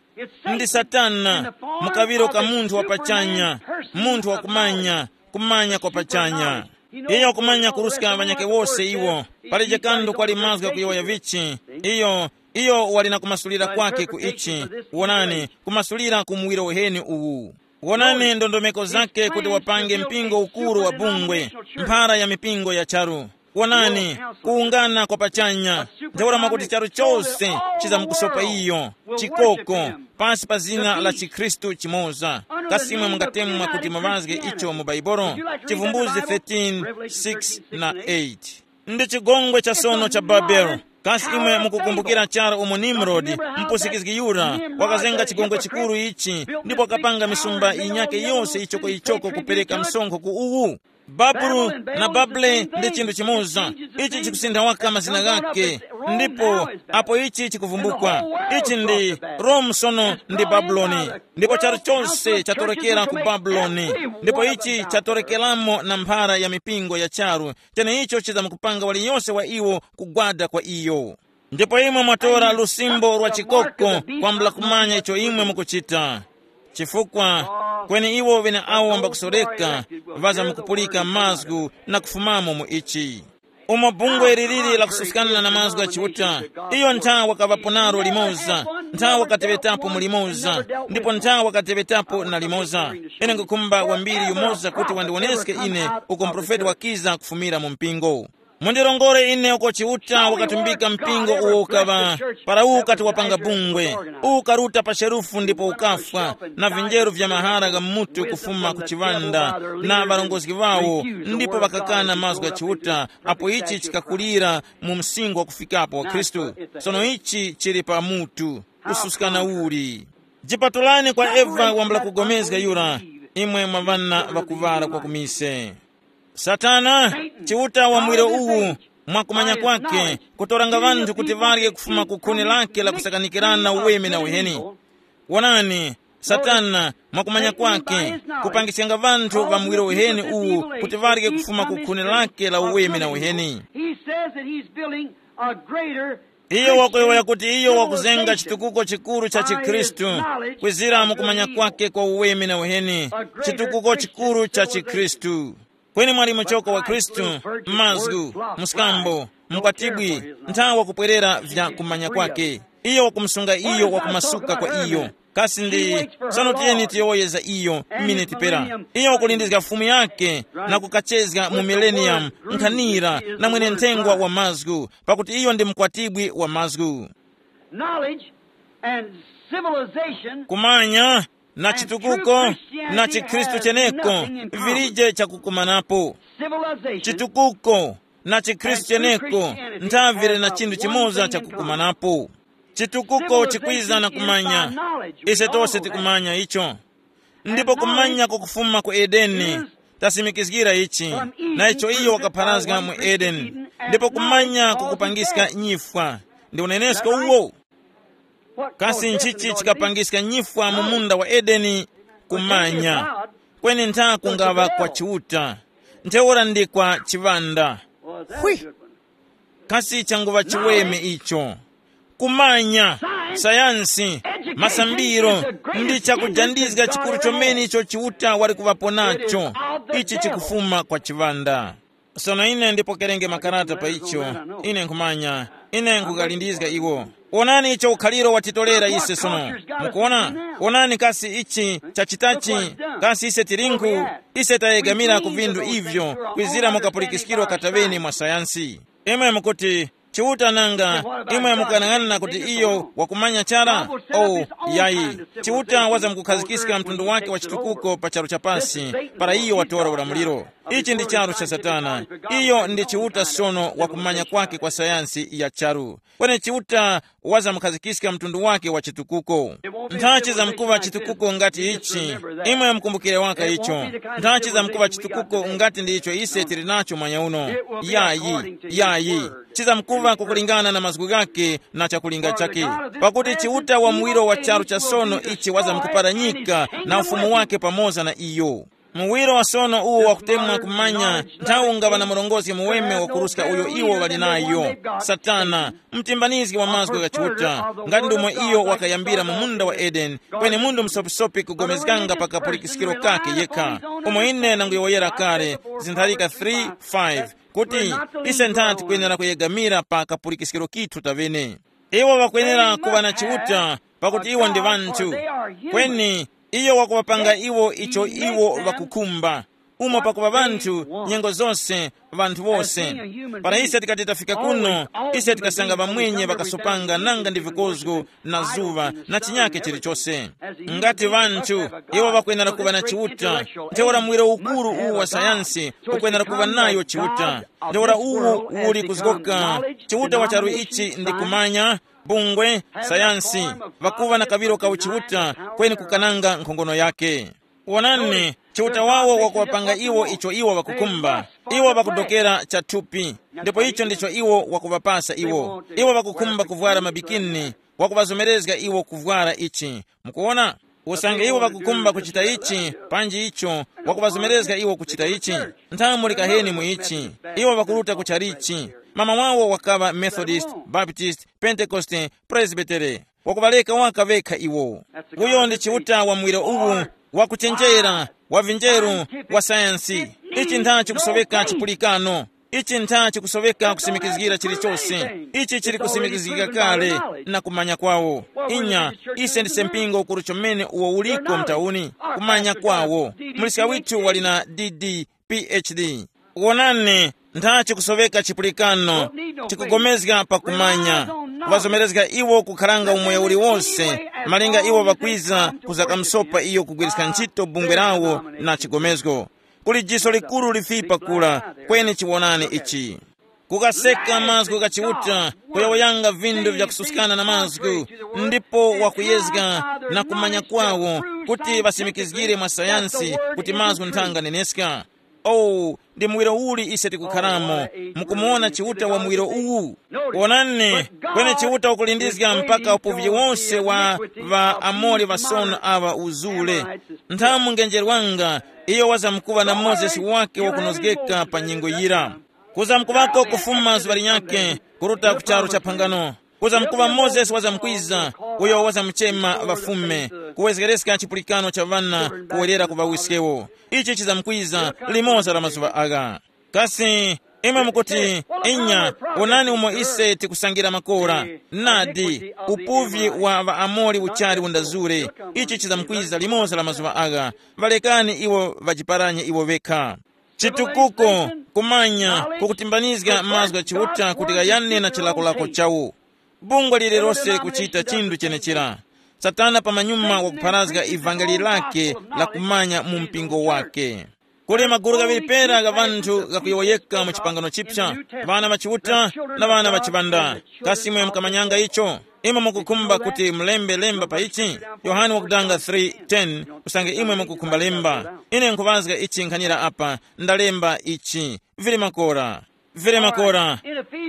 Ndi Satana, mukaŵiro ka munthu wa pachanya, munthu wa kumanya, kumanya kwa pachanya. Iyo kumanya kuruska ŵanyakhe wose iwo. Palije kanthu kwali mazgu ghakuyowoya vichi. Iyo, iyo wali na kumasulira kwake ku ichi. Wonani, kumasulira ku muwiro uheni uwu. Wonani ndondomeko zake kuti wapange mpingo ukuru wa bungwe, mphara ya mipingo ya charu. Wonani, kuwungana kwa pachanya. Ntheura mwakuti charu chose chizamkusopa iyo, chikoko, pasi pa zina la chikhristu chimoza. Kasi imwe mungatemwa kuti mavazge icho mu Bhaibuli? Chivumbuzi thirteen, six na eight. Ndi chigongwe cha sono cha Babeli. Kasi imwe mukukumbukira chara umo Nimrodi, mpusikizgi yura, wakazenga chigongwe chikuru ichi, ndipo wakapanga misumba yinyake yose ichoko ichoko kupereka msonkho ku uwu? Babulu na Babule ndi chinthu chimoza. Ichi chikusintha waka mazina ghake. Ndipo apo ichi chikuvumbukwa, ichi ndi Rome sono ndi Babuloni. Ndipo charu chose chatorekera ku Babuloni. Ndipo ichi chatorekeramo na mphara ya mipingo ya charu, cheneicho chizamkupanga waliyose wa iwo kugwada kwa iyo. Ndipo imwe mwatora lusimbo lwa chikoko kwambula kumanya icho imwe mukuchita. Chifukwa kweni iwo ŵeneawo mbakusoreka ŵazamkupulika mazgu na kufumamo mu ichi. Umo bungwe liliri lakususkana na mazgu gha Chiuta, iyo nthawa wakaŵapo naro limoza, nthawa wakateŵetapo mu limoza, ndipo nthawa wakateŵetapo na limoza. Ine nkukhumba wambiri yumoza kuti wandiwoneske ine uko muprofeti wakiza kufumira mu mpingo. Mundirongore ine uko Chiuta wakatumbika mpingo uwo ukaŵa, para uwu ukati wapanga bungwe, uwu ukaruta pa sherufu ndipo ukafwa, na vinjeru vya mahara gha mutu kufuma ku chiŵanda, na ŵarongozgi ŵawo, ndipo ŵakakana mazgu gha Chiuta, apo ichi chikakulira mu msinkhu wakufikapo wa Khristu. Sono ichi chili pa mutu, kususkana uli. Jipatulani kwa Eva wambula kugomezga yura, imwe mwa ŵana ŵakuŵala kwa kumise. Satana, Chiuta wa muwiro uwu, mwakumanya kwake, kutoranga ŵanthu kuti ŵarye kufuma ku khuni lake la kusakanikirana uweme na uheni. Wonani, Satana, mwakumanya kwake, kupangiskanga ŵanthu ŵa muwiro uheni uwu kuti ŵarye kufuma ku khuni lake la uweme na uheni. He says that he's building a greater Iyo wakuyowoya kuti iyo wakuzenga chitukuko chikuru cha chikhristu, kwizira mu kumanya kwake kwa uweme na uheni, chitukuko chikuru cha chikhristu. Kweni mwali muchoko wa Khristu, mazgu, mskambo, mkwatibwi, nthawi wakupwerera vya kumanya kwake. Iyo wakumusunga iyo wakumasuka kwa iyo. Kasi ndi, sono tiyeni tiyowoye za iyo miniti pera. Iyo wakulindizga Fumu yake na kukachezga mu millennium, nkhanira na mwene nthengwa wa mazgu, pakuti iyo ndi mkwatibwi wa mazgu. Knowledge and civilization. Kumanya na chitukuko na chikhristu cheneko vilije chakukumanapo. Civilization. Chitukuko na chikhristu cheneko nthavire na chinthu chimoza chakukumanapo. Chitukuko chikwiza na kumanya. Ise tose tikumanya icho. Ndipo kumanya kukufuma ku Edeni, tasimikizgira ichi, na icho iyo wakapharazga mu Edeni. Ndipo kumanya kukupangiska nyifwa. Ndi unenesko uwo. Kasi nchichi chikapangiska nyifwa mu munda wa Edeni? Kumanya. Kweni ntha kungaŵa kwa Chiuta, ntheura ndi kwa chiŵanda. Hwi. Kasi changuŵa chiweme icho. Kumanya, sayansi, masambiro, ndi chakujandizga chikuru chomene icho Chiuta wali kuŵapo nacho. Ichi chikufuma kwa chiŵanda. Sono ine ndipokerenge makarata pa icho. Ine nkhumanya, ine nkughalindizga iwo. Wonani icho ukhaliro watitolera ise sono. Mukuona? Wonani kasi ichi chachitachi, kasi ise tilinku, ise tayegamira ku vinthu ivyo, kwizira mu kapulikiskiro kataŵeni mwa sayansi. Imwe mukuti, Chiuta nanga, imwe mukanang'ana kuti iyo wakumanya chara? Oh, yayi. Chiuta wazamkukhazikiska mtundu wake wa chitukuko pa charu cha pasi, para iyo watora ulamuliro. Ichi ndi charu cha Satana. Iyo ndi Chiuta sono wakumanya kwake kwa sayansi ya charu. Kweni Chiuta wazamkhazikiska mtundu wake wa chitukuko. Nthachi zamkuva chitukuko ngati ichi, imwe mukumbukire waka icho. Nthachi zamkuva chitukuko ngati ndi icho ise tili nacho mwanya uno. Yayi, yayi. Chizamkuva kukulingana na mazgu ghake na chakulinga chake. Pakuti Chiuta wa muwiro wa charu cha sono ichi wazamkuparanyika na ufumu wake pamoza na iyo. Muwiro wa sono uwo wakutemwa kumanya nthawi ungaŵa na murongozgi muweme wakuruska uyo iwo ŵali nayo, Satana, mtimbanizgi wa mazgu gha Chiuta, ngati ndomwe iyo wakayambira mu munda wa Edeni, kweni munthu msopisopi kugomezganga pa kapulikiskiro kake yekha, umo ine nanguyowoyera kale, zintharika three five, kuti ise nthati tikwenera kuyegamira pa kapulikiskiro kithu taŵene. Iwo ŵakwenera kuŵa na Chiuta, pakuti iwo ndi ŵanthu. Kweni Iyo wakuŵapanga iwo icho iwo ŵakukhumba. Umo pakuŵa ŵanthu nyengo zose, ŵanthu wose. Para ise tikati tafika kuno, ise tikasanga ŵamwenye ŵakasopanga nanga ndi vikozgo na zuŵa na chinyake chilichose. Ngati ŵanthu, iwo ŵakwenera kuŵa na Chiuta, ntheura muwiro ukuru uwu wa sayansi ukwenera kuŵa nayo Chiuta. Ntheura uwu uli kuzgoka Chiuta wa charu ichi ndi kumanya, bungwe, sayansi, ŵakuŵa na kaŵiro ka uchiuta, kweni kukananga nkhongono yake. Wonani, Chiuta wawo wakuŵapanga iwo icho iwo ŵakukhumba. Iwo ŵakudokera cha thupi, ndipo icho ndicho iwo wakuŵapasa iwo. Iwo ŵakukhumba kuvwara mabikini, wakuŵazomerezga iwo kuvwara ichi. Mukuwona? Usange iwo ŵakukhumba kuchita ichi, panji icho, wakuŵazomerezga iwo kuchita ichi. Nthawe muli kaheni mu ichi, iwo ŵakuruta ku chalichi. Mama wawo wakaŵa Methodist, Baptist, Pentekoste, Presbytere. Wakuŵaleka waka vekha iwo. Uyo ndi Chiuta wa muwiro uwu, wakuchenjera, wa vinjeru, wa sayansi. Ichi ntha chikusoweka chipulikano. Ichi ntha chikusoweka kusimikizgira chilichose. Ichi chili kusimikizgika kale na kumanya kwawo. Inya, ise ndise mpingo ukuru chomene uwo uliko mtauni. Kumanya kwawo. Muliska withu wali na D D, P H D. Wonani, ntha chikusoweka chipulikano, chikugomezga pakumanya, kuŵazomerezga iwo kukharanga umoyo uliwonse, malinga iwo ŵakwiza kuzakamusopa iyo kugwiriska ntchito bungwe lawo na chigomezgo. Kuli jiso likuru lifipa kula, kweni chiwonani ichi. Kukaseka mazgu gha Chiuta, kuyowoyanga vindu vyakususkana na mazgu, ndipo wakuyezga na kumanya kwawo kuti ŵasimikizgire mwa sayansi kuti mazgu nthanga neneska. Oh, ndi muwiro uli ise tikukharamo, mukumuwona Chiuta wa muwiro uwu? Wonani, kweni Chiuta ukulindizga mpaka upuvi wose wa ŵaAmori ŵasono aŵa uzule. Nthamu ngenjerwanga, iyo wazamkuŵa na Mozesi wake wakunozgeka pa nyengo yira. Kuzamkuŵako kufuma zuŵa linyakhe, kuruta ku charu cha phangano. Kuzamkuŵa Mozesi wazamkwiza, uyo wazamuchema ŵafume, kuwezgereska chipulikano cha ŵana kuwerera ku ŵawiskewo. Ichi chizamkwiza limoza la mazuŵa agha. Kasi imwe mukuti, inya, wonani umo ise tikusangira makora. Nadi, upuvi wa ŵaAmori uchali undazure. Ichi chizamkwiza limoza la mazuŵa agha. Ŵalekani iwo ŵajiparanye iwo ŵekha. Chitukuko, kumanya, kukutimbanizga mazgu gha Chiuta kuti ghayane na chilakolako chawo. Bungwe lililose kuchita chinthu chenechera. Satana pamanyuma wakupharazga ivangeli lake la kumanya mu mpingo wake. Kuli magulu ghaŵiri pera gha ŵanthu ghakuyowoyeka mu chipangano chipsa, ŵana ŵa Chiuta na ŵana ŵa chiŵanda. Kasi imwe mukamanyanga icho? Imwe mukukhumba kuti mulembe lemba pa ichi? Yohane wakudanga three ten. Usange imwe mukukhumba lemba, ine nkhuŵazga ichi nkhanira apa, ndalemba ichi. Vili makora. Vili makora.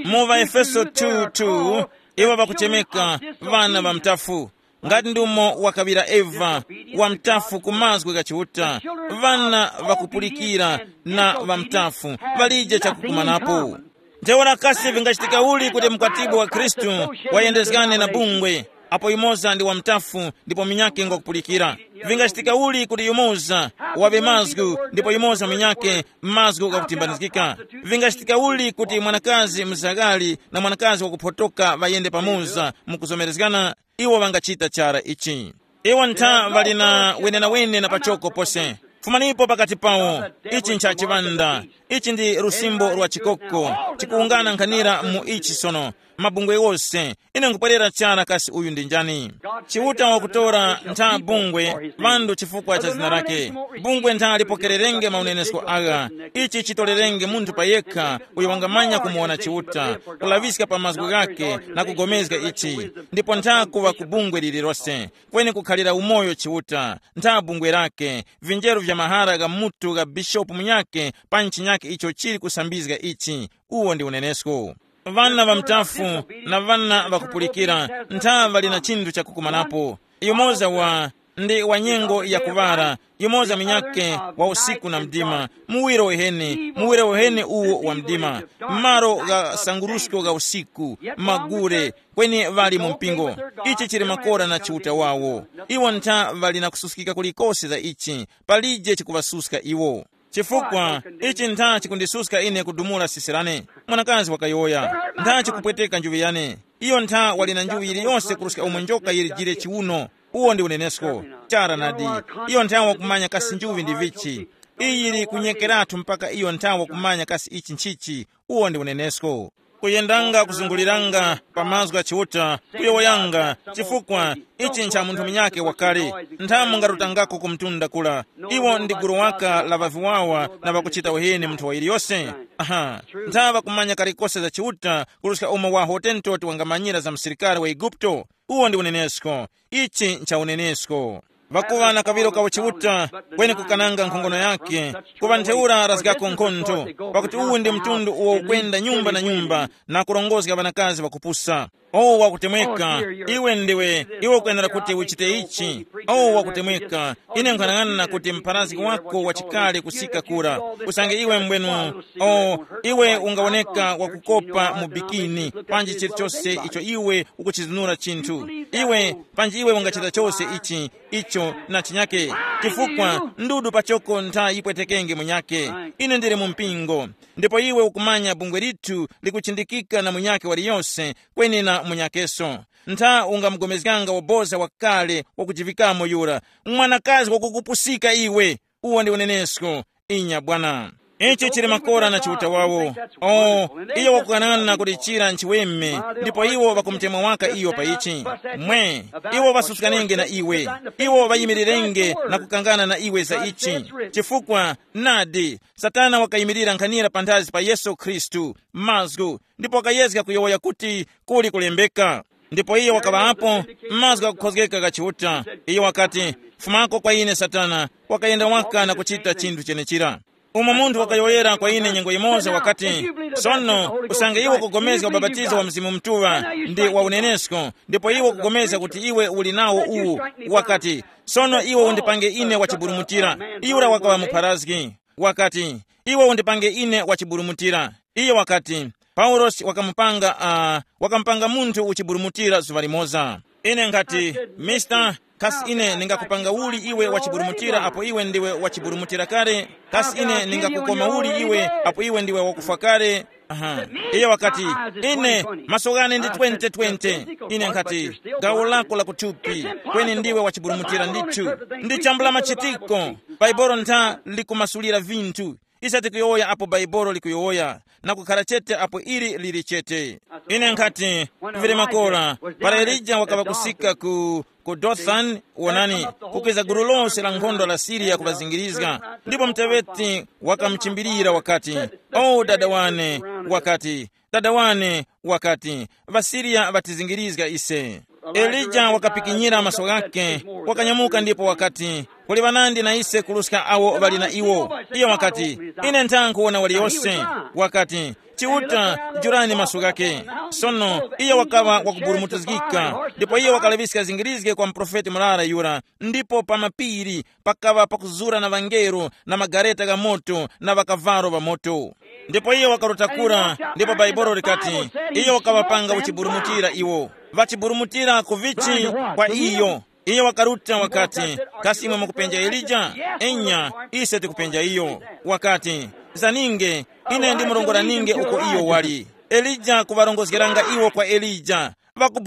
Mu ŵaEfeso two two, iwo ŵakuchemeka ŵana ŵa mtafu. Ngati ndi umo wakaŵira Eva, wa mtafu ku mazgu gha Chiuta, ŵana ŵakupulikira na ŵa mtafu ŵalije chakukumanapo. Ntheura kasi vingachitika uli kuti mkwatibwi wa Khristu wayendezgane na bungwe, apo yumoza ndi wa mtafu ndipo munyakhe ngwakupulikira? Vingachitika uli kuti yumoza waŵe mazgu ndipo yumoza munyakhe mazgu ghakutimbanizgika? Vingachitika uli kuti mwanakazi mzaghali na mwanakazi wakuphotoka ŵayende pamoza mu kuzomerezgana? Iwo ŵangachita chara ichi. Iwo ntha ŵali na wenenawene na pachoko pose. Fumanipo pakati pawo. Ichi ncha chiŵanda. Ichi ndi lusimbo lwa chikoko. Tikuwungana nkhanira mu ichi sono. Mabungwe wose. Ine nkupwerera chara kasi uyu ndi njani? Chiuta wakutora ntha bungwe, ŵanthu chifukwa cha zina lake. Bungwe ntha lipokererenge maunenesko agha. Ichi chitolerenge munthu payekha uyo wangamanya kumuwona Chiuta, kulaŵiska pa mazgu ghake na kugomezga ichi. Ndipo ntha kuŵa ku bungwe lililose. Kweni kukhalira umoyo Chiuta, ntha bungwe lake, vinjeru vya mahara gha mutu gha bishopu munyakhe, pa nchinyakhe icho chili kusambizga ichi. Uwo ndi unenesko. Ŵana ŵa mtafu na ŵana ŵakupulikira ntha ŵali na chinthu chakukumanapo. Yumoza wa ndi wa nyengo ya kuŵala, yumoza munyakhe wa usiku na mdima, muwiro uheni, muwiro uheni uwo wa mdima, malo gha sangurusko gha usiku, magure, kweni ŵali mu mpingo. Ichi chili makora na Chiuta wawo. Iwo ntha ŵali na kususkika kulikose za ichi, palije chikuŵasuska iwo. Chifukwa ichi ntha chikundisuska ine kudumula sisi lane. Mwanakazi wakayowoya, ntha chikupweteka njuŵi yane. Iyo ntha wali na njuŵi yiliyose kuruska umo njoka yilijire chiwuno. Uwo ndi unenesko. Chara nadi. Iyo nthawa kumanya kasi njuvi ndi vichi. Iyi yili kunyekeratu mpaka iyo nthawa kumanya kasi ichi nchichi. Uwo ndi unenesko. Kuyendanga kuzunguliranga pa mazgu gha Chiuta, kuyowoyanga, chifukwa ichi ncha munthu munyakhe wakale. Nthamu ngarutangako ku mtunda kula. Iwo ndi gulu waka la ŵaviwawa na ŵakuchita uheni munthu wa yiliyose. Aha. Nthawa kumanya kalikose za Chiuta kuruska umo wa hotentoti wangamanyira za msirikali wa Eguputo. Uwo ndi unenesko. Ichi ncha unenesko. Ŵakuŵa na kaŵiro ka uchiuta, kweni kukananga nkhongono yakhe, kuŵa ntheura razgako nkhontho, pakuti uwu ndi mtundu uwo ukwenda nyumba na nyumba na kurongozga ŵanakazi ŵakupusa. O wakutemweka, iwe ndiwe, iwe ukwenera kuti uchite ichi. O wakutemweka, ine nkhanang'ana kuti mpharazgi wako wachikale kusika kura. Usange iwe mbwenu, o, iwe ungawoneka wakukopa mu bikini, panji chilichose icho iwe ukuchizunura chinthu. Iwe, panji iwe ungachita chose ichi, icho na chinyake, chifukwa ndudu pachoko ntha yipwetekenge munyake. Ine ndili mu mpingo, ndipo iwe ukumanya bungwe lithu likuchindikika na munyake waliyose, kweni na munyakeso. Ntha ungamugomezganga waboza wakale wakujivikamo yura, mwanakazi wakukupusika iwe. Uwo ndi unenesko. Inya bwana. Ichi chili makora na chiuta wawo. O, iyo wakukanana kuti chira nchiweme, ndipo iwo ŵakumutemwa waka iyo pa ichi. Mwe, iwo ŵasusukanenge na iwe. Iwo ŵayimirirenge na kukangana na iwe za ichi. Chifukwa, nadi, Satana wakayimirira nkhanira panthazi pa Yesu Khristu, mazgu, ndipo wakayezga kuyowoya kuti kuli kulembeka. Ndipo iyo wakaŵa apo, mazgu ghakukhozgeka gha Chiuta. Iyo wakati, fumako kwa ine Satana, wakayenda waka na kuchita chinthu chenechira. Umo munthu wakayowoyera kwa ine nyengo yimoza wakati, sono, usange iwe ukupulikana ubapatizo wa Mzimu Mutuŵa, ndi wa unenesko, ndipo iwe ukupulikana kuti iwe uli nawo uwu, wakati, sono iwe undipange ine wachiburumutira. Yura wakaŵa mupharazgi. Wakati, iwe undipange ine wachiburumutira. Iyo wakati, Paulosi wakamupanga, uh, wakamupanga munthu uchiburumutira zuŵa limoza. Ine nkhati, Mister, kasi ine ningakupanga uli iwe wachiburumutira apo iwe ndiwe wachiburumutira kale? Kasi ine ningakukoma uli iwe apo iwe ndiwe wakufwa kale? Aha. Iye wakati, ine, maso ghane ndi twenty twenty. Ine nkhati, gawo lako la kuthupi, kweni ndiwe wachiburumutira ndithu. Ndi chambula machitiko. Bhaibolo ntha likumasulira vinthu. Ise tikuyowoya apo Bhaibolo likuyowoya, na kukhala chete apo ili lili chete. Ine nkhati, vili makora, para Elija wakaŵa kusika ku, ku Dothani, wonani, kukwiza gulu lose la nkhondo la Siriya kuŵazingirizga, ndipo muteŵeti wakamuchimbirira wakati, o dada wane, wakati, dada wane, wakati, ŵaSiriya ŵatizingirizga ise. Elija wakapikinyira maso ghakhe, wakanyamuka ndipo wakati, kuli ŵanandi na ise kuruska awo ŵali na iwo. Iyo wakati, ine ntha nkhuwona waliyose. Wakati, Chiuta, jurani maso ghakhe. Sono iyo wakaŵa wakuburumutizgika, ndipo iyo wakalaŵiska zingirizge kwa muprofeti murara yura, ndipo pa mapiri pakaŵa pakuzura na ŵangelo na magareta gha moto na ŵakavalo ŵa moto. Ndipo iyo wakaruta kura, ndipo Bhaibuli likati, iyo wakaŵapanga uchiburumutira iwo. Ŵachiburumutira ku vichi? Kwa iyo. Iyo wakaruta wakati, kasi imwe mukupenja Elija? Enya, ise tikupenja iyo. Wakati, zaninge, ine ndimurongora ninge uko iyo wali. Elija kuŵarongozgeranga iwo kwa Elija,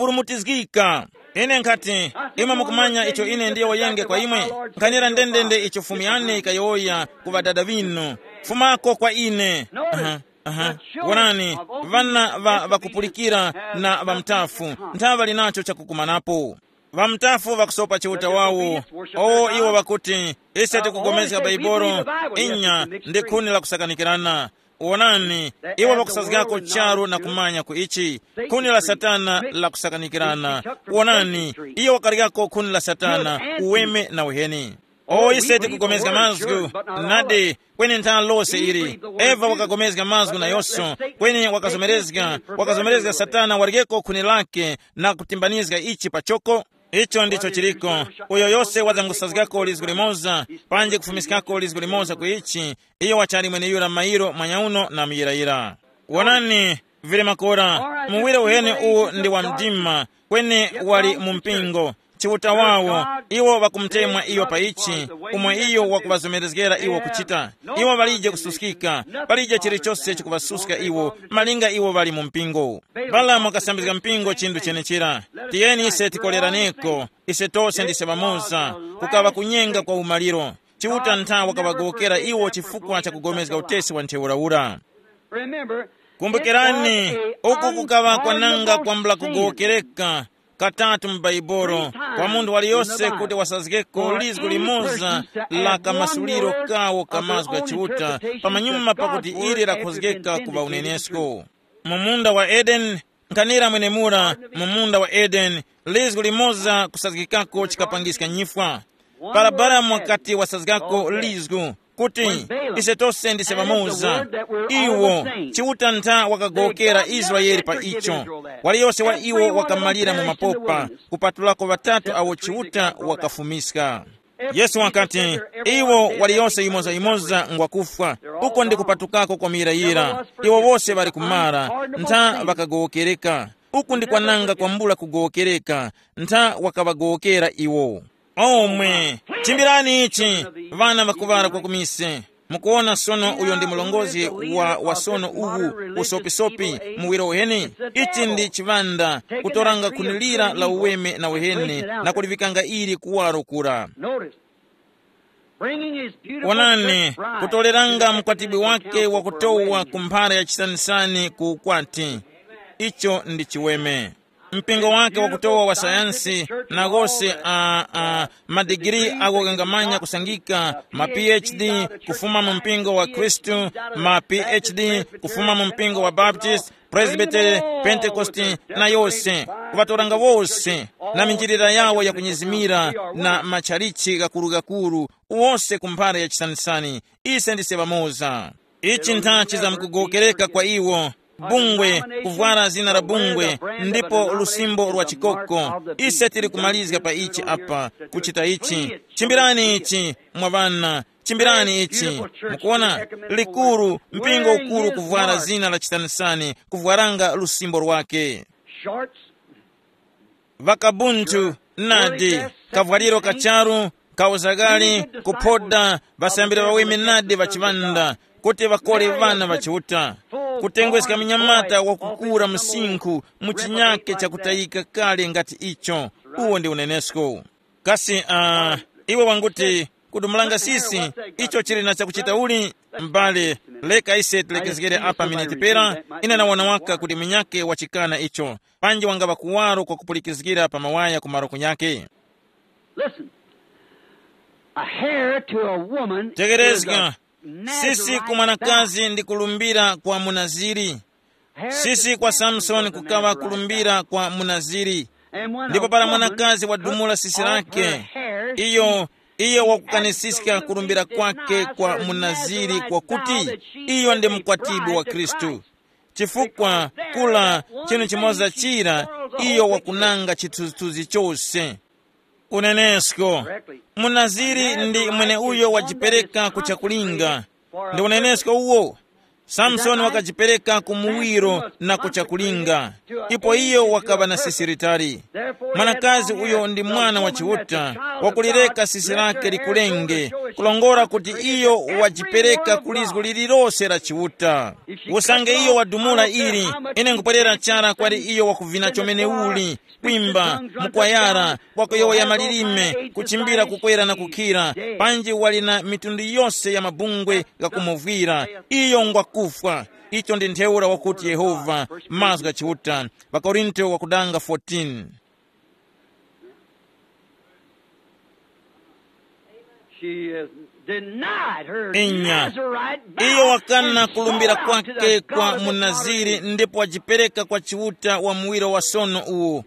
ŵakuburumutizgika. Ine nkhati, imwe mukumanya icho ine ndiyowoyenge kwa imwe, nkhanira ndendende icho Fumu yane yikayowoya ku ŵadada ŵinu, fumako kwa ine. Aha, aha. Wonani, ŵana ŵa ŵakupulikira na ŵamutafu nthaŵa ŵali nacho chakukumanapo. Ŵamutafu ŵakusopa Chiuta wawo. O iwo ŵakuti, ise tikugomezga Baibolo, inya, ndi khuni la kusakanikirana. Wonani, iwo ŵakusazgako charu na kumanya ku ichi, khuni la Satana la kusakanikirana. Wonani, iyo wakaryako khuni la Satana, uweme na uheni. O ise tikugomezga mazgu, nadi, kweni ntha lose ili. Eva wakagomezga mazgu nayonso, kweni wakazomerezga, wakazomerezga Satana waryeko khuni lake na kutimbanizga ichi pachoko. Icho ndicho chiliko. Uyo yose wazangusazgako lizgu limoza, panji kufumiskako lizgu limoza ku ichi, iyo wachali mweneyura mairo mwanyauno na muyirayira. Wonani, vili makora, muwire uheni uwu ndi wa mdima, kweni wali mu mpingo. Chiuta wawo, iwo ŵakumutemwa iyo pa ichi, umo iyo wakuŵazomerezgera iwo kuchita. Iwo ŵalije kususkika, palije chilichose chikuŵasuska iwo, malinga iwo ŵali mu mpingo. Balamu wakasambizga mpingo chinthu chenechera. Tiyeni ise tikoleraneko, ise tose ndise ŵamoza, kukaŵa kunyenga kwa umaliro. Chiuta ntha wakaŵagowokera iwo chifukwa cha kugomezga utesi wa ntheura ura. Remember, kumbukirani, uku kukaŵa kwananga kwambula kugowokereka katatu mu Bhaibuli, kwa munthu waliyose kuti wasazgeko lizgu limoza la kamasuliro kawo ka mazgu gha Chiuta, pamanyuma pakuti ili lakhozgeka kuŵa unenesko. Mu munda wa Edeni, nkhanira mwenemura, mu munda wa Edeni, lizgu limoza kusazgikako chikapangiska nyifwa. Para Balamu wakati wasazgako lizgu, kuti, ise tose ndise ŵamoza. Iwo, Chiuta ntha wakagowokera Israeli pa icho. Waliyose wa iwo wakamalira mu mapopa, kupatulako ŵatatu awo Chiuta wakafumiska. Yesu wakati, iwo waliyose yimoza-yimoza ngwakufwa, uko ndi kupatukako kwa muyirayira. Iwo wose ŵali kumara, ntha ŵakagowokereka. Uku ndi kwananga kwambula kugowokereka, ntha wakaŵagowokera iwo. Omwe, chimbirani ichi, ŵana ŵakuŵala kwa kumise. Mukuwona sono uyo ndi mlongozi wa wasono uwu, usopisopi, muwiro uheni. Ichi ndi chiŵanda, kutoranga khuni lira la uweme na uheni, na kulivikanga ili kuwaro kura. Notice, bringing his beautiful onani, church bride kutoleranga to the mkwatibwi wake wa kutowa ku mphara ya chisanisani ku ukwati. Icho ndi chiweme. Mpingo wake wakutowa wa sayansi, na gose a, a madigiri ako kangamanya kusangika, ma PhD kufuma mu mpingo wa Khristu, ma PhD kufuma mu mpingo wa Baptist, Presbytery, Pentecost, na yose, kuŵatoranga wose, na minjilira yawo yakunyezimira, na matchalichi ghakuru-ghakuru, wose ku mphara ya chisanisani. Ise ndise ŵamoza. Ichi nthachi zamkugowokereka kwa iwo, bungwe, kuvwara zina la bungwe, ndipo lusimbo lwa chikoko. Ise tili kumalizga pa ichi apa, kuchita ichi. Chimbirani ichi, mwa ŵana, chimbirani ichi. Mukuona, likuru, mpingo ukuru kuvwara zina la chitanisani, kuvwaranga lusimbo lwake. Shorts, ŵakabunthu, nadi, kavwaliro kacharu, kauzagari, kuphoda, ŵasambiri ŵaweme nadi ŵa chiŵanda, kuti ŵakole ŵana ŵa Chiuta, kutengweska mnyamata wakukura msinkhu mu chinyake chakutayika kale ngati icho. Uwo ndi unenesko. Kasi uh, iwe wanguti, kudumulanga sisi, icho chili na chakuchita uli? M'bale, leka ise tilekezgere apa miniti pera. Ine nawona waka kuti munyake wachikana icho, panji wangaba kuwaro kwa kupulikizgira pa mawaya ku maroko nyake. Listen. A hair to a woman is a tekerezga. Sisi ku mwanakazi ndi kulumbira kwa munaziri. Sisi kwa Samsoni kukawa kulumbira kwa munaziri. Ndipo para mwanakazi wadumula sisi lake, iyo, iyo wakukanisiska kulumbira kwake kwa munaziri kwakuti iyo ndi mkwatibwi wa Khristu. Chifukwa kula chinu chimoza chira, iyo wakunanga chithunzithunzi chose. Unenesko. Munaziri ndi mwene uyo wajipereka ku chakulinga. Ndi unenesko uwo. Samsoni wakajipereka ku muwiro na ku chakulinga. Ipo iyo wakaŵa na sisi litali. Mwanakazi uyo ndi mwana wa Chiuta, wakulireka sisi lake likulenge, kulongora kuti iyo wajipereka ku lizgu lililose la Chiuta. Usange iyo wadumula ili, ine nkupwerera chara kwali iyo wakuvina chomene uli, kwimba, mukwayara, wakuyowoya malilime, kuchimbira kukwera na kukhira, panji wali na mitundu yose ya mabungwe ghakumuvwira, iyo ngwakufwa. Icho ndi ntheura wakuti Yehova, mazgu gha Chiuta, ŵakorinto wakudanga fourteen. She has denied her inya Nazarite vow iyo wakana and kulumbira swore out to kwake the kwa God of the munaziri Nazarene. Ndipo wajipereka kwa Chiuta wa muwiro wa sono uwu.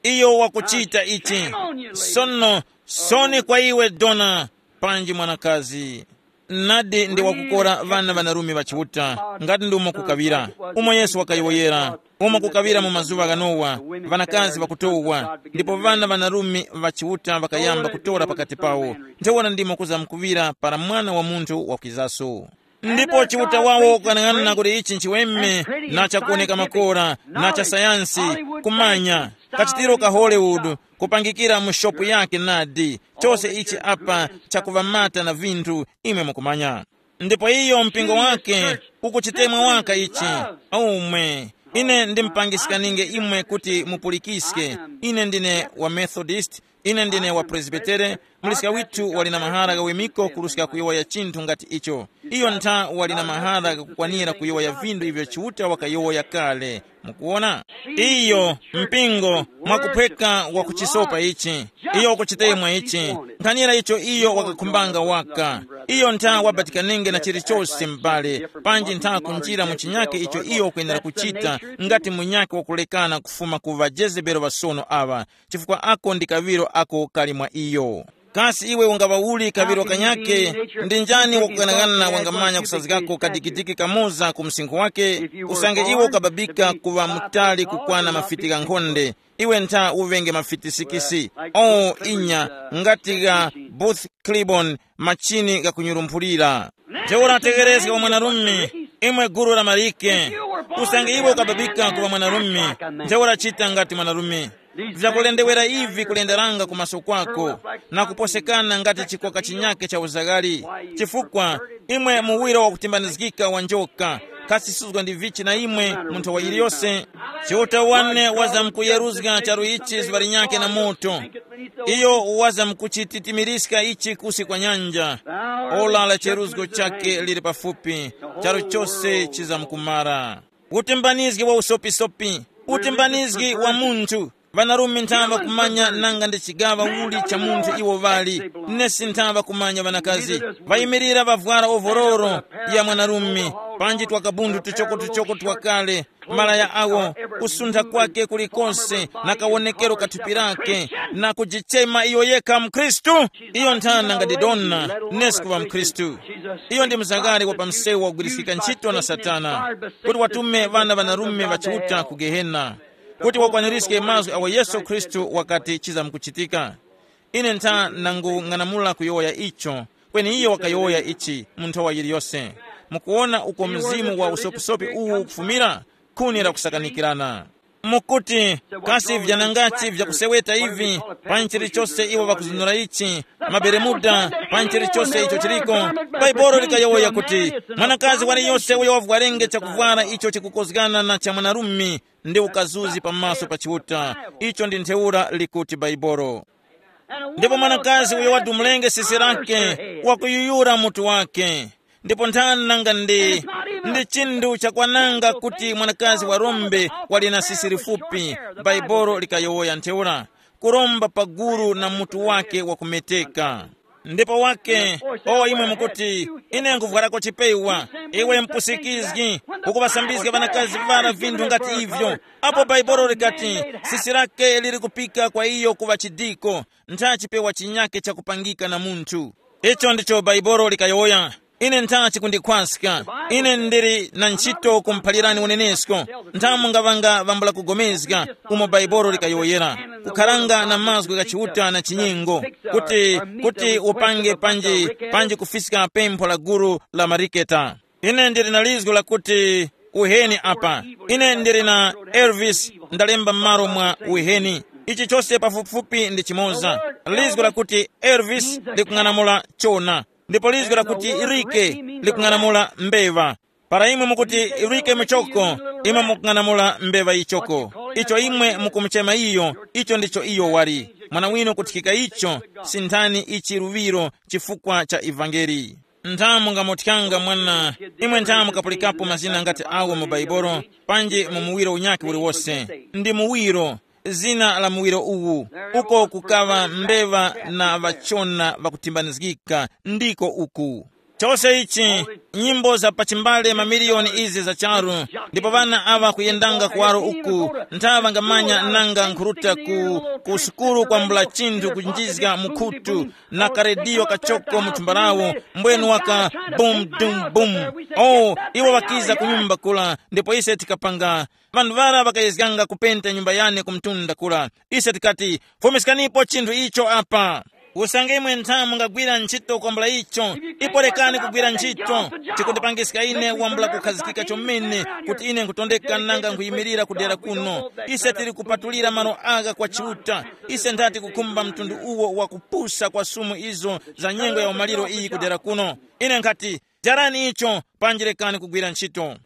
Iyo wakuchita ichi. Sono, soni kwa iwe dona, panji mwanakazi. Nadi ndi wakukora vana vanarume va Chiuta, ngati ndi umo kukawira, umo Yesu wakayowoyera, umo kukawira mu mazuŵa gha Nowa, vanakazi vakutowa, ndipo vana vanarume va Chiuta vakayamba kutora pakati pawo. Ntheura ndimo kuzamkuŵira para Mwana wa Munthu wakwizaso. Ndipo Chiuta wawo kukanang'ana kuti ichi nchiweme, na chakuwoneka makora, na cha sayansi, kumanya. Kachitiro ka Hollywood, kupangikira mu shopu yake nadi, chose ichi apa chakuŵamata na vinthu, imwe mukumanya. Ndipo iyo mpingo wake ukuchitemwa waka ichi. Omwe, ine ndimpangiskaninge imwe kuti mupulikiske. Ine ndine wa Methodist, ine ndine wa Presbytere. Muliska withu wali na mahara ghawemiko kuruska kuyowoya chinthu ngati icho. Iyo ntha wali na mahara ghakukwanira kuyowoya vindu ivyo Chiuta wakayowoya kale. Mukuwona? Iyo mpingo mwakuphweka wakuchisopa ichi. Iyo wakuchitemwa ichi. Nkhanira icho iyo wakakhumbanga waka. Iyo ntha wabatikanenge na chilichose m'bale, panji ntha kunjira mu chinyake icho iyo wakwenera kuchita, ngati munyake wakulekana kufuma ku ŵajezebelo ŵasono aŵa, chifukwa ako ndi kaŵiro ako kali mwa iyo. Kasi iwe ungaŵa uli kaŵiro kanyake? Ndi njani wakuganaghana wangamanya kusazgako kadikidiki kamoza ku msinkhu wake? Usange iwe ukababika kuŵa mutali kukwana mafiti ghankhonde, iwe ntha uŵenge mafiti sikisi, o inya, ngati gha Booth Clibon, machini ghakunyurumphulira. Ntheura tegherezga wa mwanarume, imwe guru la malike. Usange iwe ukababika kuŵa mwanarume, ntheura chita ngati mwanarume. Vyakulendewera ivi kulenderanga kumaso kwako, na kuposekana ngati chikoka chinyake cha uzaghali. Chifukwa imwe muwiro wakutimbanizgika wa njoka, khasisuzgwa ndi vichi na imwe munthu wa yiliyose. Chiuta wane wazamkuyeruzga charu ichi zuŵa linyakhe na moto. Iyo wazamkuchititimiriska ichi kusi kwa nyanja. Ola la cheruzgo chake lili pafupi, charu chose chizamkumara. Utimbanizgi wa usopisopi, utimbanizgi wa munthu. Ŵanarume ntha ŵakumanya nanga ndi chigaŵa uli cha munthu iwo ŵali, nesi ntha ŵakumanya ŵanakazi. Ŵayimirira ŵavwara ovororo ya mwanarume, panji twakabundu tuchoko-tuchoko twakale, malaya awo, kusuntha kwake kulikonse, na kawonekero ka thupi lake, na kujichema iyo yekha mkhristu. Iyo ntha nanga ndi dona, nesi kuŵa mkhristu. Iyo ndi mzangari wa pamsewu wagwiriskika ntchito na Satana, kuti watume ŵana ŵanarume ŵa Chiuta ku Gehena, kuti wakwanirizge mazgu agho Yesu Khristu wakati chizamkuchitika. Ine ntha nangung'anamula kuyowoya icho, kweni iyo wakayowoya ichi mu nthowa yiliyose. Mukuwona uko mzimu wa usopisopi uwu ukufumira? Khuni la kusakanikirana. Mukuti, kasi vyanangachi vyakuseweta ivi, pa nchilichose iwo ŵakuzunura ichi, maberemuda, pa nchilichose icho chiliko? Bhaibuli likayowoya kuti, mwanakazi waliyose uyo wavwarenge chakuvwara icho chikukozgana na cha mwanarume, ndi ukazuzi pamaso pa Chiuta. Icho ndi ntheura likuti Bhaibuli. Ndipo mwanakazi uyo wadumulenge sisi lake, wakuyuyura mutu wake. Ndipo nthani nanga ndi, ndi chinthu chakwananga kuti mwanakazi warombe wali na sisi lifupi, Bhaibuli likayowoya ntheura, kuromba pa gulu na mutu wake wakumeteka. Ndipo wake, o imwe mukuti, ine nkuvwarako chipewa, iwe mpusikizgi, ukuŵasambizga ŵanakazi ŵara vinthu ngati ivyo. Apo Bhaibuli likati, sisi lake lili kupika kwa iyo kuŵa chidiko, ntha chipewa chinyake chakupangika na munthu. Icho ndicho Bhaibuli likayowoya. Ine ntha chikundikhwaska. Ine ndili na ntchito kumuphalirani unenesko. Ntha mungaŵanga vambula kugomezga umo Bhaibuli likayowoyera. Kukharanga na mazgu gha Chiuta na chinyengo, kuti, kuti upange panji, panji kufiska pempho la gulu la mariketa. Ine ndili na lizgu lakuti uheni apa. Ine ndili na Elvis ndalemba m'malo mwa uheni. Ichi chose pafupifupi ndi chimoza. Lizgu lakuti Elvis likung'anamula chona, ndipo lizgu lakuti rike likung'anamula mbeŵa. Para imwe mukuti rike muchoko, imwe mukung'anamula mbeŵa yichoko. Icho imwe mukumuchema iyo, icho ndicho iyo wali. Mwana winu kuthikika icho, sinthani ichi luŵiro chifukwa cha ivangeli. Ntha mungamuthyanga mwana, imwe ntha mukapulikapo mazina ngati awo mu Bhaibuli, panji mu muwiro unyakhe uliwose. Ndi muwiro, zina la muwiro uwu, uko kukaŵa mbeŵa na ŵachona ŵakutimbanizgika, ndiko uku. Chose ichi, nyimbo za pachimbale mamiliyoni izi za charu, ndipo ŵana aŵa kuyendanga kuwaro uku, ntha ŵangamanya nanga nkhuruta ku, ku sukulu kwambula chinthu kunjizga mu khutu, na karediyo kachoko mu thumba lawo, mbwenu waka bum dum bum. Oh, iwo ŵakiza ku nyumba kula, ndipo ise tikapanga. Ŵanthu ŵara ŵakayezganga kupenta nyumba yane ku mtunda kula. Ise tikati, fumiskanipo chinthu icho apa. Usange imwe ntha mungagwira ntchito kwambula icho, ipo rekani kugwira ntchito. Chikundipangiska ine wambula kukhazikika chomene kuti ine nkutondeka nanga nkhuyimirira kudera kuno. Ise tili kupatulira malo agha kwa Chiuta. Ise nthati kukhumba mtundu uwo wa kupusa kwa sumu izo za nyengo ya umaliro iyi kudera kuno. Ine nkhati, jarani icho, panji rekani kugwira ntchito.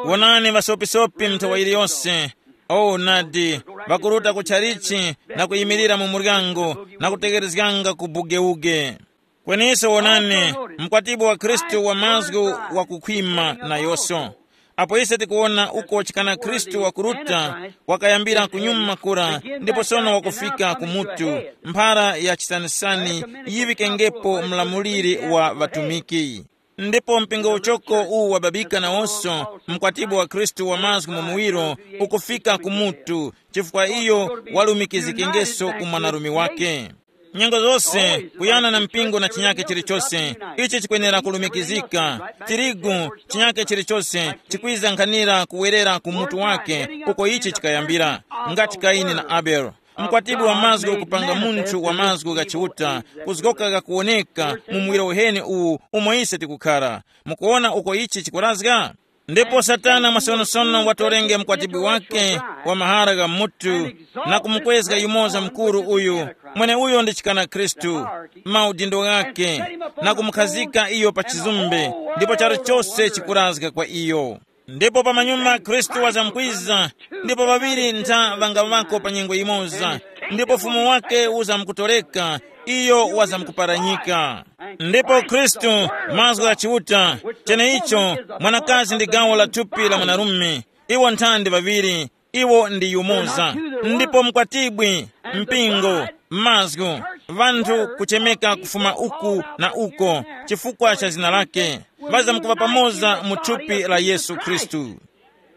Wonani ŵasopisopi mnthowa yiliyose. O nadi, ŵakuruta ku tchalichi na kuyimirira mu muryango na kutegherezganga ku bugeuge. Kweneso wonani, mkwatibwi wa Khristu wa mazgu wakukhwima nayose. Apo ise tikuwona uko chikana Khristu wakuruta, wakayambira kunyuma kura, ndipo sono wakufika ku mutu, mphara ya chisanisani yiŵikengepo mlamuliri wa ŵatumiki. Ndipo mpingo uchoko uwu wababika nawonso, mkwatibwi wa Khristu wa mazgu mu muwiro, ukufika ku mutu, chifukwa iyo walumikizikengeso ku mwanarume wake. Nyengo zose, kuyana na mpingo na chinyake chilichose, ichi chikwenera kulumikizika. Tirigu, chinyake chilichose, chikwiza nkhanira kuwerera ku mutu wake, uko ichi chikayambira, ngati Kaini na Abele. Mkwatibwi wa mazgu kupanga munthu wa mazgu gha Chiuta, kuzgoka ghakuwoneka mu muwiro uheni uwu umo ise tikukhara. Mukuwona uko ichi chikurazga? Ndipo Satana mwasonosono watorenge mkwatibwi wake wa mahara gha mutu, na kumukwezga yumoza mukuru uyu, mweneuyo ndi chikana Khristu, maudindo ghake, na kumukhazika iyo pa chizumbe, ndipo charu chose chikurazga kwa iyo. Ndipo pamanyuma Khristu wazamkwiza, ndipo ŵaŵiri ntha ŵangaŵako pa nyengo yimoza, ndipo ufumu wake uzamkutoreka, iyo wazamkuparanyika. Ndipo Khristu, mazgu gha Chiuta, cheneicho, mwanakazi ndi gawo la thupi la mwanarume, iwo nthandi ŵaŵiri, iwo ndi yumoza. Ndipo mkwatibwi, mpingo, mazgu, ŵanthu kuchemeka kufuma uku na uko, chifukwa cha zina lake, ŵazamkuŵa pamoza mu thupi la Yesu Khristu.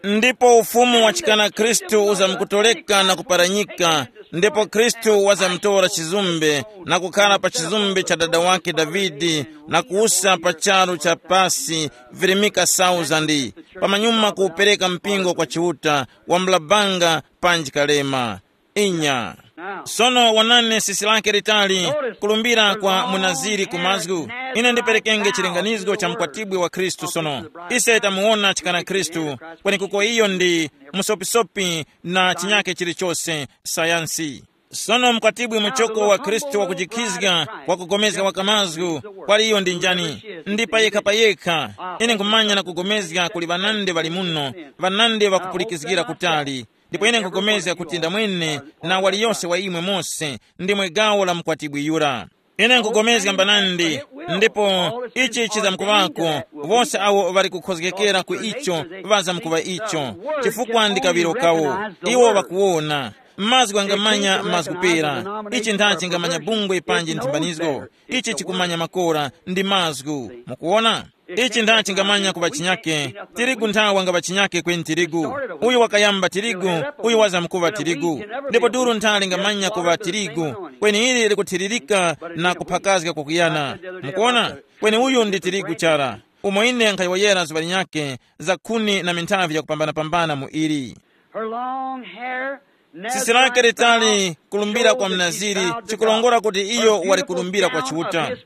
Ndipo ufumu wa chikana Khristu uzamkutoleka na kuparanyika, ndipo Khristu wazamutora chizumbe na kukhara pa chizumbe cha dada wake Davide, na kuwusa pa charu cha pasi virimika sauzandi, pamanyuma kuwupereka mpingo kwa Chiuta, wambula banga panji kalema. Inya. Sono wonani sisi lake litali, kulumbira kwa munaziri ku mazgu. Ine ndiperekenge chilinganizgo cha mkwatibwi wa Khristu sono. Ise tamuwona chikana Khristu, kwenekuko iyo ndi musopisopi na chinyake chilichose, sayansi. Sono mkwatibwi muchoko wa Khristu wakujikhizga, wakugomezga waka mazgu, kwali iyo ndi njani? Ndi payekha payekha. Ine nkhumanya na kugomezga kuli ŵanandi ŵali muno, ŵanandi ŵakupulikizgira kutali. Ndipo ine nkhugomezga kuti ndamwene na waliyose wa imwe mose ndimwe gawo la mkwatibwi yura. Ine nkhugomezga mbanandi, ndipo ichi chizamkuŵako, wose awo ŵali kukhozgekera ku icho ŵazamkuŵa icho, chifukwa ndi kaŵiro kawo. Iwo ŵakuwona. Mazgu angamanya mazgu pera. Ichi nthachi ngamanya bungwe panji nthimbanizgo. Ichi chikumanya makora ndi mazgu. Mukuwona? Ichi nda chingamanya kuŵa chinyake, tirigu nthawa ngaŵa chinyake kweni tirigu. Uyu wakayamba tirigu, uyu wazamkuŵa tirigu. Ndipo duru ntha lingamanya kuŵa tirigu, kweni ili likuthiririka na kuphakazga kwakuyana. Mukuwona? Kweni uyu ndi tirigu chara. Umo ine nkhayowoyera zuŵa linyakhe, za khuni na minthavi yakupambana-pambana mu ili. Her long hair never sisi lake litali kulumbira kwa mnaziri, chikulongora kuti iyo wali kulumbira kwa Chiuta.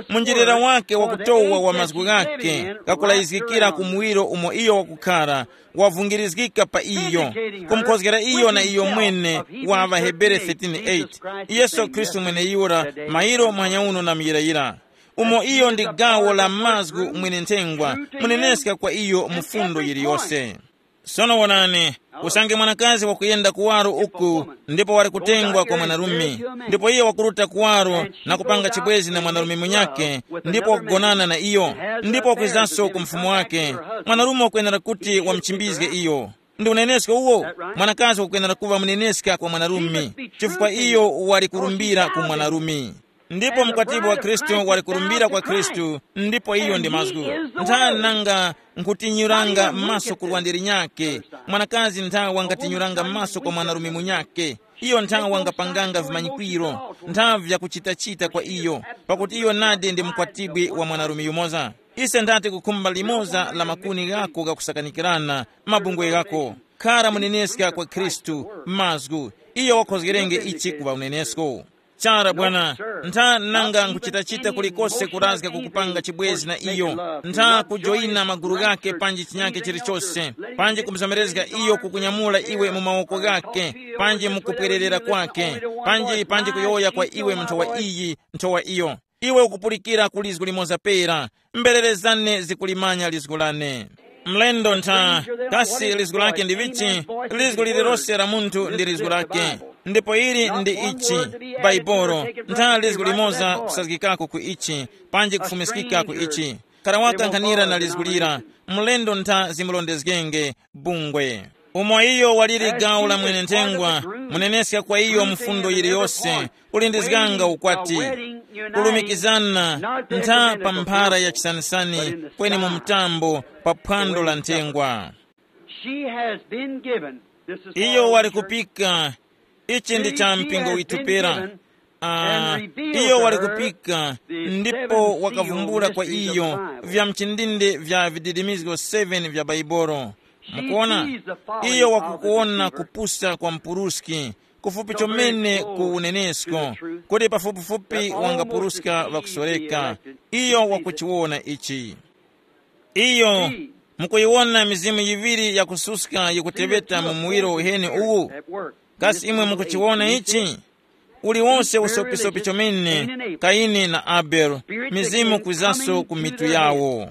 Munjirira wake wakutowa wa mazgu ghake ghakulayizgikira ku muwiro umo iyo wakukhara, wavungirizgika pa iyo, kumukhozgera iyo na iyo mwene wa ŵaHebere thirteen eight, Yesu Khristu mweneyura, mairo muhanya uno na muyirayira, umo iyo ndi gawo la mazgu mwene nthengwa, muneneska kwa iyo mu fundo yiliyose. Sono wonani, usange mwanakazi wakuyenda kuwaro uku, ndipo wali kutengwa kwa mwanarume, ndipo iye wakuruta kuwaro na kupanga chibwezi na mwanarume munyakhe, ndipo wakugonana na iyo, ndipo wakwizanso ku mfumu wake, mwanarume wakwenera kuti wamuchimbizge iyo. Ndi unenesko uwo? Mwanakazi wakwenera kuŵa muneneska kwa mwanarume, chifukwa iyo wali kulumbira ku mwanarume. Ndipo mkwatibwi wa Khristu wali kulumbira kwa Khristu, ndipo iyo ndi mazgu. Ntha nanga nkhutinyuranga maso ku lwande linyakhe, mwanakazi ntha wangatinyuranga maso kwa mwanarume munyakhe. Iyo ntha wangapanganga vimanyikwiro, ntha vyakuchitachita kwa iyo, pakuti iyo nadi ndi mkwatibwi wa mwanarume yumoza. Ise nthati kukhumba limoza la makuni ghako ghakusakanikirana, mabungwe ghako. Khara muneneska kwa Khristu, mazgu. Iyo wakhozgerenge ichi kuŵa unenesko. Chara bwana, ntha nanga nkuchitachita kulikose kurazga kukupanga chibwezi na iyo, ntha kujoyina magulu ghake panji chinyake chilichose, panji kumuzomerezga iyo kukunyamula iwe mu mawoko ghake, panji mukupwererera kwake, panji panji kuyowoya kwa iwe nthowa iyi, nthowa iyo. Iwe ukupulikira ku lizgu limoza pera, mbererezane zikulimanya lizgu lane. Mlendo ntha, kasi lizgu lake ndi vichi? Lizgu lililose la munthu ndi lizgu lake. Ndipo ili ndi ichi, Baibolo. Ntha lizgu limoza kusazgikako ku ichi, panji kufumiskika ku ichi. Kara wakankhanira na lizgu lira, mlendo ntha zimulondezgenge, bungwe. Umo iyo waliri gawo la mwene nthengwa, muneneska kwa iyo mfundo yiliyose, kulindizganga ukwati, kulumikizana, ntha pa mphara ya chisanisani, kweni mu mtambo pa phwando la nthengwa. She has been given. This is for iyo our wali church. Kupika. Ichi ndi cha mpingo withu pera. Ah, iyo wali kupika, ndipo wakavumbula kwa iyo vya mchindinde vya vididimizgo seven vya Baibolo. Mukuona, iyo wakukuona kupusa kwa mpuruski, kufupi chomene ku unenesko, kuti pafupifupi wangapuruska vakusoreka. Iyo wakuchiwona ichi. Iyo, mukuyiwona mizimu yiŵiri yakususka yikuteŵeta mu muwiro uheni uwu? Kasi imwe mukuchiwona ichi? Uliwonse usopisopi chomene, Kaini na Abele, mizimu kwizaso ku mitu yawo.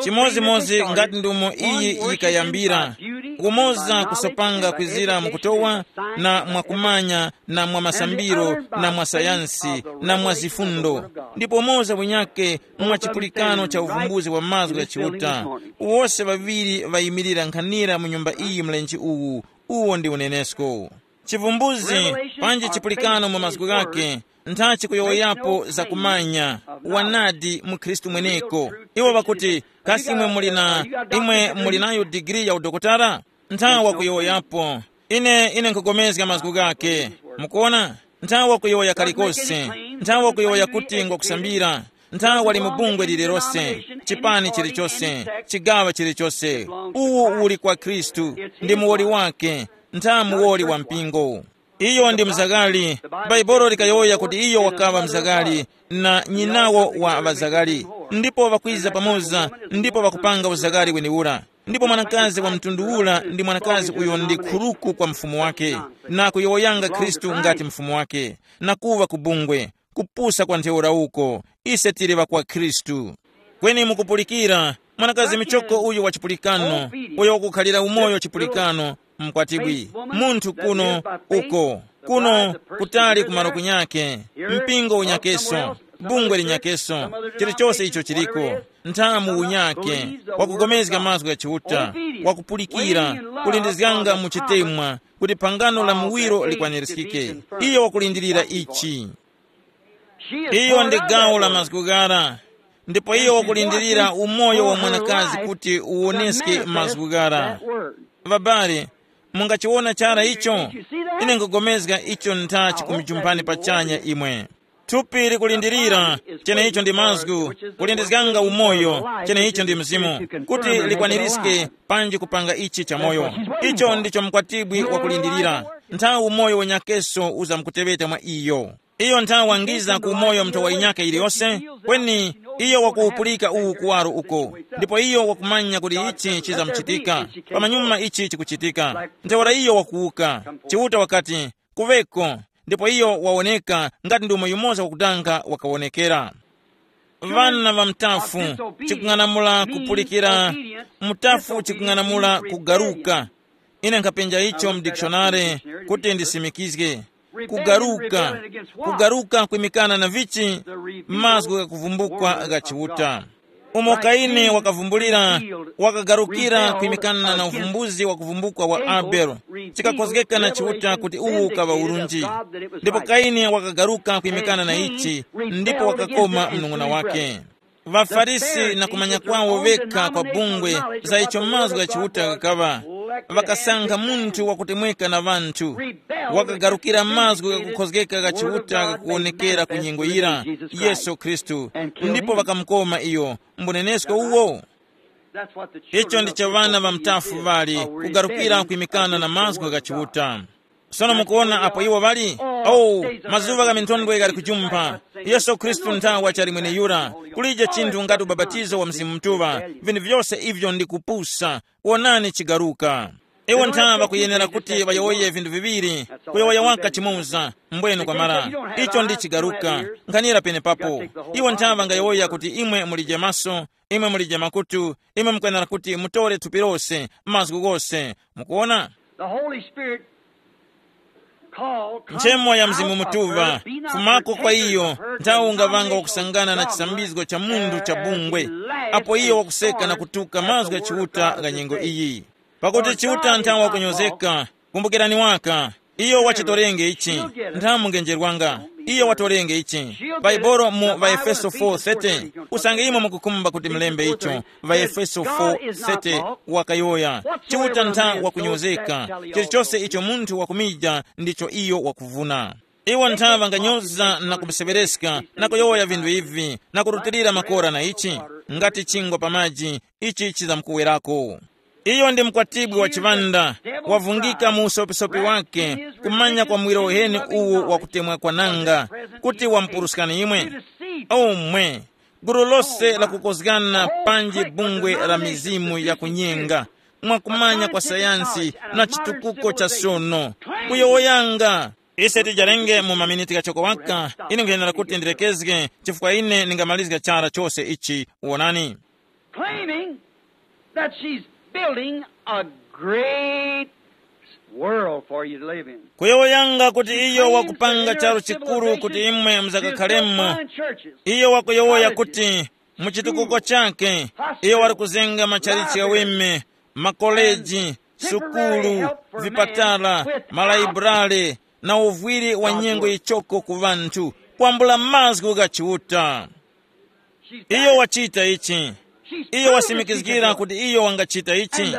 Chimodzimodzi ngati ndumo iyi yikayambira, kumoza kusopanga kwizira mukutowa, na mwakumanya, na mwa masambiro, na mwa sayansi, na mwa zifundo, ndipo moza bunyake mwa chipulikano cha uvumbuzi wa mazgu gha Chiuta. Wose ŵaŵiri ŵayimirira nkhanira mu nyumba iyi mlenje uwu. Uwo ndi unenesko. Chivumbuzi, panji chipulikano mu mazgu ghake, ntha chikuyowoyapo za kumanya, wanadi mu Khristu mweneko. Iwo ŵakuti, kasi imwe muli na, imwe muli nayo digiri ya udokotala? Ntha wakuyowoyapo. Ine, ine nkhugomezga mazgu ghake. Mukuona? Ntha wakuyowoya kalikose. Ntha wakuyowoya kuti ngwakusambira. Ntha wali mu bungwe lililose, chipani chilichose, chigawa chilichose. Uwu uli kwa Khristu, ndi muwoli wake, ntha muwoli wa mpingo. Iyo ndi mzagali. Bhaibuli likayowoya kuti iyo wakaŵa mzagali, na nyinawo wa ŵazagali, ndipo ŵakwiza pamoza, ndipo ŵakupanga uzagali weniura. Ndipo mwanakazi wa mtundu ura ndi mwanakazi uyo ndi khuruku kwa mfumu wake, na kuyowoyanga Khristu ngati mfumu wake, na kuŵa ku bungwe, kupusa kwa ntheura uko. Ise tili ŵa kwa Khristu. Kweni mukupulikira, mwanakazi michoko uyu wa chipulikano, uyo wakukhalira umoyo chipulikano, mkwatibwi, munthu kuno, uko, kuno, kutali ku malo kunyake, mpingo unyakeso, bungwe linyakeso, chilichose icho chiliko, nthamu unyake, wakugomezga mazgu gha Chiuta, wakupulikira, kulindizganga mu chitemwa, kuti phangano la muwiro likwanirizgike. Iyo wakulindirira ichi. Iyo ndi gawo la mazgu ghara, ndipo iyo wakulindirira umoyo wa mwanakazi kuti uwoneske mazgu ghara. Ŵabale, mungachiwona chara icho? Ine nkugomezga icho ntha chikumujumpani pachanya imwe. Thupi likulindirira, cheneicho ndi mazgu, kulindizganga umoyo, cheneicho ndi mzimu, kuti likwanirizge panji kupanga ichi chamoyo. Icho ndicho mkwatibwi wakulindirira, nthawi umoyo wenyakeso uzamkuteŵeta mwa iyo. Iyo nthawi wangiza ku umoyo mnthowa yinyakhe yiliyose, kweni iyo wakuwupulika uwu kuwaro uko, ndipo iyo wakumanya kuti ichi chizamuchitika. Pamanyuma ichi chikuchitika, ntheura iyo wakuwuka. Chiuta wakati, kuŵeko, ndipo iyo wawoneka ngati ndi umo yumoza wakudanga wakawonekera. Ŵana ŵa mutafu, chikung'anamula kupulikira, mutafu chikung'anamula kugaruka. Ine nkhapenja icho mu dikishonare kuti ndisimikizge. Kugaruka, kugaruka kwimikana na vichi? Mazgu ghakuvumbukwa gha Chiuta. Umo Kaini wakavumbulira, wakagarukira kwimikana na uvumbuzi wa kuvumbukwa wa Abele, chikakhozgeka na Chiuta kuti uwu ukaŵa urunji. Ndipo Kaini wakagaruka kwimikana na ichi, ndipo wakakoma mnung'una wake. ВaFarisi na kumanya kwawo vekha kwa bungwe za icho mazgu gha Chiuta ghakaŵa, ŵakasankha munthu wakutemweka na ŵanthu. Wakagarukira mazgu ghakukhozgeka gha Chiuta ghakuwonekera ku nyengo yira, Yesu Khristu, ndipo ŵakamukoma iyo. Mbunenesko uwo? Icho ndicho ŵana ŵa mutafu ŵali, kugarukira kwimikana na mazgu gha Chiuta. Sono mukuona apo iwo ŵali? Oh, mazuŵa gha minthondwe ghali kujumpha. Yesu Khristu nthawa chali mweneyura. Kulije chinthu ngati ubapatizo wa Mzimu Mutuŵa. Vinthu vyose ivyo ndi kupusa. Wonani chigaruka. Iwo nthawa kuyenera kuti ŵayowoye vinthu viŵiri. Kuyowoya waka chimoza, mbwenu kwamara. Icho ndi chigaruka. Nkhanira penepapo. Iwo nthawa ngayowoya kuti imwe mulije maso, imwe mulije makutu, imwe mukwenera kuti mutore thupi lose, mazgu ghose. Mukuona? The Holy Spirit call Nchemo ya Mzimu Mutuŵa fumako kwa iyo, nthawi ungavanga wakusangana na chisambizgo cha munthu cha bungwe, apo iyo wakuseka na kutuka mazgu ya Chiuta gha nyengo iyi. Pakuti Chiuta nthawi wakunyozeka. Kumbukirani waka, iyo wachitorenge ichi. Nthawi mungenjerwanga, iyo watorenge ichi. Baibolo mu Vaefeso four thirty, usange imwe mukukhumba kuti mlembe icho. Vaefeso four thirty wakayoya, Chiuta ntha wakunyozeka. Chilichose icho munthu wakumija ndicho iyo wakuvuna. Iwo ntha ŵanganyoza na kuseŵereska na kuyowoya vinthu ivi, na kurutilira makora na ichi, ngati chingwa pa maji, ichi chizamkuwerako. Iyo ndi mkwatibwi wa chiŵanda, wavungika mu usopisopi wake, kumanya kwa mwiro uheni uwu wakutemwa kwananga, kuti wamupuruskani imwe. Omwe, gulu lose lakukozgana panji bungwe la mizimu yakunyenga, mwakumanya kwa sayansi na chitukuko cha sono, kuyowoyanga. Ise tijarenge mu maminiti ghachoko waka, ine nkuyendera kuti ndirekezge, chifukwa ine ningamalizga chara chose ichi. Wonani, claiming that she's building a great world for you to live in. Kuyowoyanga kuti iyo wakupanga charu chikuru kuti imwe muzakakhalemo. Iyo wakuyowoya kuti mu chitukuko chake, iyo wali kuzenga machalichi ghaweme, makoleji, sukulu, vipatala, malaiburale, na uvwiri wa nyengo yichoko ku ŵanthu, kwambula mazgu gha Chiuta. Iyo wachita ichi. Iyo wasimikizgira kuti iyo wangachita ichi.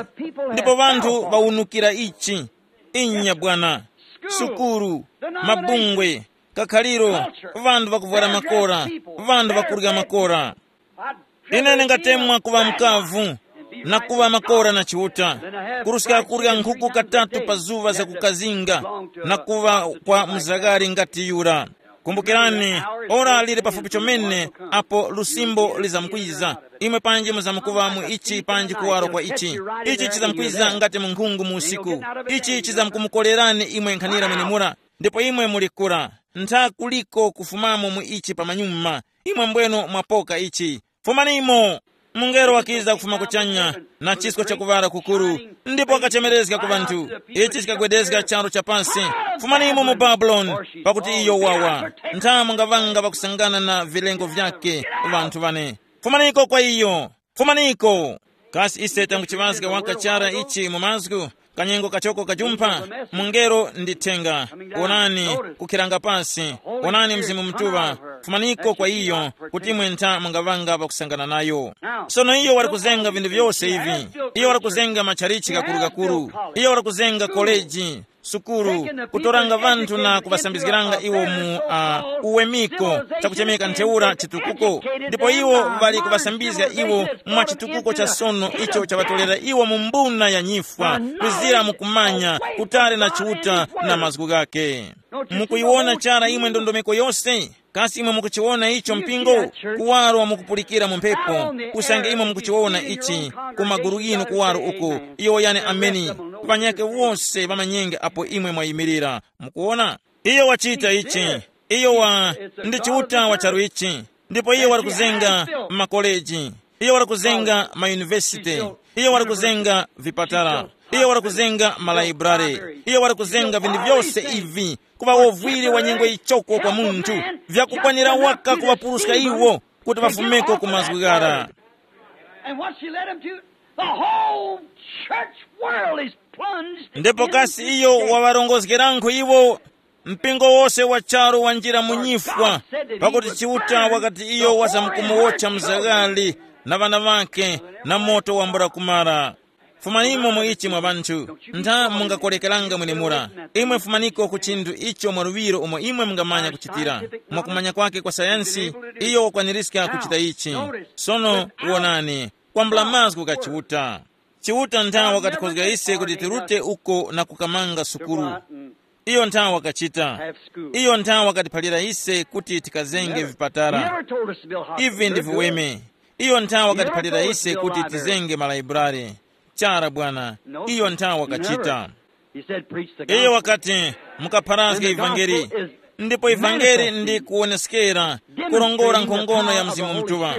Ndipo ŵanthu ŵawunukira ichi. Inya bwana. Sukulu, mabungwe, kakhaliro, ŵanthu ŵakuvwara makora, ŵanthu ŵakurya makora. Ine ndingatemwa kuŵa mkavu, na kuŵa makora na Chiuta, kuruska kurya nkhuku katatu pa zuŵa za kukazinga, na kuŵa kwa mzagari ngati yura. Kumbukirani, ora lili pafupi chomene apo lusimbo lizamkwiza. Imwe panji muzamkuŵa mu ichi panji kuwaro kwa ichi. Ichi chizamkwiza ngati munkhungu mu usiku. Ichi chizamkumukolerani imwe nkhanira mwenemura. Ndipo imwe muli kura, ntha kuliko kufumamo mu ichi pamanyuma. Imwe mbweno mwapoka ichi. Fumanimo! Mungelo wakiza kufuma kuchanya, na chisko chakuŵala kukuru, ndipo wakachemerezga ku ŵanthu. Ichi chikagwedezga charu cha pasi. Fumanimo mu Babuloni, pakuti iyo wawa. Ntha mungaŵanga pakusangana na vilengo vyake, ŵanthu ŵane. Fumaniko kwa iyo. Fumaniko. Kasi ise tanguchiŵazga waka chara ichi mu mazgu? Kanyengo kachoko kajumpha, mungelo ndi thenga. Wonani, kukhiranga pasi. Wonani Mzimu Mutuŵa. Fumaniko kwa iyo, kuti imwe ntha mungaŵanga pakusangana nayo. Sono iyo wali kuzenga vinthu vyose ivi. Iyo wali kuzenga matchalichi gakuru-gakuru. Iyo wali kuzenga koleji, sukulu, kutoranga ŵanthu na kuŵasambizgiranga iwo mu uh, uwemiko, chakuchemeka ntheura chitukuko. Ndipo iwo ŵali kuŵasambizga iwo mwa chitukuko cha sono icho chaŵatolera iwo mu mbuna ya nyifwa, kuzira mu kumanya kutali na Chiuta na mazgu ghake. Mukuyiwona chara imwe ndondomeko yose? Kasi imwe mukuchiwona icho mpingo? Kuwaro mukupulikira mu mphepo. Usange imwe mukuchiwona ichi, ku magulu ghinu kuwaro uko, iyo yani ameni. Ŵanyakhe wose ŵamanyenge apo imwe mwayimirira. Mukuwona? Iyo wachita ichi. Iyo wa ndi Chiuta wa charu ichi. Ndipo iyo wali kuzenga makoleji. Iyo wali kuzenga mayunivesite. Iyo wali kuzenga vipatala. Iyo wali kuzenga malaibrare. Iyo wali kuzenga vinthu vyose ivi, kuŵa wovwiri wa nyengo yichoko kwa munthu, vyakukwanira waka kuŵapuruska iwo kuti ŵafumeko ku mazgu ghara. And what she led him to, the whole church world is plunged. Ndipo kasi iyo waŵarongozgeranko iwo, mpingo wose wa charu wanjira mu nyifwa, pakuti Chiuta wakati iyo wazamkumuwotcha mzaghali na ŵana ŵakhe na moto wambula kumara. Fumanimo mu ichi mwa ŵanthu, ntha mungakolekeranga mwenemura. Imwe fumaniko ku chinthu icho mwaluŵiro umo imwe mungamanya kuchitira. Mwakumanya kwake kwa sayansi, iyo wakwanirizga kuchita ichi. Sono wonani, kwambula mazgu gha Chiuta. Chiuta ntha wakatikhozga ise kuti tirute uko na kukamanga sukulu. Iyo nthawi wakachita. Iyo nthawi wakatiphalira ise kuti tikazenge vipatala. Ivi ndi viweme. Iyo nthawi wakatiphalira ise kuti tizenge malayiburare. Chara bwana. Iyo nthawi wakachita. Iyo wakati, mukapharazge ivangeli. Ndipo ivangeli ndi kuwoneskera, kurongora nkhongono ya Mzimu Mutuŵa.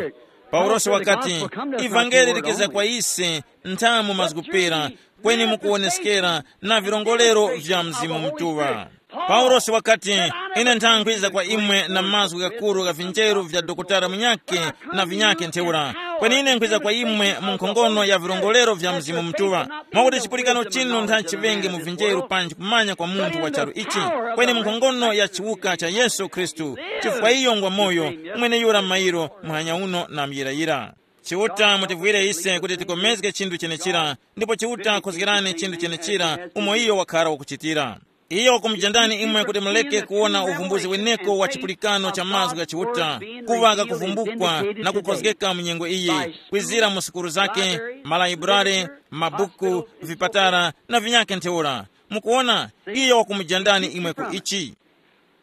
Paulosi wakati, ivangeli likiza kwa ise nthamu mazgupera, kweni mukuwoneskera na virongolero vya Mzimu Mutuŵa. Paulosi wakati, ine ntha nkhwiza kwa imwe na mazgu ghakuru gha vinjeru vya dokotala munyakhe na vinyakhe ntheura, kweni ine nkhwiza kwa imwe mu nkhongono ya virongolero vya Mzimu Mutuŵa. Mwakuti chipulikano chinu ntha chiŵenge mu vinjeru panji kumanya kwa munthu wa charu ichi, kweni mu nkhongono ya chiwuka cha Yesu Khristu, chifukwa iyo ngwa moyo, mweneyura mairo, muhanya uno na muyirayira. Chiuta mutivwire ise kuti tikomezge chinthu chenechira, ndipo Chiuta khozgerani chinthu chenechira umo iyo wakhara wakuchitira. Iyo wakumujandani imwe kuti muleke kuwona uvumbuzi weneko wa chipulikano cha mazgu gha Chiuta, kuŵa kakuvumbukwa na kukhozgeka mu nyengo iyi, kwizira mu sukuru zake, malayiburare, mabuku, vipatara na vinyakhe ntheura. Mukuona, iyo wakumujandani imwe ku ichi.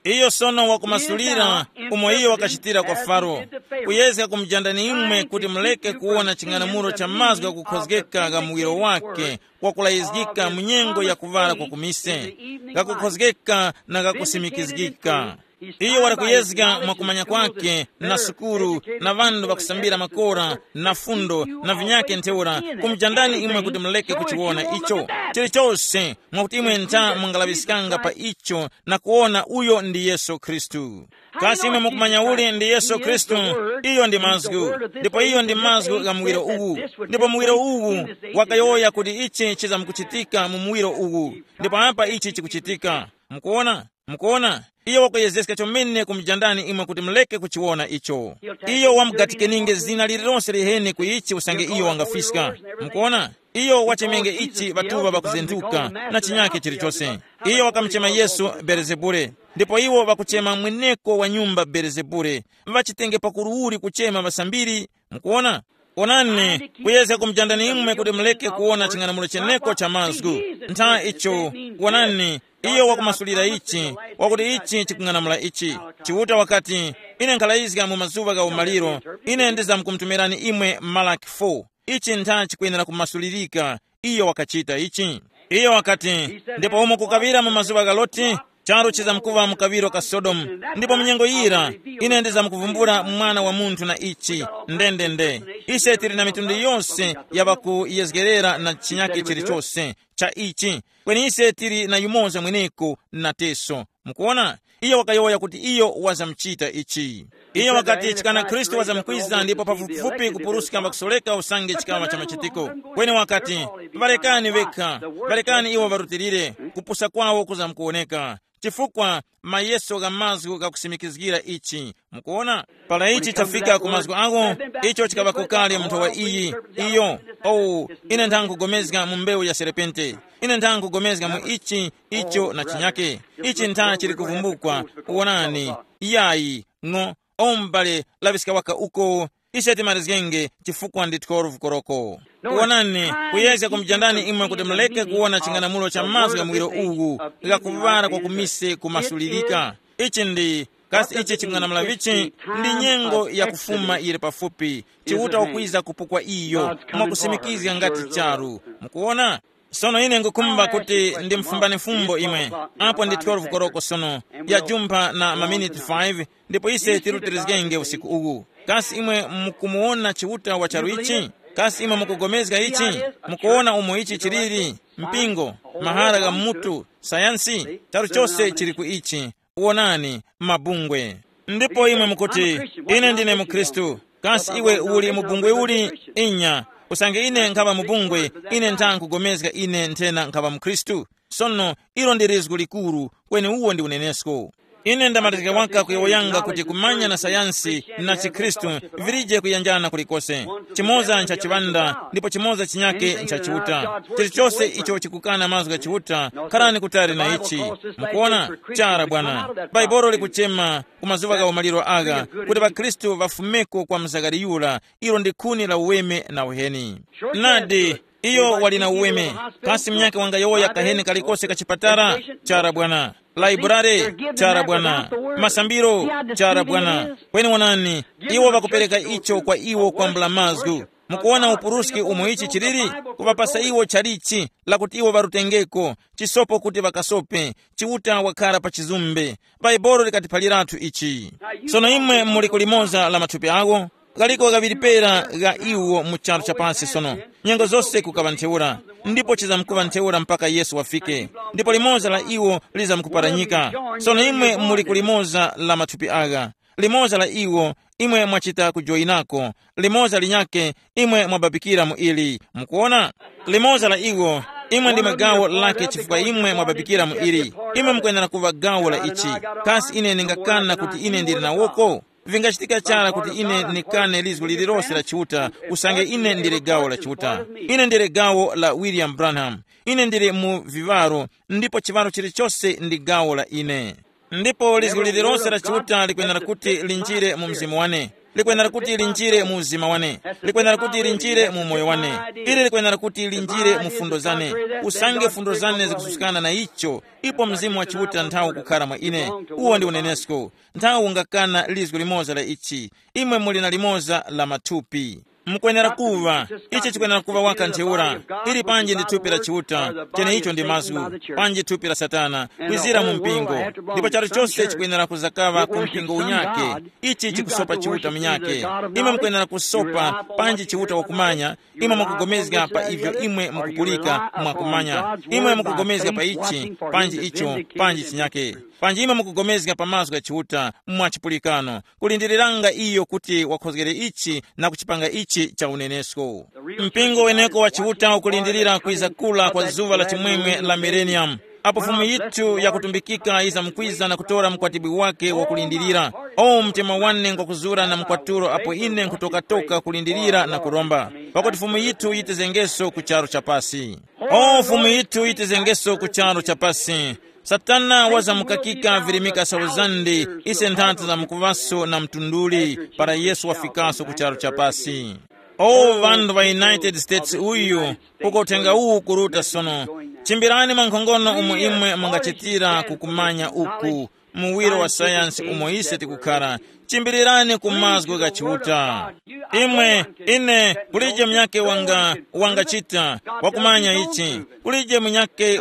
Iyo sono wakumasulira umo iyo wakachitira kwa Faro, kuyezga kumujandani imwe kuti muleke kuwona ching'anamulo cha mazgu ghakukhozgeka gha muwiro wake, kwakulayizgika mu nyengo ya kuŵala kwa kumise, ghakukhozgeka na ghakusimikizgika. Iyo wali kuyezga mwa kumanya kwake na sukuru na ŵanthu ŵakusambira makora na fundo na vinyakhe ntheura, kumujandani imwe kuti muleke kuchiwona icho. Chilichose mwakuti imwe ntha mungalaŵiskanga pa icho na kuwona uyo ndi Yesu Khristu. Kasi imwe mukumanya uli ndi Yesu Khristu? Iyo ndi mazgu, ndipo iyo ndi mazgu gha muwiro uwu. Ndipo muwiro uwu wakayowoya kuti ichi chizamkuchitika mu muwiro uwu, ndipo apa ichi chikuchitika. Mukuona? Mukuona? Iyo wakuyezeska chomene kumujandani imwe kuti muleke kuchiwona icho. Iyo wamugatikenenge zina lililonse liheni ku ichi usange iyo wangafiska. Mukuona? Iyo wachemenge ichi ŵatuŵa ŵakuzentuka na chinyakhe chilichose. Iyo wakamuchema Yesu Belezebule, ndipo iwo ŵakuchema mweneko wa nyumba Belezebule. Ŵachitenge pakuru uli kuchema ŵasambiri? Mukuona? Onani, kuyezga kumujandani imwe kuti muleke kuwona ching'anamulo cheneko cha mazgu. Ntha icho, wonani, iyo wakumasulira ichi, wakuti ichi chikung'anamula ichi. Chiuta wakati, ine nkhalayizga mu mazuŵa gha umaliro, ine ndizamkumutumirani imwe Malaki four. Ichi ntha chikwenera kumasulirika. Iyo wakachita ichi. Iyo wakati, ndipo umo kukaŵira mu mazuŵa gha Loti, charu chizamkuŵa mu kaŵiro ka Sodomu, ndipo mu nyengo yira ine ndizamkuvumbula Mwana wa Munthu na ichi. Ndendende, ise tili na mitundu yose ya ŵakuyezgerera na chinyakhe chilichose cha ichi, kweni ise tili na yumoza mweneko nateso. Mukuona? Iyo wakayowoya kuti iyo wazamuchita ichi. Iyo wakati chikana Khristu wazamkwiza ndipo pafupifupi kupuruska mbakusoleka usange chikaŵa cha machitiko. Kweni wakati, ŵarekani ŵekha, ŵarekani iwo ŵarutilire, kupusa kwawo kuzamkuwoneka. Chifukwa mayeso gha mazgu ghakusimikizgira ichi. Mukuona? Para ichi chafika ku mazgu awo, icho chikaŵako kale mu nthowa iyi. Iyo, oh, ine ntha nkugomezga mu mbewu ya serepente. Ine ntha nkugomezga mu ichi, icho na chinyake. Ichi ntha chili kuvumbukwa. Wonani, yayi, ng'o, o m'bale laŵiska waka uko. Ise timarizgenge chifukwa ndi twelve koroko. Wonani, kuyezga kumujandani imwe kuti muleke kuwona ching'anamulo cha mazgu ya muwiro uwu, ghakuŵala kwa kumise kumasulirika. Ichi ndi, kasi ichi ching'anamula vichi? Ndi nyengo ya kufuma yili pafupi. Chiuta wakwiza kupukwa iyo, mwakusimikizga ngati charu. Mukuona? Sono ine ngukhumba kuti ndimfumbane fumbo imwe. Apo ndi twelve koroko sono, yajumpha na maminiti five, ndipo ise tirutilizgenge usiku uwu. Kasi imwe mukumuwona Chiuta wa charu ichi? Kasi imwe mukugomezga ichi? Mukuwona umo ichi chiliri? Mpingo, mahara gha mutu, sayansi, charu chose chili ku ichi. Wonani, mabungwe. Ndipo imwe mukuti, ine ndine mukhristu. Kasi iwe uli mu bungwe uli? Inya. Usange ine nkhaŵa mu bungwe, ine ntha nkugomezga ine nthena nkhaŵa mukhristu. Sono, ilo ndi lizgu likuru, kweni uwo ndi unenesko. Ine ndamalizika waka kuyowoyanga kuti kumanya na sayansi na chikhristu vilije kuyanjana kulikose. Chimoza ncha chiŵanda, ndipo chimoza chinyake ncha Chiuta. Chilichose icho chikukana mazgu gha Chiuta, kharani kutali na ichi. Mukuona? Chara bwana. Bhaibuli likuchema ku mazuŵa gha umaliro agha kuti ŵakhristu ŵafumeko kwa mzagari yura, ilo ndi khuni la uweme na uheni. Nadi, Iyo wali na uweme. Kasi mnyake wangayowoya kaheni kalikose ka chipatala? Chara bwana. Laiburare? Chara bwana. Masambiro? Chara bwana. Kweni wonani, iwo ŵakupereka icho kwa iwo kwambula mazgu. Mukuwona upuruski umo ichi chiliri? Kuŵapasa iwo chalichi, lakuti iwo ŵarutengeko, chisopo kuti ŵakasope, Chiuta wakhara pa chizumbe. Bhaibuli likatiphaliratu ichi. Sono imwe muli ku limoza la mathupi awo, kaliko kaŵiri pera gha iwo mu charu cha pasi sono, nyengo zose kukaŵa ntheura, ndipo chizamkuŵa ntheura mpaka Yesu wafike, ndipo limoza la iwo lizamkuparanyika. Sono imwe muli ku limoza la mathupi agha, limoza la iwo imwe mwachita kujoyinako, limoza linyakhe imwe mwababikira mu ili. Mukuona? Limoza la iwo, imwe ndimwe gawo lake chifukwa imwe mwababikira mu ili. Imwe mukwenera kuŵa gawo la ichi. Kasi ine ndingakana kuti ine ndili nawoko? Vingachitika chara kuti ine nikane lizgu lililose la Chiuta, usange ine ndili gawo la Chiuta. Ine ndili gawo la William Branham. Ine ndili mu viŵaro, ndipo chiŵaro chilichose ndi gawo la ine. Ndipo lizgu lililose la Chiuta likwenera kuti linjire mu mzimu wane, likwenera kuti linjire mu uzima wane, likwenera kuti linjire mu moyo wane. Ili likwenera kuti linjire mu fundo zane, usange fundo zane zikususkana na icho, ipo Mzimu wa Chiuta nthawi ukukhara mwa ine. Uwo ndi unenesko. Nthawi ungakana lizgu limoza la ichi. Imwe muli na limoza la mathupi. Mukwenera kuva, ichi chikwenera kuva waka ntheura. Ili panji ndi thupi la Chiuta, cheneicho ndi mazgu, panji thupi la Satana, kwizira mu mpingo. Ndipo charu chose chikwenera kuzakaŵa ku mpingo unyake. Ichi chikusopa Chiuta munyake. Imwe mukwenera kusopa panji Chiuta wakumanya. Imwe mukugomezga pa ivyo imwe mukupulika mwakumanya. Imwe mukugomezga pa ichi, panji icho, panji chinyake. Panji imwe mukugomezga pa mazgu gha Chiuta mwa chipulikano, kulindiriranga iyo kuti wakhozgere ichi na kuchipanga ichi cha unenesko. Mpingo weneko wa Chiuta ukulindirira kwiza kula kwa zuŵa la chimwemwe la millennium, apo Fumu yithu yakutumbikika yizamkwiza na kutora mkwatibwi wake wakulindirira. O mtima wane ngwakuzura na mkwaturo apo ine nkhutokatoka kulindirira na kuromba, pakuti Fumu yithu yitizengeso ku charu cha pasi. O Fumu yithu yitizengeso ku charu cha pasi. Satana wazamukakika virimika sauzandi, ise nthata za mukuŵaso na mtunduli, para Yesu wafikaso ku charu cha pasi. O ŵanthu ŵa United States uyu, uko uthenga uwu ukuruta sono. Chimbirani mwa nkhongono umo imwe mungachitira kukumanya uku, muwiro wa sayansi umo ise tikukhara. Chimbirirani ku mazgu gha Chiuta. Imwe, ine, kulije munyake wanga, wangachita, wakumanya ichi. Kulije munyake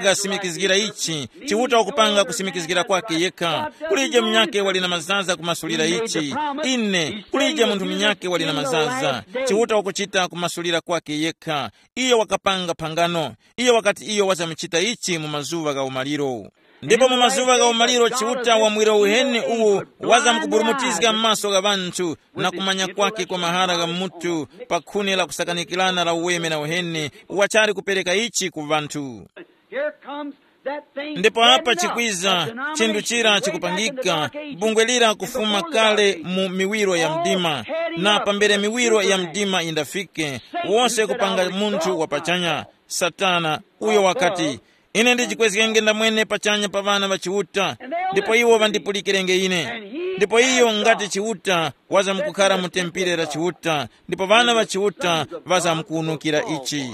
wangasimikizgira ichi. Chiuta wakupanga kusimikizgira kwake yekha. Kulije munyake wali na mazaza kumasulira ichi. Ine, kulije munthu munyake wali na mazaza. Chiuta wakuchita kumasulira kwake yekha. Iyo wakapanga phangano. Iyo wakati iyo wazamuchita ichi mu mazuŵa gha umaliro. Ndipo mu mazuŵa gha umaliro Chiuta wa mwiro uheni uwu wazamkuburumutizga m'maso gha ŵanthu, na kumanya kwake kwa mahara gha mutu, pa khuni la kusakanikirana la uweme na uheni, wachali kupereka ichi ku ŵanthu. Here comes that thing. Ndipo apa chikwiza chinthu chira chikupangika, bungwe lira kufuma kale mu miwiro ya mdima, na pambere miwiro ya mdima indafike, wose kupanga munthu wa pachanya, Satana, uyo wakati, ine ndichikwezgenge ndamwene pachanya pa ŵana ŵa Chiuta, ndipo iwo ŵandipulikirenge ine. Ndipo iyo ngati Chiuta, wazamkukhara mu tempere la Chiuta, ndipo ŵana ŵa Chiuta ŵazamkuwunukira ichi.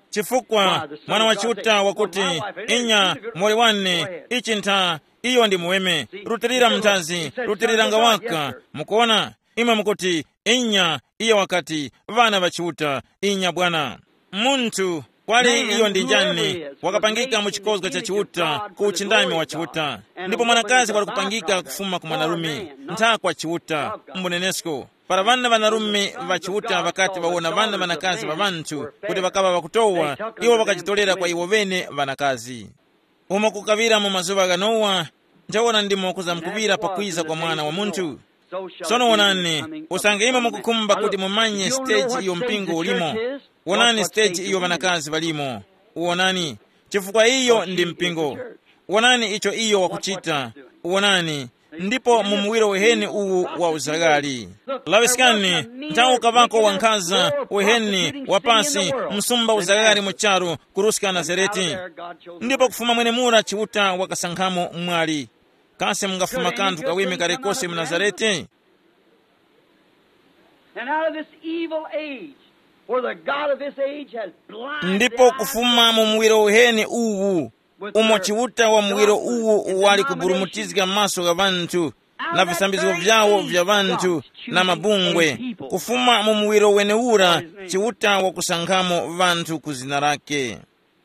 Chifukwa mwana wa Chiuta wakuti, inya, mori wane, ichi ntha, iyo ndi muweme, rutilira mnthazi, rutiriranga waka. Mukuona? Imwe mukuti, inya, iye wakati, ŵana ŵa Chiuta, inya bwana. Munthu, kwali iyo ndi njani, wakapangika mu chikozga cha Chiuta, ku uchindami wa Chiuta. Ndipo mwanakazi wali kupangika kufuma ku mwanarume, ntha kwa Chiuta, mbunenesko. Para ŵana ŵanarume ŵa Chiuta ŵakati ŵawona ŵana ŵanakazi ŵa ŵanthu kuti ŵakaŵa ŵakutowa, iwo ŵakajitorera kwa iwo ŵene ŵanakazi. Umo kukaŵira mu mazuŵa gha Nowa, ntheura ndimo kuzamkuŵira pakwiza kwa Mwana wa Munthu. Sono wonani, usange imwe mukukhumba kuti mumanye stage iyo mpingo ulimo, wonani stage iyo ŵanakazi ŵalimo. Wonani, chifukwa iyo ndi mpingo. Wonani icho iyo wakuchita. Wonani, ndipo mu muwiro weheni uwu wa uzaghali. Laŵiskani, nthawi ukaŵako wankhaza weheni wa pasi, msumba uzaghali mu charu, kuruska Nazarete. Ndipo kufuma mwenemura Chiuta wakasankhamo mwali. Kasi mungafuma kanthu kaweme karekose mu Nazarete? And out of this evil age, For the God of this age has blinded Ndipo the eyes kufuma mu muwiro uheni uwu, umo Chiuta wa muwiro uwu wali kuburumutizga maso gha ŵanthu, na visambizgo vyawo vya ŵanthu, na mabungwe, kufuma mu muwiro wenewura, Chiuta wakusankhamo ŵanthu ku zina lake.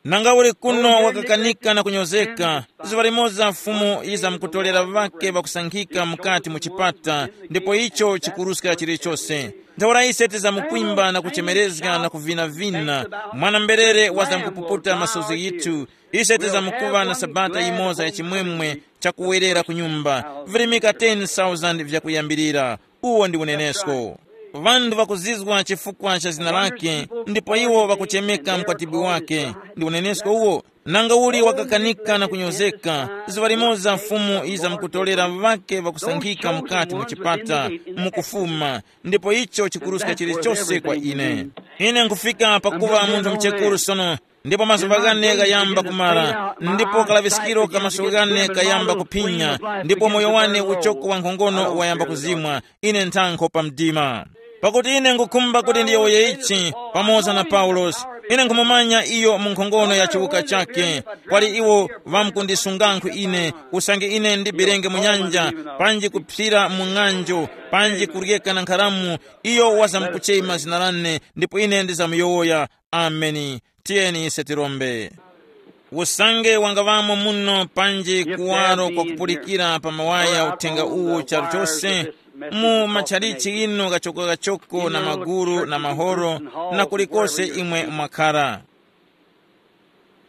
Nanga uli kuno wakakanika na kunyozeka, zuŵa limoza Fumu yizamkutolera ŵake ŵakusankhika mukati mu chipata, ndipo icho chikuruska chilichose. Ntheura ise tizamukwimba na kuchemerezga na kuvinavina. Mwana-mberere wazamkupuputa masozi yithu. Ise tizamukuŵa na sabata yimoza ya chimwemwe chakuwerera ku nyumba. Virimika ten thousand vyakuyambirira. Uwo ndi unenesko. Ŵanthu ŵakuzizwa chifukwa cha zina lake, ndipo iwo ŵakuchemeka mkwatibwi wake. Ndi unenesko uwo. Nanga uli wakakanika na kunyozeka, zuŵa limoza Fumu yizamkutolera ŵake ŵakusankhika mukati mu chipata, mukufuma, ndipo icho chikuruska chilichose kwa ine. Ine nkufika pakuŵa munthu mchekuru sono, ndipo mazuŵa ghane ghayamba kumara, ndipo kalaŵiskiro ka maso ghane kayamba kuphinya, ndipo moyo wane uchoko wa nkhongono wayamba kuzimwa. Ine nthankho pa mdima. Pakuti ine ngukhumba kuti ndiyowoye ichi, pamoza na Paulosi. Ine nkhumumanya iyo mu nkhongono ya chiwuka chake. Kwali iwo ŵamkundisungankhu ine, usange ine ndibirenge mu nyanja, panji kuphira mu ng'anjo, panji kuryeka na nkharamu, iyo wazamkuchema zina lane, ndipo ine ndizamuyowoya. Ameni. Tiyeni ise tirombe. Usange wangaŵamo muno panji kuwaro kwakupulikira pa mawaya uthenga uwu charu chose, mu matchalichi ino kachokokachoko na maguru na mahoro, na kulikose imwe mwakhara.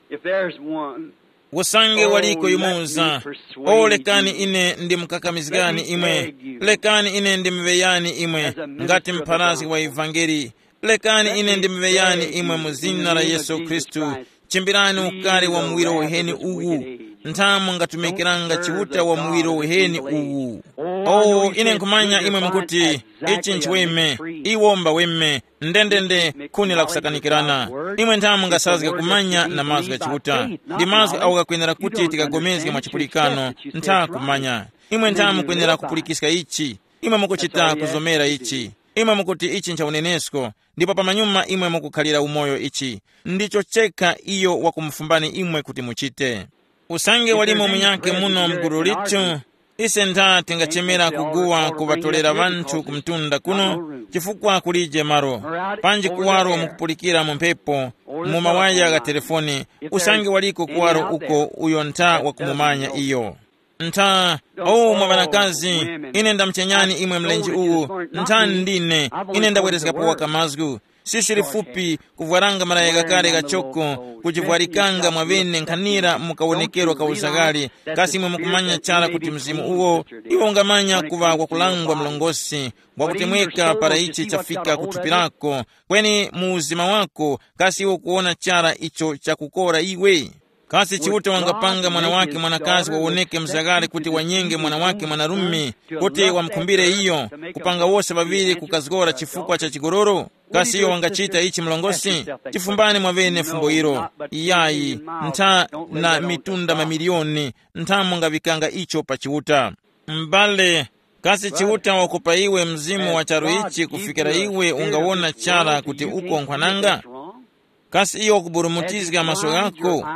If there's one, Usange waliko yumoza, o, lekani ine ndimukakamizgani imwe, lekani ine ndimuŵeyani imwe, ngati mpharazgi wa ivangeli, lekani ine ndimuŵeyani imwe mu zina la Yesu Khristu. Chimbirani ukari wa muwiro uheni uwu. Nthamu ngatumikiranga Chiuta wa muwiro uheni uwu. O, ine nkhumanya imwe mukuti, ichi nchiweme, iwo mbaweme, ndendende, khuni la kusakanikirana. Imwe nthamu ngasazga kumanya na mazgu gha Chiuta. Ndi mazgu awo ghakwenera kuti tikagomezge mwa chipulikano. Ntha kumanya. Imwe nthamu mukwenera kupulikiska ichi. Imwe mukuchita kuzomera ichi. Imwe mukuti ichi ncha unenesko. Ndipo pamanyuma imwe mukukhalira umoyo ichi. Ndicho chekha iyo wakumufumbani imwe kuti muchite. Usange walimo munyakhe muno mgulu lithu, ise ntha tingachemera kuguwa kuŵatolera ŵanthu ku mtunda kuno, chifukwa kulije malo, panji kuwaro mukupulikira mu mphepo, mu mawaya gha telefoni, usange waliko kuwaro uko uyo ntha wakumumanya iyo. Ntha, o mwa ŵanakazi, ine ndamuchenyani imwe mlenje uwu, ntha ndine, ine ndabwerezgapo waka mazgu. Sisi lifupi kuvwaranga malaya ghakale ghachoko, kujivwarikanga mwaŵene nkhanira mu kawonekero ka uzaghali, kasi imwe mukumanya chara kuti mzimu uwo, iwo ungamanya kuŵa wakulangwa mlongosi, wakutemweka para ichi chafika ku thupi lako, kweni mu uzima wako, kasi iwe ukuwona chara icho chakukora iwe? Kasi Chiuta wangapanga mwana wake mwanakazi wawoneke mzaghali kuti wanyenge mwana wake mwanarume, kuti wamukhumbire iyo, kupanga wose ŵaŵiri kukazgora chifukwa cha chigololo? Kasi iyo wangachita ichi mlongosi? Chifumbani mwaŵene fumbo ilo. Iyayi, ntha na mitunda mamiliyoni, ntha mungaŵikanga icho pa Chiuta. M'bale, kasi Chiuta wakupa iwe mzimu wa charu ichi kufikira iwe ungawona chara kuti uko nkhwananga? Kasi iyo wakuburumutizga maso ghako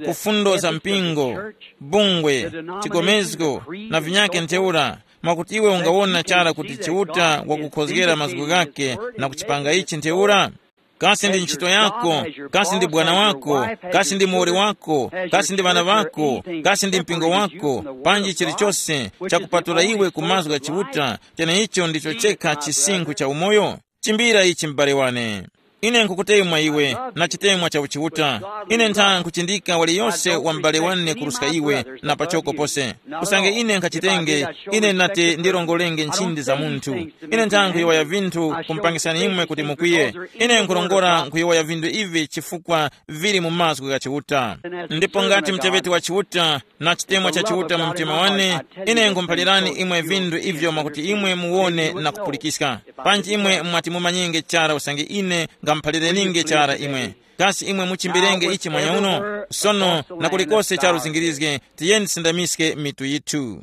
ku fundo za mpingo, bungwe, chigomezgo, na vinyakhe ntheura, mwakuti iwe ungawona chara kuti Chiuta wakukhozgera mazgu ghakhe na kuchipanga ichi ntheura? Kasi ndi ntchito yako, kasi ndi bwana wako, kasi ndi muwoli wako, kasi ndi ŵana ŵako, kasi ndi mpingo wako, panji chilichose chakupatula iwe ku mazgu gha Chiuta, cheneicho ndicho chekha chisinkhu cha umoyo? Chimbira ichi m'bale wane. Ine nkhukutemwa iwe na chitemwa cha uchiuta. Ine ntha nkhuchindika waliyose wa m'bale wane kuruska iwe na pachoko pose. Usange ine nkhachitenge, ine nati ndirongolenge nchindi za munthu. Ine ntha nkhuyowoya vinthu kumupangisani imwe kuti mukwiye. Ine nkhurongora nkhuyowoya vinthu ivi chifukwa vili mu mazgu gha Chiuta. Ndipo ngati muteŵeti wa Chiuta na chitemwa cha Chiuta mu mtima wane, ine nkhumuphalirani imwe vinthu ivyo mwakuti imwe muwone na kupulikiska. Panji imwe mwati mumanyenge chara usange ine ngamuphalirenge chara imwe. Kasi imwe muchimbirenge ichi mwanyauno? Sono na kulikose charu zingirizge, tiyeni tisindamiske mitu yithu.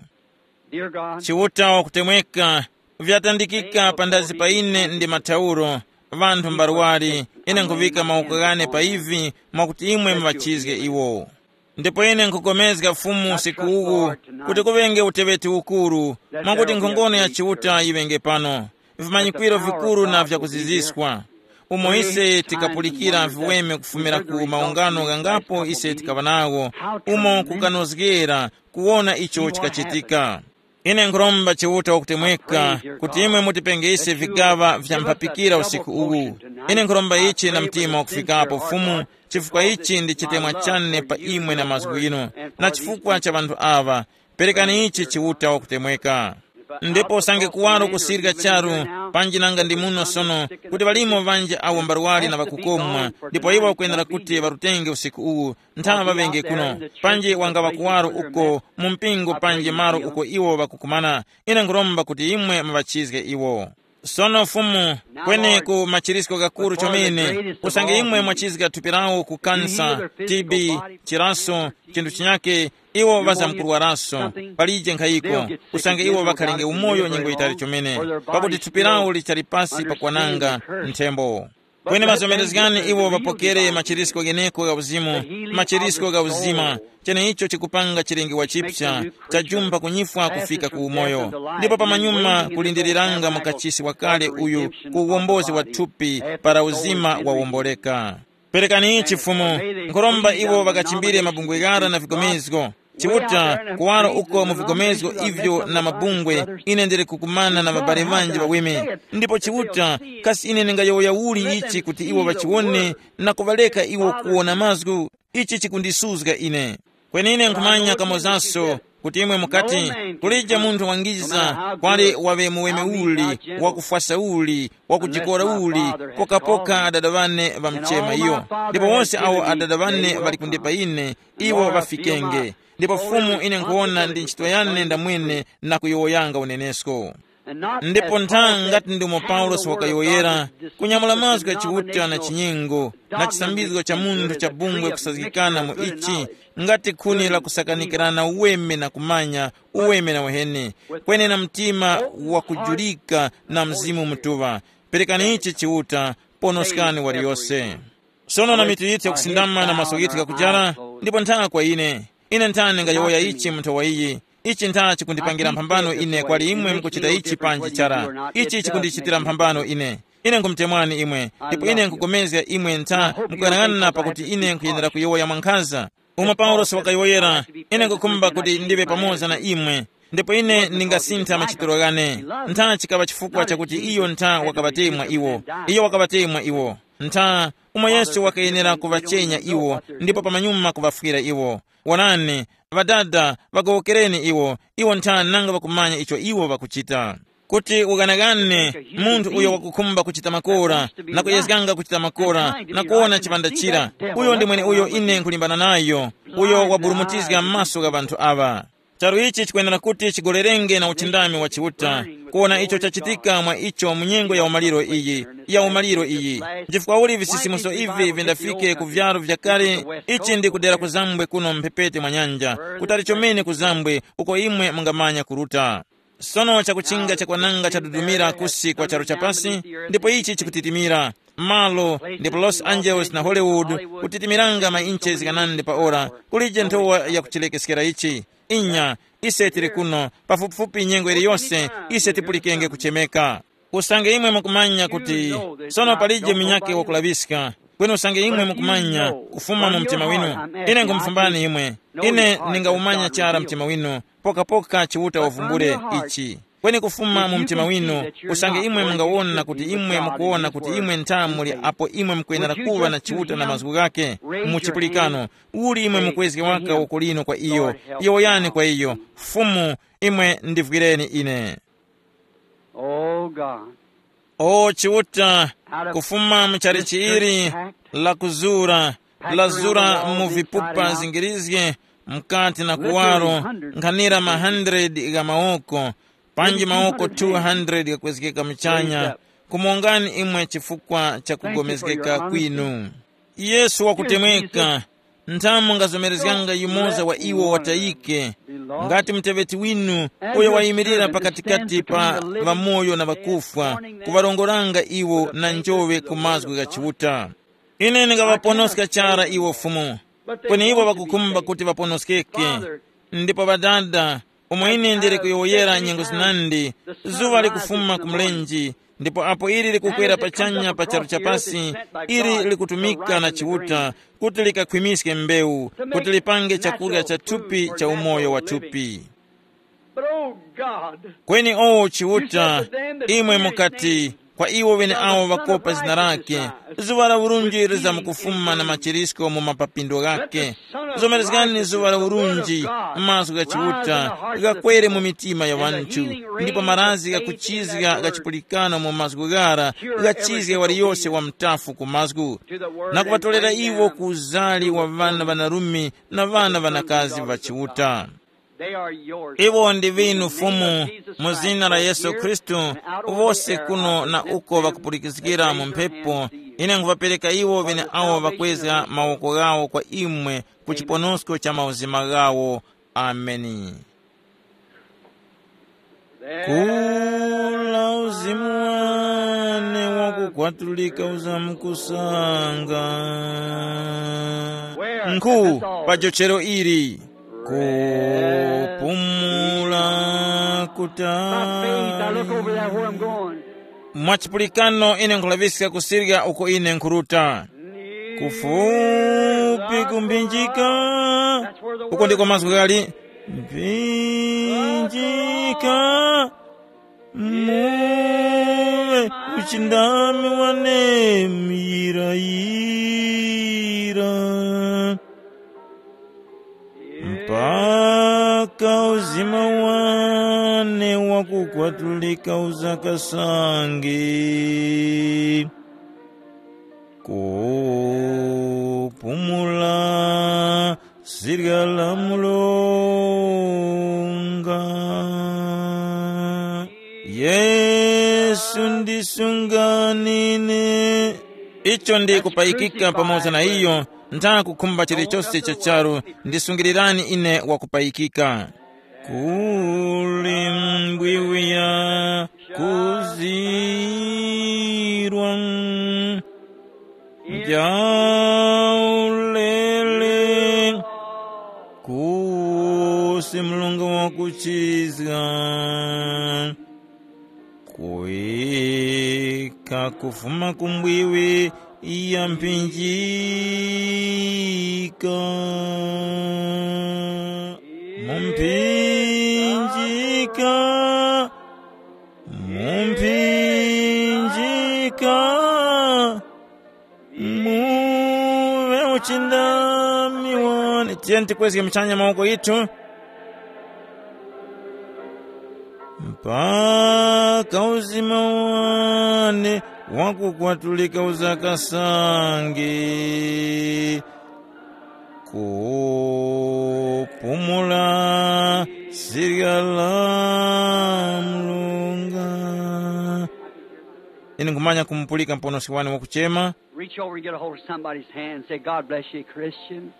Chiuta wakutemweka, vyatandikika pandazi pa ine ndi mathauro, Ŵanthu mbarwari, ine nkhuŵika mawoko ghane pa ivi, mwakuti imwe muŵachizge iwo. Ndipo ine nkhupulikana Fumu usiku uwu, kuti kuŵenge uteŵeti ukuru, mwakuti nkhongono ya Chiuta yiŵenge pano, vimanyikwiro vikuru na vyakuziziswa, umo ise tikapulikira viweme kufumira ku maungano ghangapo ise tikaŵa nawo, umo kukanozgera kuwona icho chikachitika. Ine nkhuromba Chiuta wakutemweka kuti imwe mutipenge ise vigaŵa vya mphapikira usiku uwu. Ine nkhuromba ichi na mtima wakufikapo Fumu, chifukwa ichi ndi chitemwa chane pa imwe na mazgu ghinu, na chifukwa cha ŵanthu aŵa. Perekani ichi Chiuta wakutemweka. Ndipo usange kuwaro kusirika charu, panji nanga ndi muno sono, kuti ŵalimo ŵanji awo mbarwari na ŵakukomwa, ndipo iwo ŵakwenera kuti ŵarutenge usiku uwu, nthawe ŵaŵenge kuno, panji wangaŵa kuwaro uko mu mpingo panji malo uko iwo ŵakukumana. Ine nkhuromba kuti imwe muŵachizge iwo. Sono Fumu, kweneku machirisko ghakuru chomene, usange imwe mwachizga thupi lawo ku kansa, T B, chiraso, chinthu chinyake, iwo ŵazamkurwaraso, palije nkhayiko, usange iwo ŵakhalenge umoyo nyengo yitali chomene, pakuti thupi lawo lichali pasi pakwananga nthembo. Kweni mazomerezgani iwo ŵapokere machirisko gheneko gha uzimu, machirisko gha uzima, cheneicho chikupanga chilengewa chipsa, chajumba kunyifwa kufika ku umoyo, ndipo pamanyuma kulindiriranga mukachisi wakale uyu ku uwombozi wa thupi para uzima wawomboleka. Perekani ichi Fumu, nkhuromba iwo ŵakachimbire mabungwe ghara na vigomezgo. Chiuta, kuwaro uko mu vigomezgo ivyo na mabungwe, ine ndili kukumana na ŵabale ŵanji ŵaweme. Ndipo Chiuta, kasi ine ndingayowoya uli ichi kuti iwo ŵachiwone na kuŵaleka iwo kuwona mazgu? Ichi chikundisuzga ine. Kweni ine nkhumanya kamozaso kuti imwe mukati, kulije munthu wangiza kwali waŵe muweme uli, wakufwasa uli, wakujikora uli, pokapoka adada ŵane ŵamuchema iyo. Ndipo wonse awo adada ŵane ŵali kundipa ine, iwo ŵafikenge. Ndipo Fumu ine nkhuwona ndi ntchito yane ndamwene na kuyowoyanga unenesko. Ndipo ntha ngati ndimo Paulosi wakayowoyera, kunyamula mazgu gha Chiuta na chinyengo na chisambizgo cha munthu cha bungwe kusazgikana mu ichi, ngati khuni la kusakanikirana uweme na kumanya uweme na uheni, kweni na mtima wakujulika na Mzimu Mutuŵa. Perekani ichi Chiuta, ponoskani waliyose. Sono na mitu yithu yakusindama na maso ghithu ghakujara, ndipo nthaka kwa ine. Ine nthani ngayowoya ichi mu nthowa iyi? Ichi ntha chikundipangira mphambano ine kwali imwe mukuchita ichi panji chara. Ichi chikundichitira mphambano ine. Ine nkhumutemwani imwe, ndipo ine nkupulikana imwe ntha mukuyang'ana pakuti ine nkhuyenera kuyowoya mwankhaza. Umo Paulosi wakayowoyera, ine nkukhumba kuti ndive pamoza na imwe, ndipo ine ndingasintha machitiro ghane. Ntha chikaŵa chifukwa chakuti iyo ntha wakaŵatemwa iwo. Iyo wakaŵatemwa iwo. Ntha umo Yesu wakayenera kuŵachenya iwo, ndipo pamanyuma kuŵafwira iwo. Wonani, ŵadada, ŵagowokereni iwo, iwo ntha nanga ŵakumanya icho iwo ŵakuchita. Kuti ughanaghane munthu uyo wakukhumba kuchita makora, na kuyezganga kuchita makora, na kuwona chipanda chira, uyo ndi mweneuyo ine nkhulimbana nayo, uyo waburumutizga m'maso gha ŵanthu aŵa. Charu ichi chikwenera kuti chigolerenge na uchindami wa Chiuta, kuwona icho chachitika mwa icho mu nyengo ya umaliro iyi, ya umaliro iyi. Nchifukwa uli visisimuso ivi vindafike ku vyaro vyakale, ichi ndi kudera kuzambwe kuno mphepete mwa nyanja, kutali chomene kuzambwe uko imwe mungamanya kuruta. Sono chakuchinga chakwananga chadudumira kusi kwa charu chapasi, ndipo ichi chikutitimira. Malo ndipo Los Angeles na Hollywood kutitimiranga mainche zikanande pa ora, kulije nthowa yakuchilekeskera ichi. Inya, ise tili kuno, pafupifupi nyengo iliyonse ise tipulikenge kuchemeka. Usange imwe mukumanya kuti sono palije munyakhe wakulaŵiska, kweni usange imwe mukumanya kufuma mu mtima winu, ine nkhumufumbani imwe. Ine ndingawumanya chara mtima winu, pokapoka Chiuta wavumbule ichi. Kweni kufuma mu mtima winu, usange imwe mungawona kuti imwe mukuwona kuti imwe ntha muli apo imwe mukwenera kuŵa na Chiuta na mazgu ghakhe mu chipulikano, uli imwe mukwezge waka woko lino kwa iyo, yowoyani kwa iyo, Fumu, imwe ndivwireni ine. Oh God. O Chiuta, kufuma mu chalichi ili la kuzura, lazura mu vipupa zingirizge, mkati na kuwaro, nkhanira ma hundred gha mawoko, panji mawoko two hundred ghakwezgeka muchanya, kumongani imwe chifukwa cha kugomezgeka kwinu. Yesu wakutemweka, nthamu ngazomerezganga yumoza wa iwo watayike, Ngati muteŵeti winu uyo wayimirira pakatikati pa ŵamoyo na ŵakufwa, kuŵarongoranga iwo na njoŵe ku mazgu gha Chiuta. Ine ndingaŵaponoska chara iwo Fumu, kweni iwo ŵakukhumba kuti ŵaponoskeke. Ndipo Ŵadada, umo ine ndili kuyowoyera nyengo zinandi, zuŵa likufuma ku mlenje, ndipo apo ili likukwera pachanya pa charu cha pasi, ili likutumika na Chiuta kuti likakhwimiske mbewu, kuti lipange chakurya cha thupi cha umoyo wa thupi. But oh God, kweni o Chiuta, imwe mukati kwa iwo ŵeneawo ŵakopa zina lake, zuŵa la urunji lizamkufuma na machirisko mu mapapindo ghake. Zomerezgani zuŵa la urunji, mazgu gha Chiuta ghakwere mu mitima ya ŵanthu, ndipo marazi ghakuchizga gha chipulikano mu mazgu ghara ghachizge waliyose wa mtafu ku mazgu, na kuŵatolera iwo ku uzali wa ŵana ŵanarume na ŵana ŵanakazi ŵa Chiuta. They are yours. Iwo ndi vinu Fumu, mu zina la Yesu Khristu, wose kuno na uko ŵakupulikizgira mu mphepo, ine nkhuŵapereka iwo ŵeneawo ŵakwezga mawoko ghawo kwa imwe ku chiponosko cha mauzima ghawo. Ameni. Kula uzimu wane wakukwatulika uzamukusanga. Nkhu pa jochero ili. Kupumula kutali. By faith, I look over there where I'm going. Mwa chipulikano ine nkhulaŵiska kusirya uko ine nkhuruta. Kufupi kumphinjika. Uko ndiko mazgu ghali. Mphinjika. Muwe uchindami wane muyirayira. Mpaka uzima wane wakukwatulika uzakasange. Kupumula sirya la mulunga. Yesu ndisunganine. Icho ndi kupayikika pamoza na iyo. Ntha kukhumba chilichose cha charu, ndisungirirani ine wakupayikika. Kuli mbwiwi ya kuzirwa jaulele, kusi mulungu wakuchizga. Kuika kufuma ku mbwiwi ya mphinjika. Mu mphinjika. Mu mphinjika. Muwe uchindami wane. Tiyeni tikwezge muchanya mawoko yithu. Mpaka uzima wane wakukwatulika uzakasange. Kupumula sirya la mulunga. Ine nkhumanya kumupulika muponoski wane wakuchema. Reach over and get a hold of somebody's hand and say, "God bless you, Christian."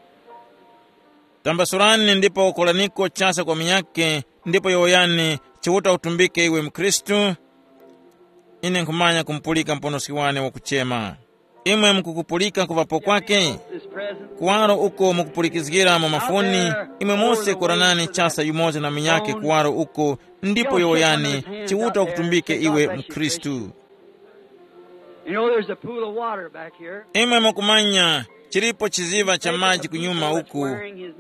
Tambasurani ndipo kolaniko chasa kwa munyakhe, ndipo yowoyani, "Chiuta utumbike iwe mkhristu." Ine nkhumanya kumupulika muponoski wane wakuchema. Imwe mukukupulika kuŵapo kwake? This present. Kuwaro uko mukupulikizgira mu mafoni, imwe mose koranani chasa yumoza na munyakhe kuwaro uko, ndipo yowoyani, "Chiuta ukutumbike iwe mkhristu." You know, there's a pool of water back here. Imwe mukumanya, chilipo chiziva cha maji kunyuma uku.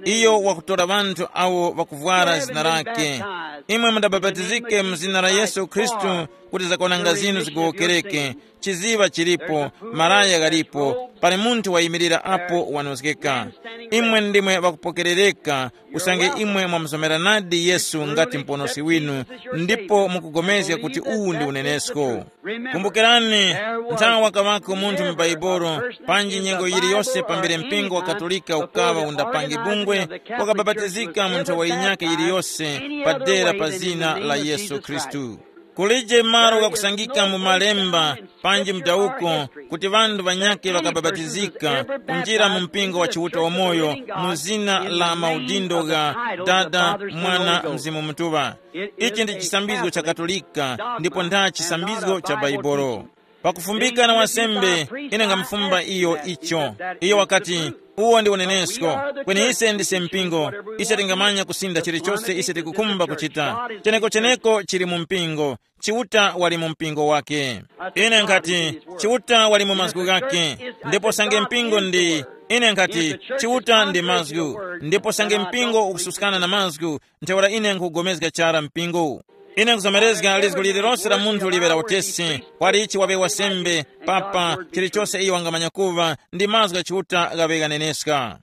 Iyo wakutora ŵanthu awo ŵakuvwara zina lake. Imwe mudabapatizike mu zina la Yesu Khristu kuti zakwananga zinu zigowokereke. Chiziva chilipo, maraya ghalipo, pali munthu wayimirira apo wanozgeka. Imwe ndimwe ŵakupokerereka, usange imwe mwamuzomeranadi Yesu ngati Muponoski winu, ndipo mukugomezga kuti uwu ndi unenesko. Kumbukirani, nthawi wakaŵako munthu mu Bhaibuli, panji nyengo yiliyose pambere mpingo wa Katolika ukaŵa undapange bungwe, wakabapatizika mu nthowa yinyakhe yiliyose padera pa zina la Yesu Khristu. Kulije malo ghakusangika mu malemba panji mdawuko kuti ŵanthu ŵanyakhe ŵakabapatizika kunjira mu mpingo wa Chiuta wamoyo mu zina la maudindo gha Dada, Mwana, Mzimu Mutuŵa. Ichi ndi chisambizgo cha Katolika ndipo ntha chisambizgo cha Baibolo. Pakufumbika na wansembe, ine ngamufumba iyo icho. Iyo wakati, uwo ndi unenesko. Kweni ise ndise mpingo. Ise tingamanya kusinda chilichose ise tikukhumba kuchita. Cheneko-cheneko chili mu mpingo. Chiuta wali mu mpingo wake. Ine nkhati, Chiuta wali mu mazgu ghake. Ndipo sange mpingo ndi, ine nkhati, Chiuta ndi mazgu. Ndipo sange mpingo ukususkana na mazgu, ntheura ine nkhupulikana chara mpingo. Ine nkuzomerezga lizgu lililonse la munthu liŵe la utesi, kwali ichi waŵe wasembe, papa, chilichose iyo wangamanya kuva, ndi mazgu gha Chiuta ghaŵe ghaneneska.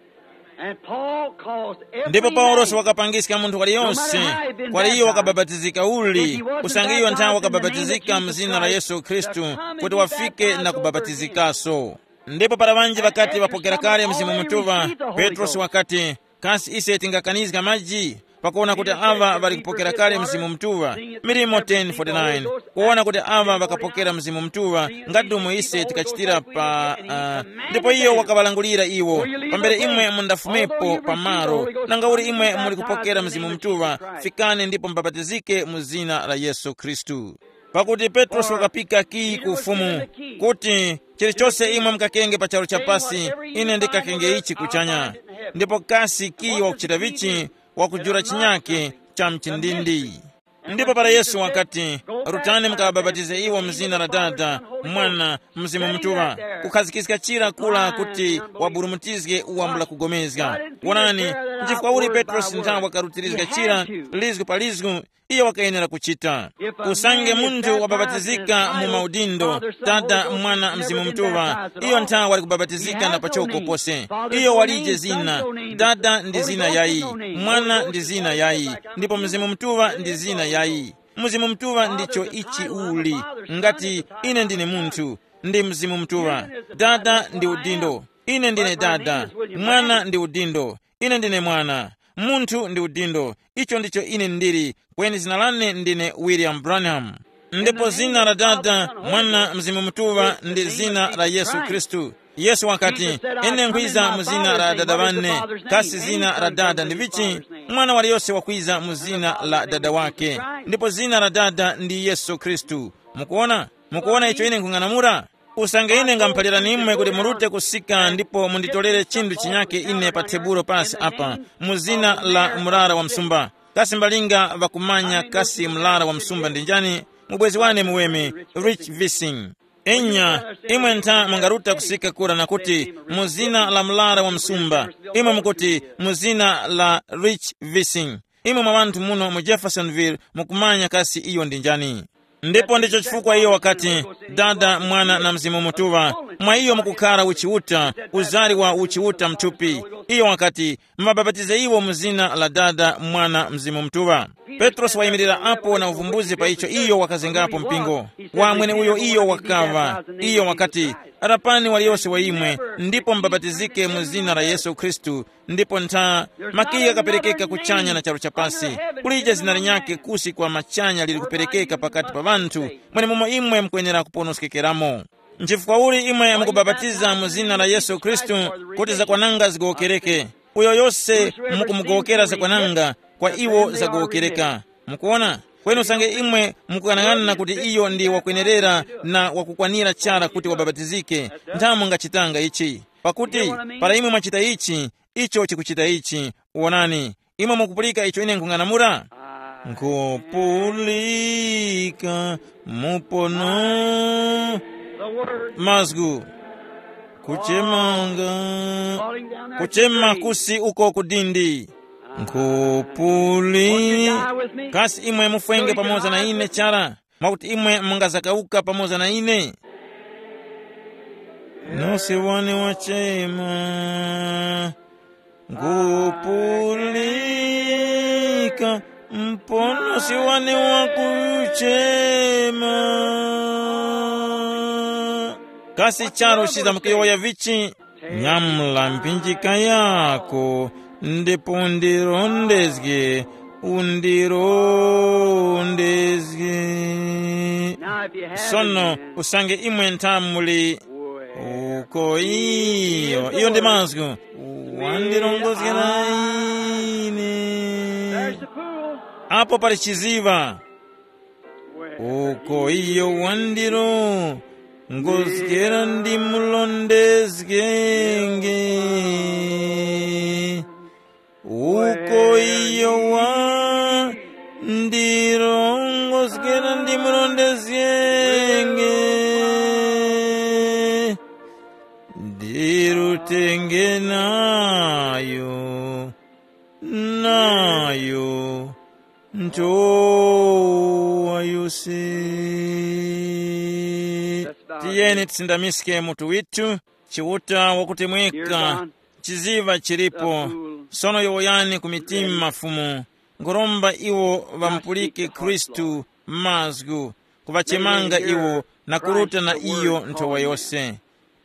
And Paul calls every Ndipo Paulosi man, wakapangiska munthu waliyonse, no matter how he had been kwa iyo baptized, wakabapatizika uli, if he wasn't usange iyo nthawi baptized in the name of wakabapatizika mu Jesus zina la Christ, Yesu Khristu, to come and kuti be wafike baptized na over again. Kubapatizikaso. Ndipo para ŵanji ŵakati ŵapokera kale Mzimu Mutuŵa, Petrosi wakati, kasi ise tingakanizga maji? Pakuwona kuti aŵa ŵali kupokera kale Mzimu Mutuŵa, Milimo ten forty-nine, kuwona kuti aŵa ŵakapokera Mzimu Mutuŵa, ngati umo ise tikachitira pa, uh, ndipo iyo wakaŵalangulira iwo, pambere imwe mundafumepo pa malo, nanga uli imwe muli kupokera Mzimu Mutuŵa, fikani ndipo mubapatizike mu zina la Yesu Khristu. Pakuti Petrosi wakapika kiyi ku Ufumu, kuti, chilichose imwe mukakenge pa charu cha pasi, ine ndikakenge ichi kuchanya. Ndipo kasi kiyi wakuchita vichi? Wakujula chinyake cha mchindindi. Ndipo para Yesu wakati, rutani mukawabapatize iwo mu zina la Dada, Mwana, Mzimu Mutuŵa, kukhazikiska chira kula kuti waburumutizge uwambula kugomezga. Wonani, nchifukwa uli Petrosi nthawi wakarutirizga chira, lizgu pa lizgu, iyo wakayenera kuchita. Usange munthu wabapatizika mu maudindo, Dada, Mwana, Mzimu Mutuŵa, iyo nthawi wali kubapatizika na pachoko pose. Iyo walije zina, Dada ndi zina yayi, Mwana ndi zina yayi, ndipo Mzimu Mutuŵa ndi zina yayi. Mzimu Mutuŵa ndicho ichi uli, ngati ine ndine munthu, ndi Mzimu Mutuŵa. Dada ndi udindo, ine ndine Dada, Mwana ndi udindo, ine ndine Mwana, munthu ndi udindo, icho ndicho ine ndili, kweni zina lane ndine William Branham. Ndipo zina la Dada, Mwana, Mzimu Mutuŵa ndi zina la Yesu Khristu. Yesu wakati, ine nkhwiza mu zina la Dada wane, kasi zina la Dada ndi vichi? Mwana waliyose wakwiza mu zina la Dada wake, ndipo zina la Dada ndi Yesu Khristu. Mukuona? Mukuona icho ine nkhung'anamula? Usange ine ngamuphalirani imwe kuti murute kusika ndipo munditorere chinthu chinyake ine pa tebulo pasi apa, mu zina la murara wa msumba. Kasi mbalinga ŵakumanya kasi murara wa msumba ndi njani? Mubwezi wane muweme, Rich Vising. Enya, imwe ntha mungaruta kusika kura na kuti, mu zina la murara wa msumba, imwe mukuti, mu zina la Rich Vising. Imwe mwa ŵanthu muno mu Jeffersonville mukumanya kasi iyo ndi njani. Ndipo ndicho chifukwa iyo wakati, Dada, Mwana na Mzimu Mutuŵa, mwa iyo mukukhara uchiuta, uzari wa uchiuta mthupi. Iyo wakati, mubapatize iwo mu zina la Dada, Mwana, Mzimu Mutuŵa. Petrosi wayimirira apo na uvumbuzi pa icho iyo wakazengapo mpingo. Wa mweneuyo iyo wakaŵa. Iyo wakati, rapani waliyose wa imwe, ndipo mubapatizike mu zina la Yesu Khristu, ndipo ntha, makiyi ghaperekeka kuchanya na charu chapasi. Kulije zina linyakhe kusi kwa machanya lili kuperekeka pakati pa ŵanthu, mwenemumo imwe mukwenera kuponoskekeramo. Nchifukwa uli imwe mukubapatiza mu zina la Yesu Khristu, kuti zakwananga zigowokereke? Uyo yose mukumugowokera zakwananga, kwa iwo zagowokereka. Mukuona? Kweni usange imwe mukughanaghanana kuti iyo ndi wakwenerera na wakukwanira chara kuti wabapatizike, ntha mungachitanga ichi. Pakuti para imwe mwachita ichi, icho chikuchita ichi. Wonani, imwe mukupulika icho ine nkhung'anamula? Nkhupulika mupono mazgu kuchemanga, kuchema kusi uko kudindi. Nkhupuli, kasi imwe mufwenge pamoza na ine chara? Mwakuti imwe mungazakawuka pamoza na ine? Nose wane wachema, ngupulika, mponosi wane wakuchema. Kasi charu chizamukuyowoya vichi? Nyamula mphinjika yako, ndipo ndirondezge undirondezge. Now, if you have Sono, usange imwe nthamuli, uko iyo, iyo ndi mazgu, wandirongozgera ine. There's the pool. Apo pali chiziva. Uko iyo wandiro ngozgera ndi mulondezgenge. Uko iyo wa ndiro ngozgera ndi mulondezgenge. Ndirutenge nayo, nayo ntowa yose. Tiyeni tisindamiske mutu withu. Chiuta wakutemweka, chiziva chilipo. Sono yowoyani ku mitima mafumu. Nkhuromba iwo ŵamupulike Khristu mazgu, kuŵachemanga iwo na kuruta na iyo nthowa yose.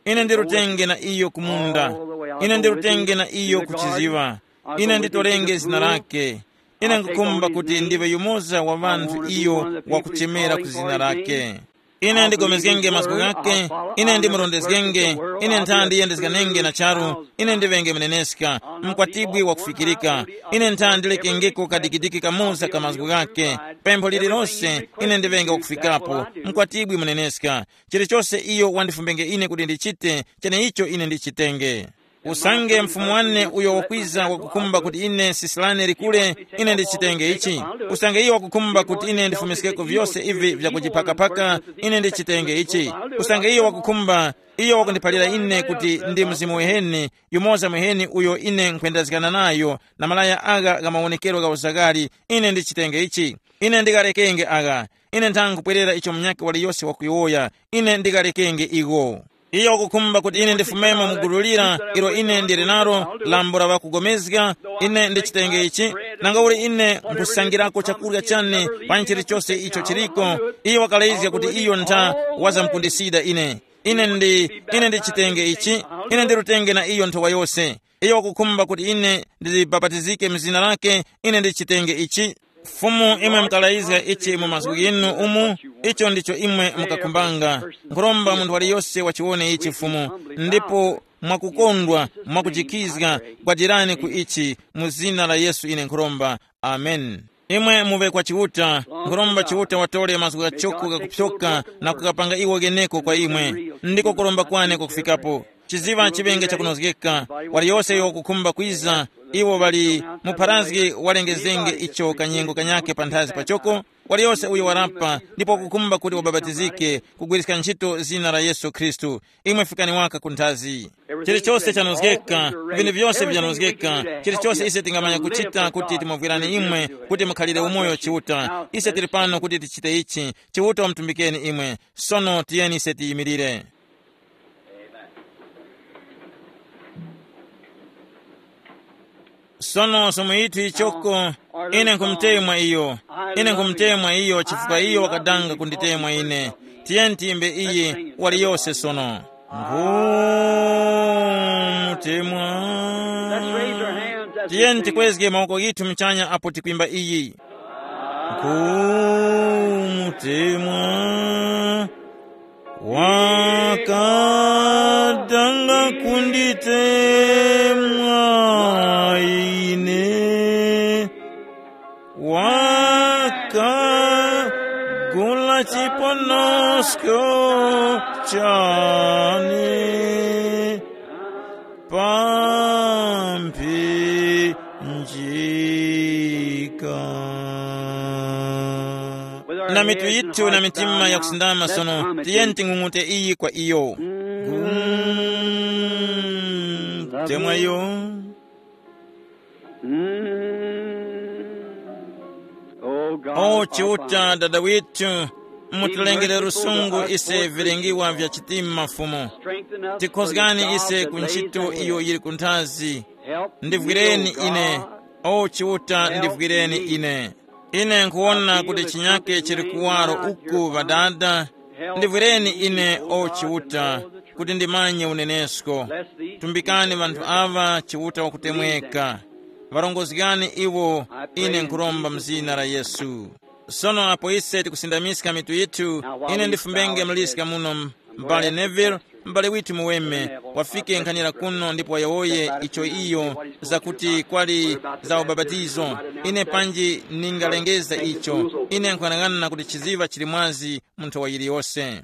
Ine ndirutenge na iyo kumunda. Ine ndirutenge na iyo kuchiziŵa. Ine nditorenge zina lake. Ine nkukhumba kuti ndiwe yumoza wa ŵanthu iyo wakuchemera ku zina lake. Ine ndigomezgenge mazgu ghake. Ine ndimurondezgenge. Ine ntha ndiyendezganenge na charu. Ine ndiŵenge muneneska, mkwatibwi wakufikirika. Ine ntha ndilekengeko kadikidiki kamoza ka mazgu ghake. Pempho lililose ine ndiŵenge wakufikapo, mkwatibwi muneneska. Chilichose iyo wandifumbenge ine kuti ndichite, cheneicho ine ndichitenge. Usange mfumu wane uyo wakwiza wakukhumba kuti ine sisilane likule, ine ndichitenge ichi. Usange iyo wakukhumba kuti ine ndifumiskeko vyose ivi vyakuchiphakaphaka, ine ndichitenge ichi. Usange iyo wakukhumba, iyo wakundiphalira ine kuti ndi mzimu weheni, yumoza mweheni uyo ine nkhwendezgana nayo, na malaya agha gha mawonekero gha uzaghali, ine ndichitenge ichi. Ine ndikarekenge agha. Ine nthanga kupwerera icho munyakhe waliyose wakuyowoya. Ine ndikarekenge igho. Iyo wakukhumba kuti ine ndifumemo mu gulu lira ilo ine ndili nalo, lambo la ŵakugomezga. Ine ndichitenge ichi. Nangauli ine nkhusangirako chakurya chane pa chilichose icho chiliko. Iyo wakalezga kuti iyo ntha wazamkundisida ine. Ine ndi, ine ndichitenge ichi. Ine ndirutenge na iyo nthowa yose. Iyo wakukhumba kuti ine ndibapatizike mu zina lake, ine ndichitenge ichi. Fumu, imwe mukalayizga ichi mu mazgu ghinu umu, icho ndicho imwe mukakhumbanga. Nkhuromba munthu waliyose wachiwone ichi, Fumu, ndipo mwakukondwa, mwakujikizga, gwadirani ku ichi, mu zina la Yesu ine nkhuromba. Amen. Imwe muŵe kwa Chiuta, nkhuromba Chiuta watore mazgu ghachoko ghakupyoka na kukapanga iwo gheneko kwa imwe. Ndiko kuromba kwane kwakufikapo. Chiziŵa chiŵenge chakunozgeka. Waliyose uyo wakukhumba kwiza, iwo ŵali mupharazgi walengezenge icho kanyengo kanyakhe panthazi pachoko. Waliyose uyo warapa ndipo wakukhumba kuti wabapatizike, kugwiriska ntchito zina la Yesu Khristu. Imwe fikani waka ku nthazi. Chilichose chanozgeka, vinthu vyose vyanozgeka. Chilichose ise tingamanya kuchita kuti timuvwirani imwe, kuti mukhalire umoyo Chiuta. Ise tili pano kuti tichite ichi. Chiuta wamutumbikeni imwe. Sono tiyeni ise tiyimirire. Sono somo yithu yichoko, ine nkhumutemwa iyo. Ine nkhumutemwa iyo chifukwa iyo wakadanga kunditemwa ine. Tiyeni tiyimbe iyi waliyose sono. Ngumutemwa. Tiyeni tikwezge mawoko ghithu muchanya apo tikwimba iyi. Ngumutemwa. Wakadanga kunditemwa ine, wakagula chiponosko chane pa mphinjika. Na mitu yithu na mitima yakusindama sono, tiyeni ting'ung'ute iyi kwa iyo. Ngumutemwa iyo. O Chiuta, Dada withu, mutulengere lusungu ise vilengiwa vya chitima, Fumu. Tikhozgani ise ku ntchito iyo yili kunthazi. Ndivwireni ine, o Chiuta, ndivwireni ine. Ine nkhuwona kuti chinyake chili kuwaro uku, Ŵadada. Ndivwireni ine, o Chiuta, kuti ndimanye unenesko. Tumbikani ŵanthu aŵa, Chiuta wakutemweka. Ŵarongozgani iwo, ine nkhuromba mu zina la Yesu. Sono apo ise tikusindamiska mitu yithu, ine ndifumbenge mliska muno, m-, m'bale Neville, m'bale withu muweme, wafike nkhanira kuno ndipo wayowoye icho iyo zakuti kwali za ubapatizo. Ine panji ningalengeza icho, ine nkhuyang'ana kuti chiziva chili mwazi mu nthowa yiliyose.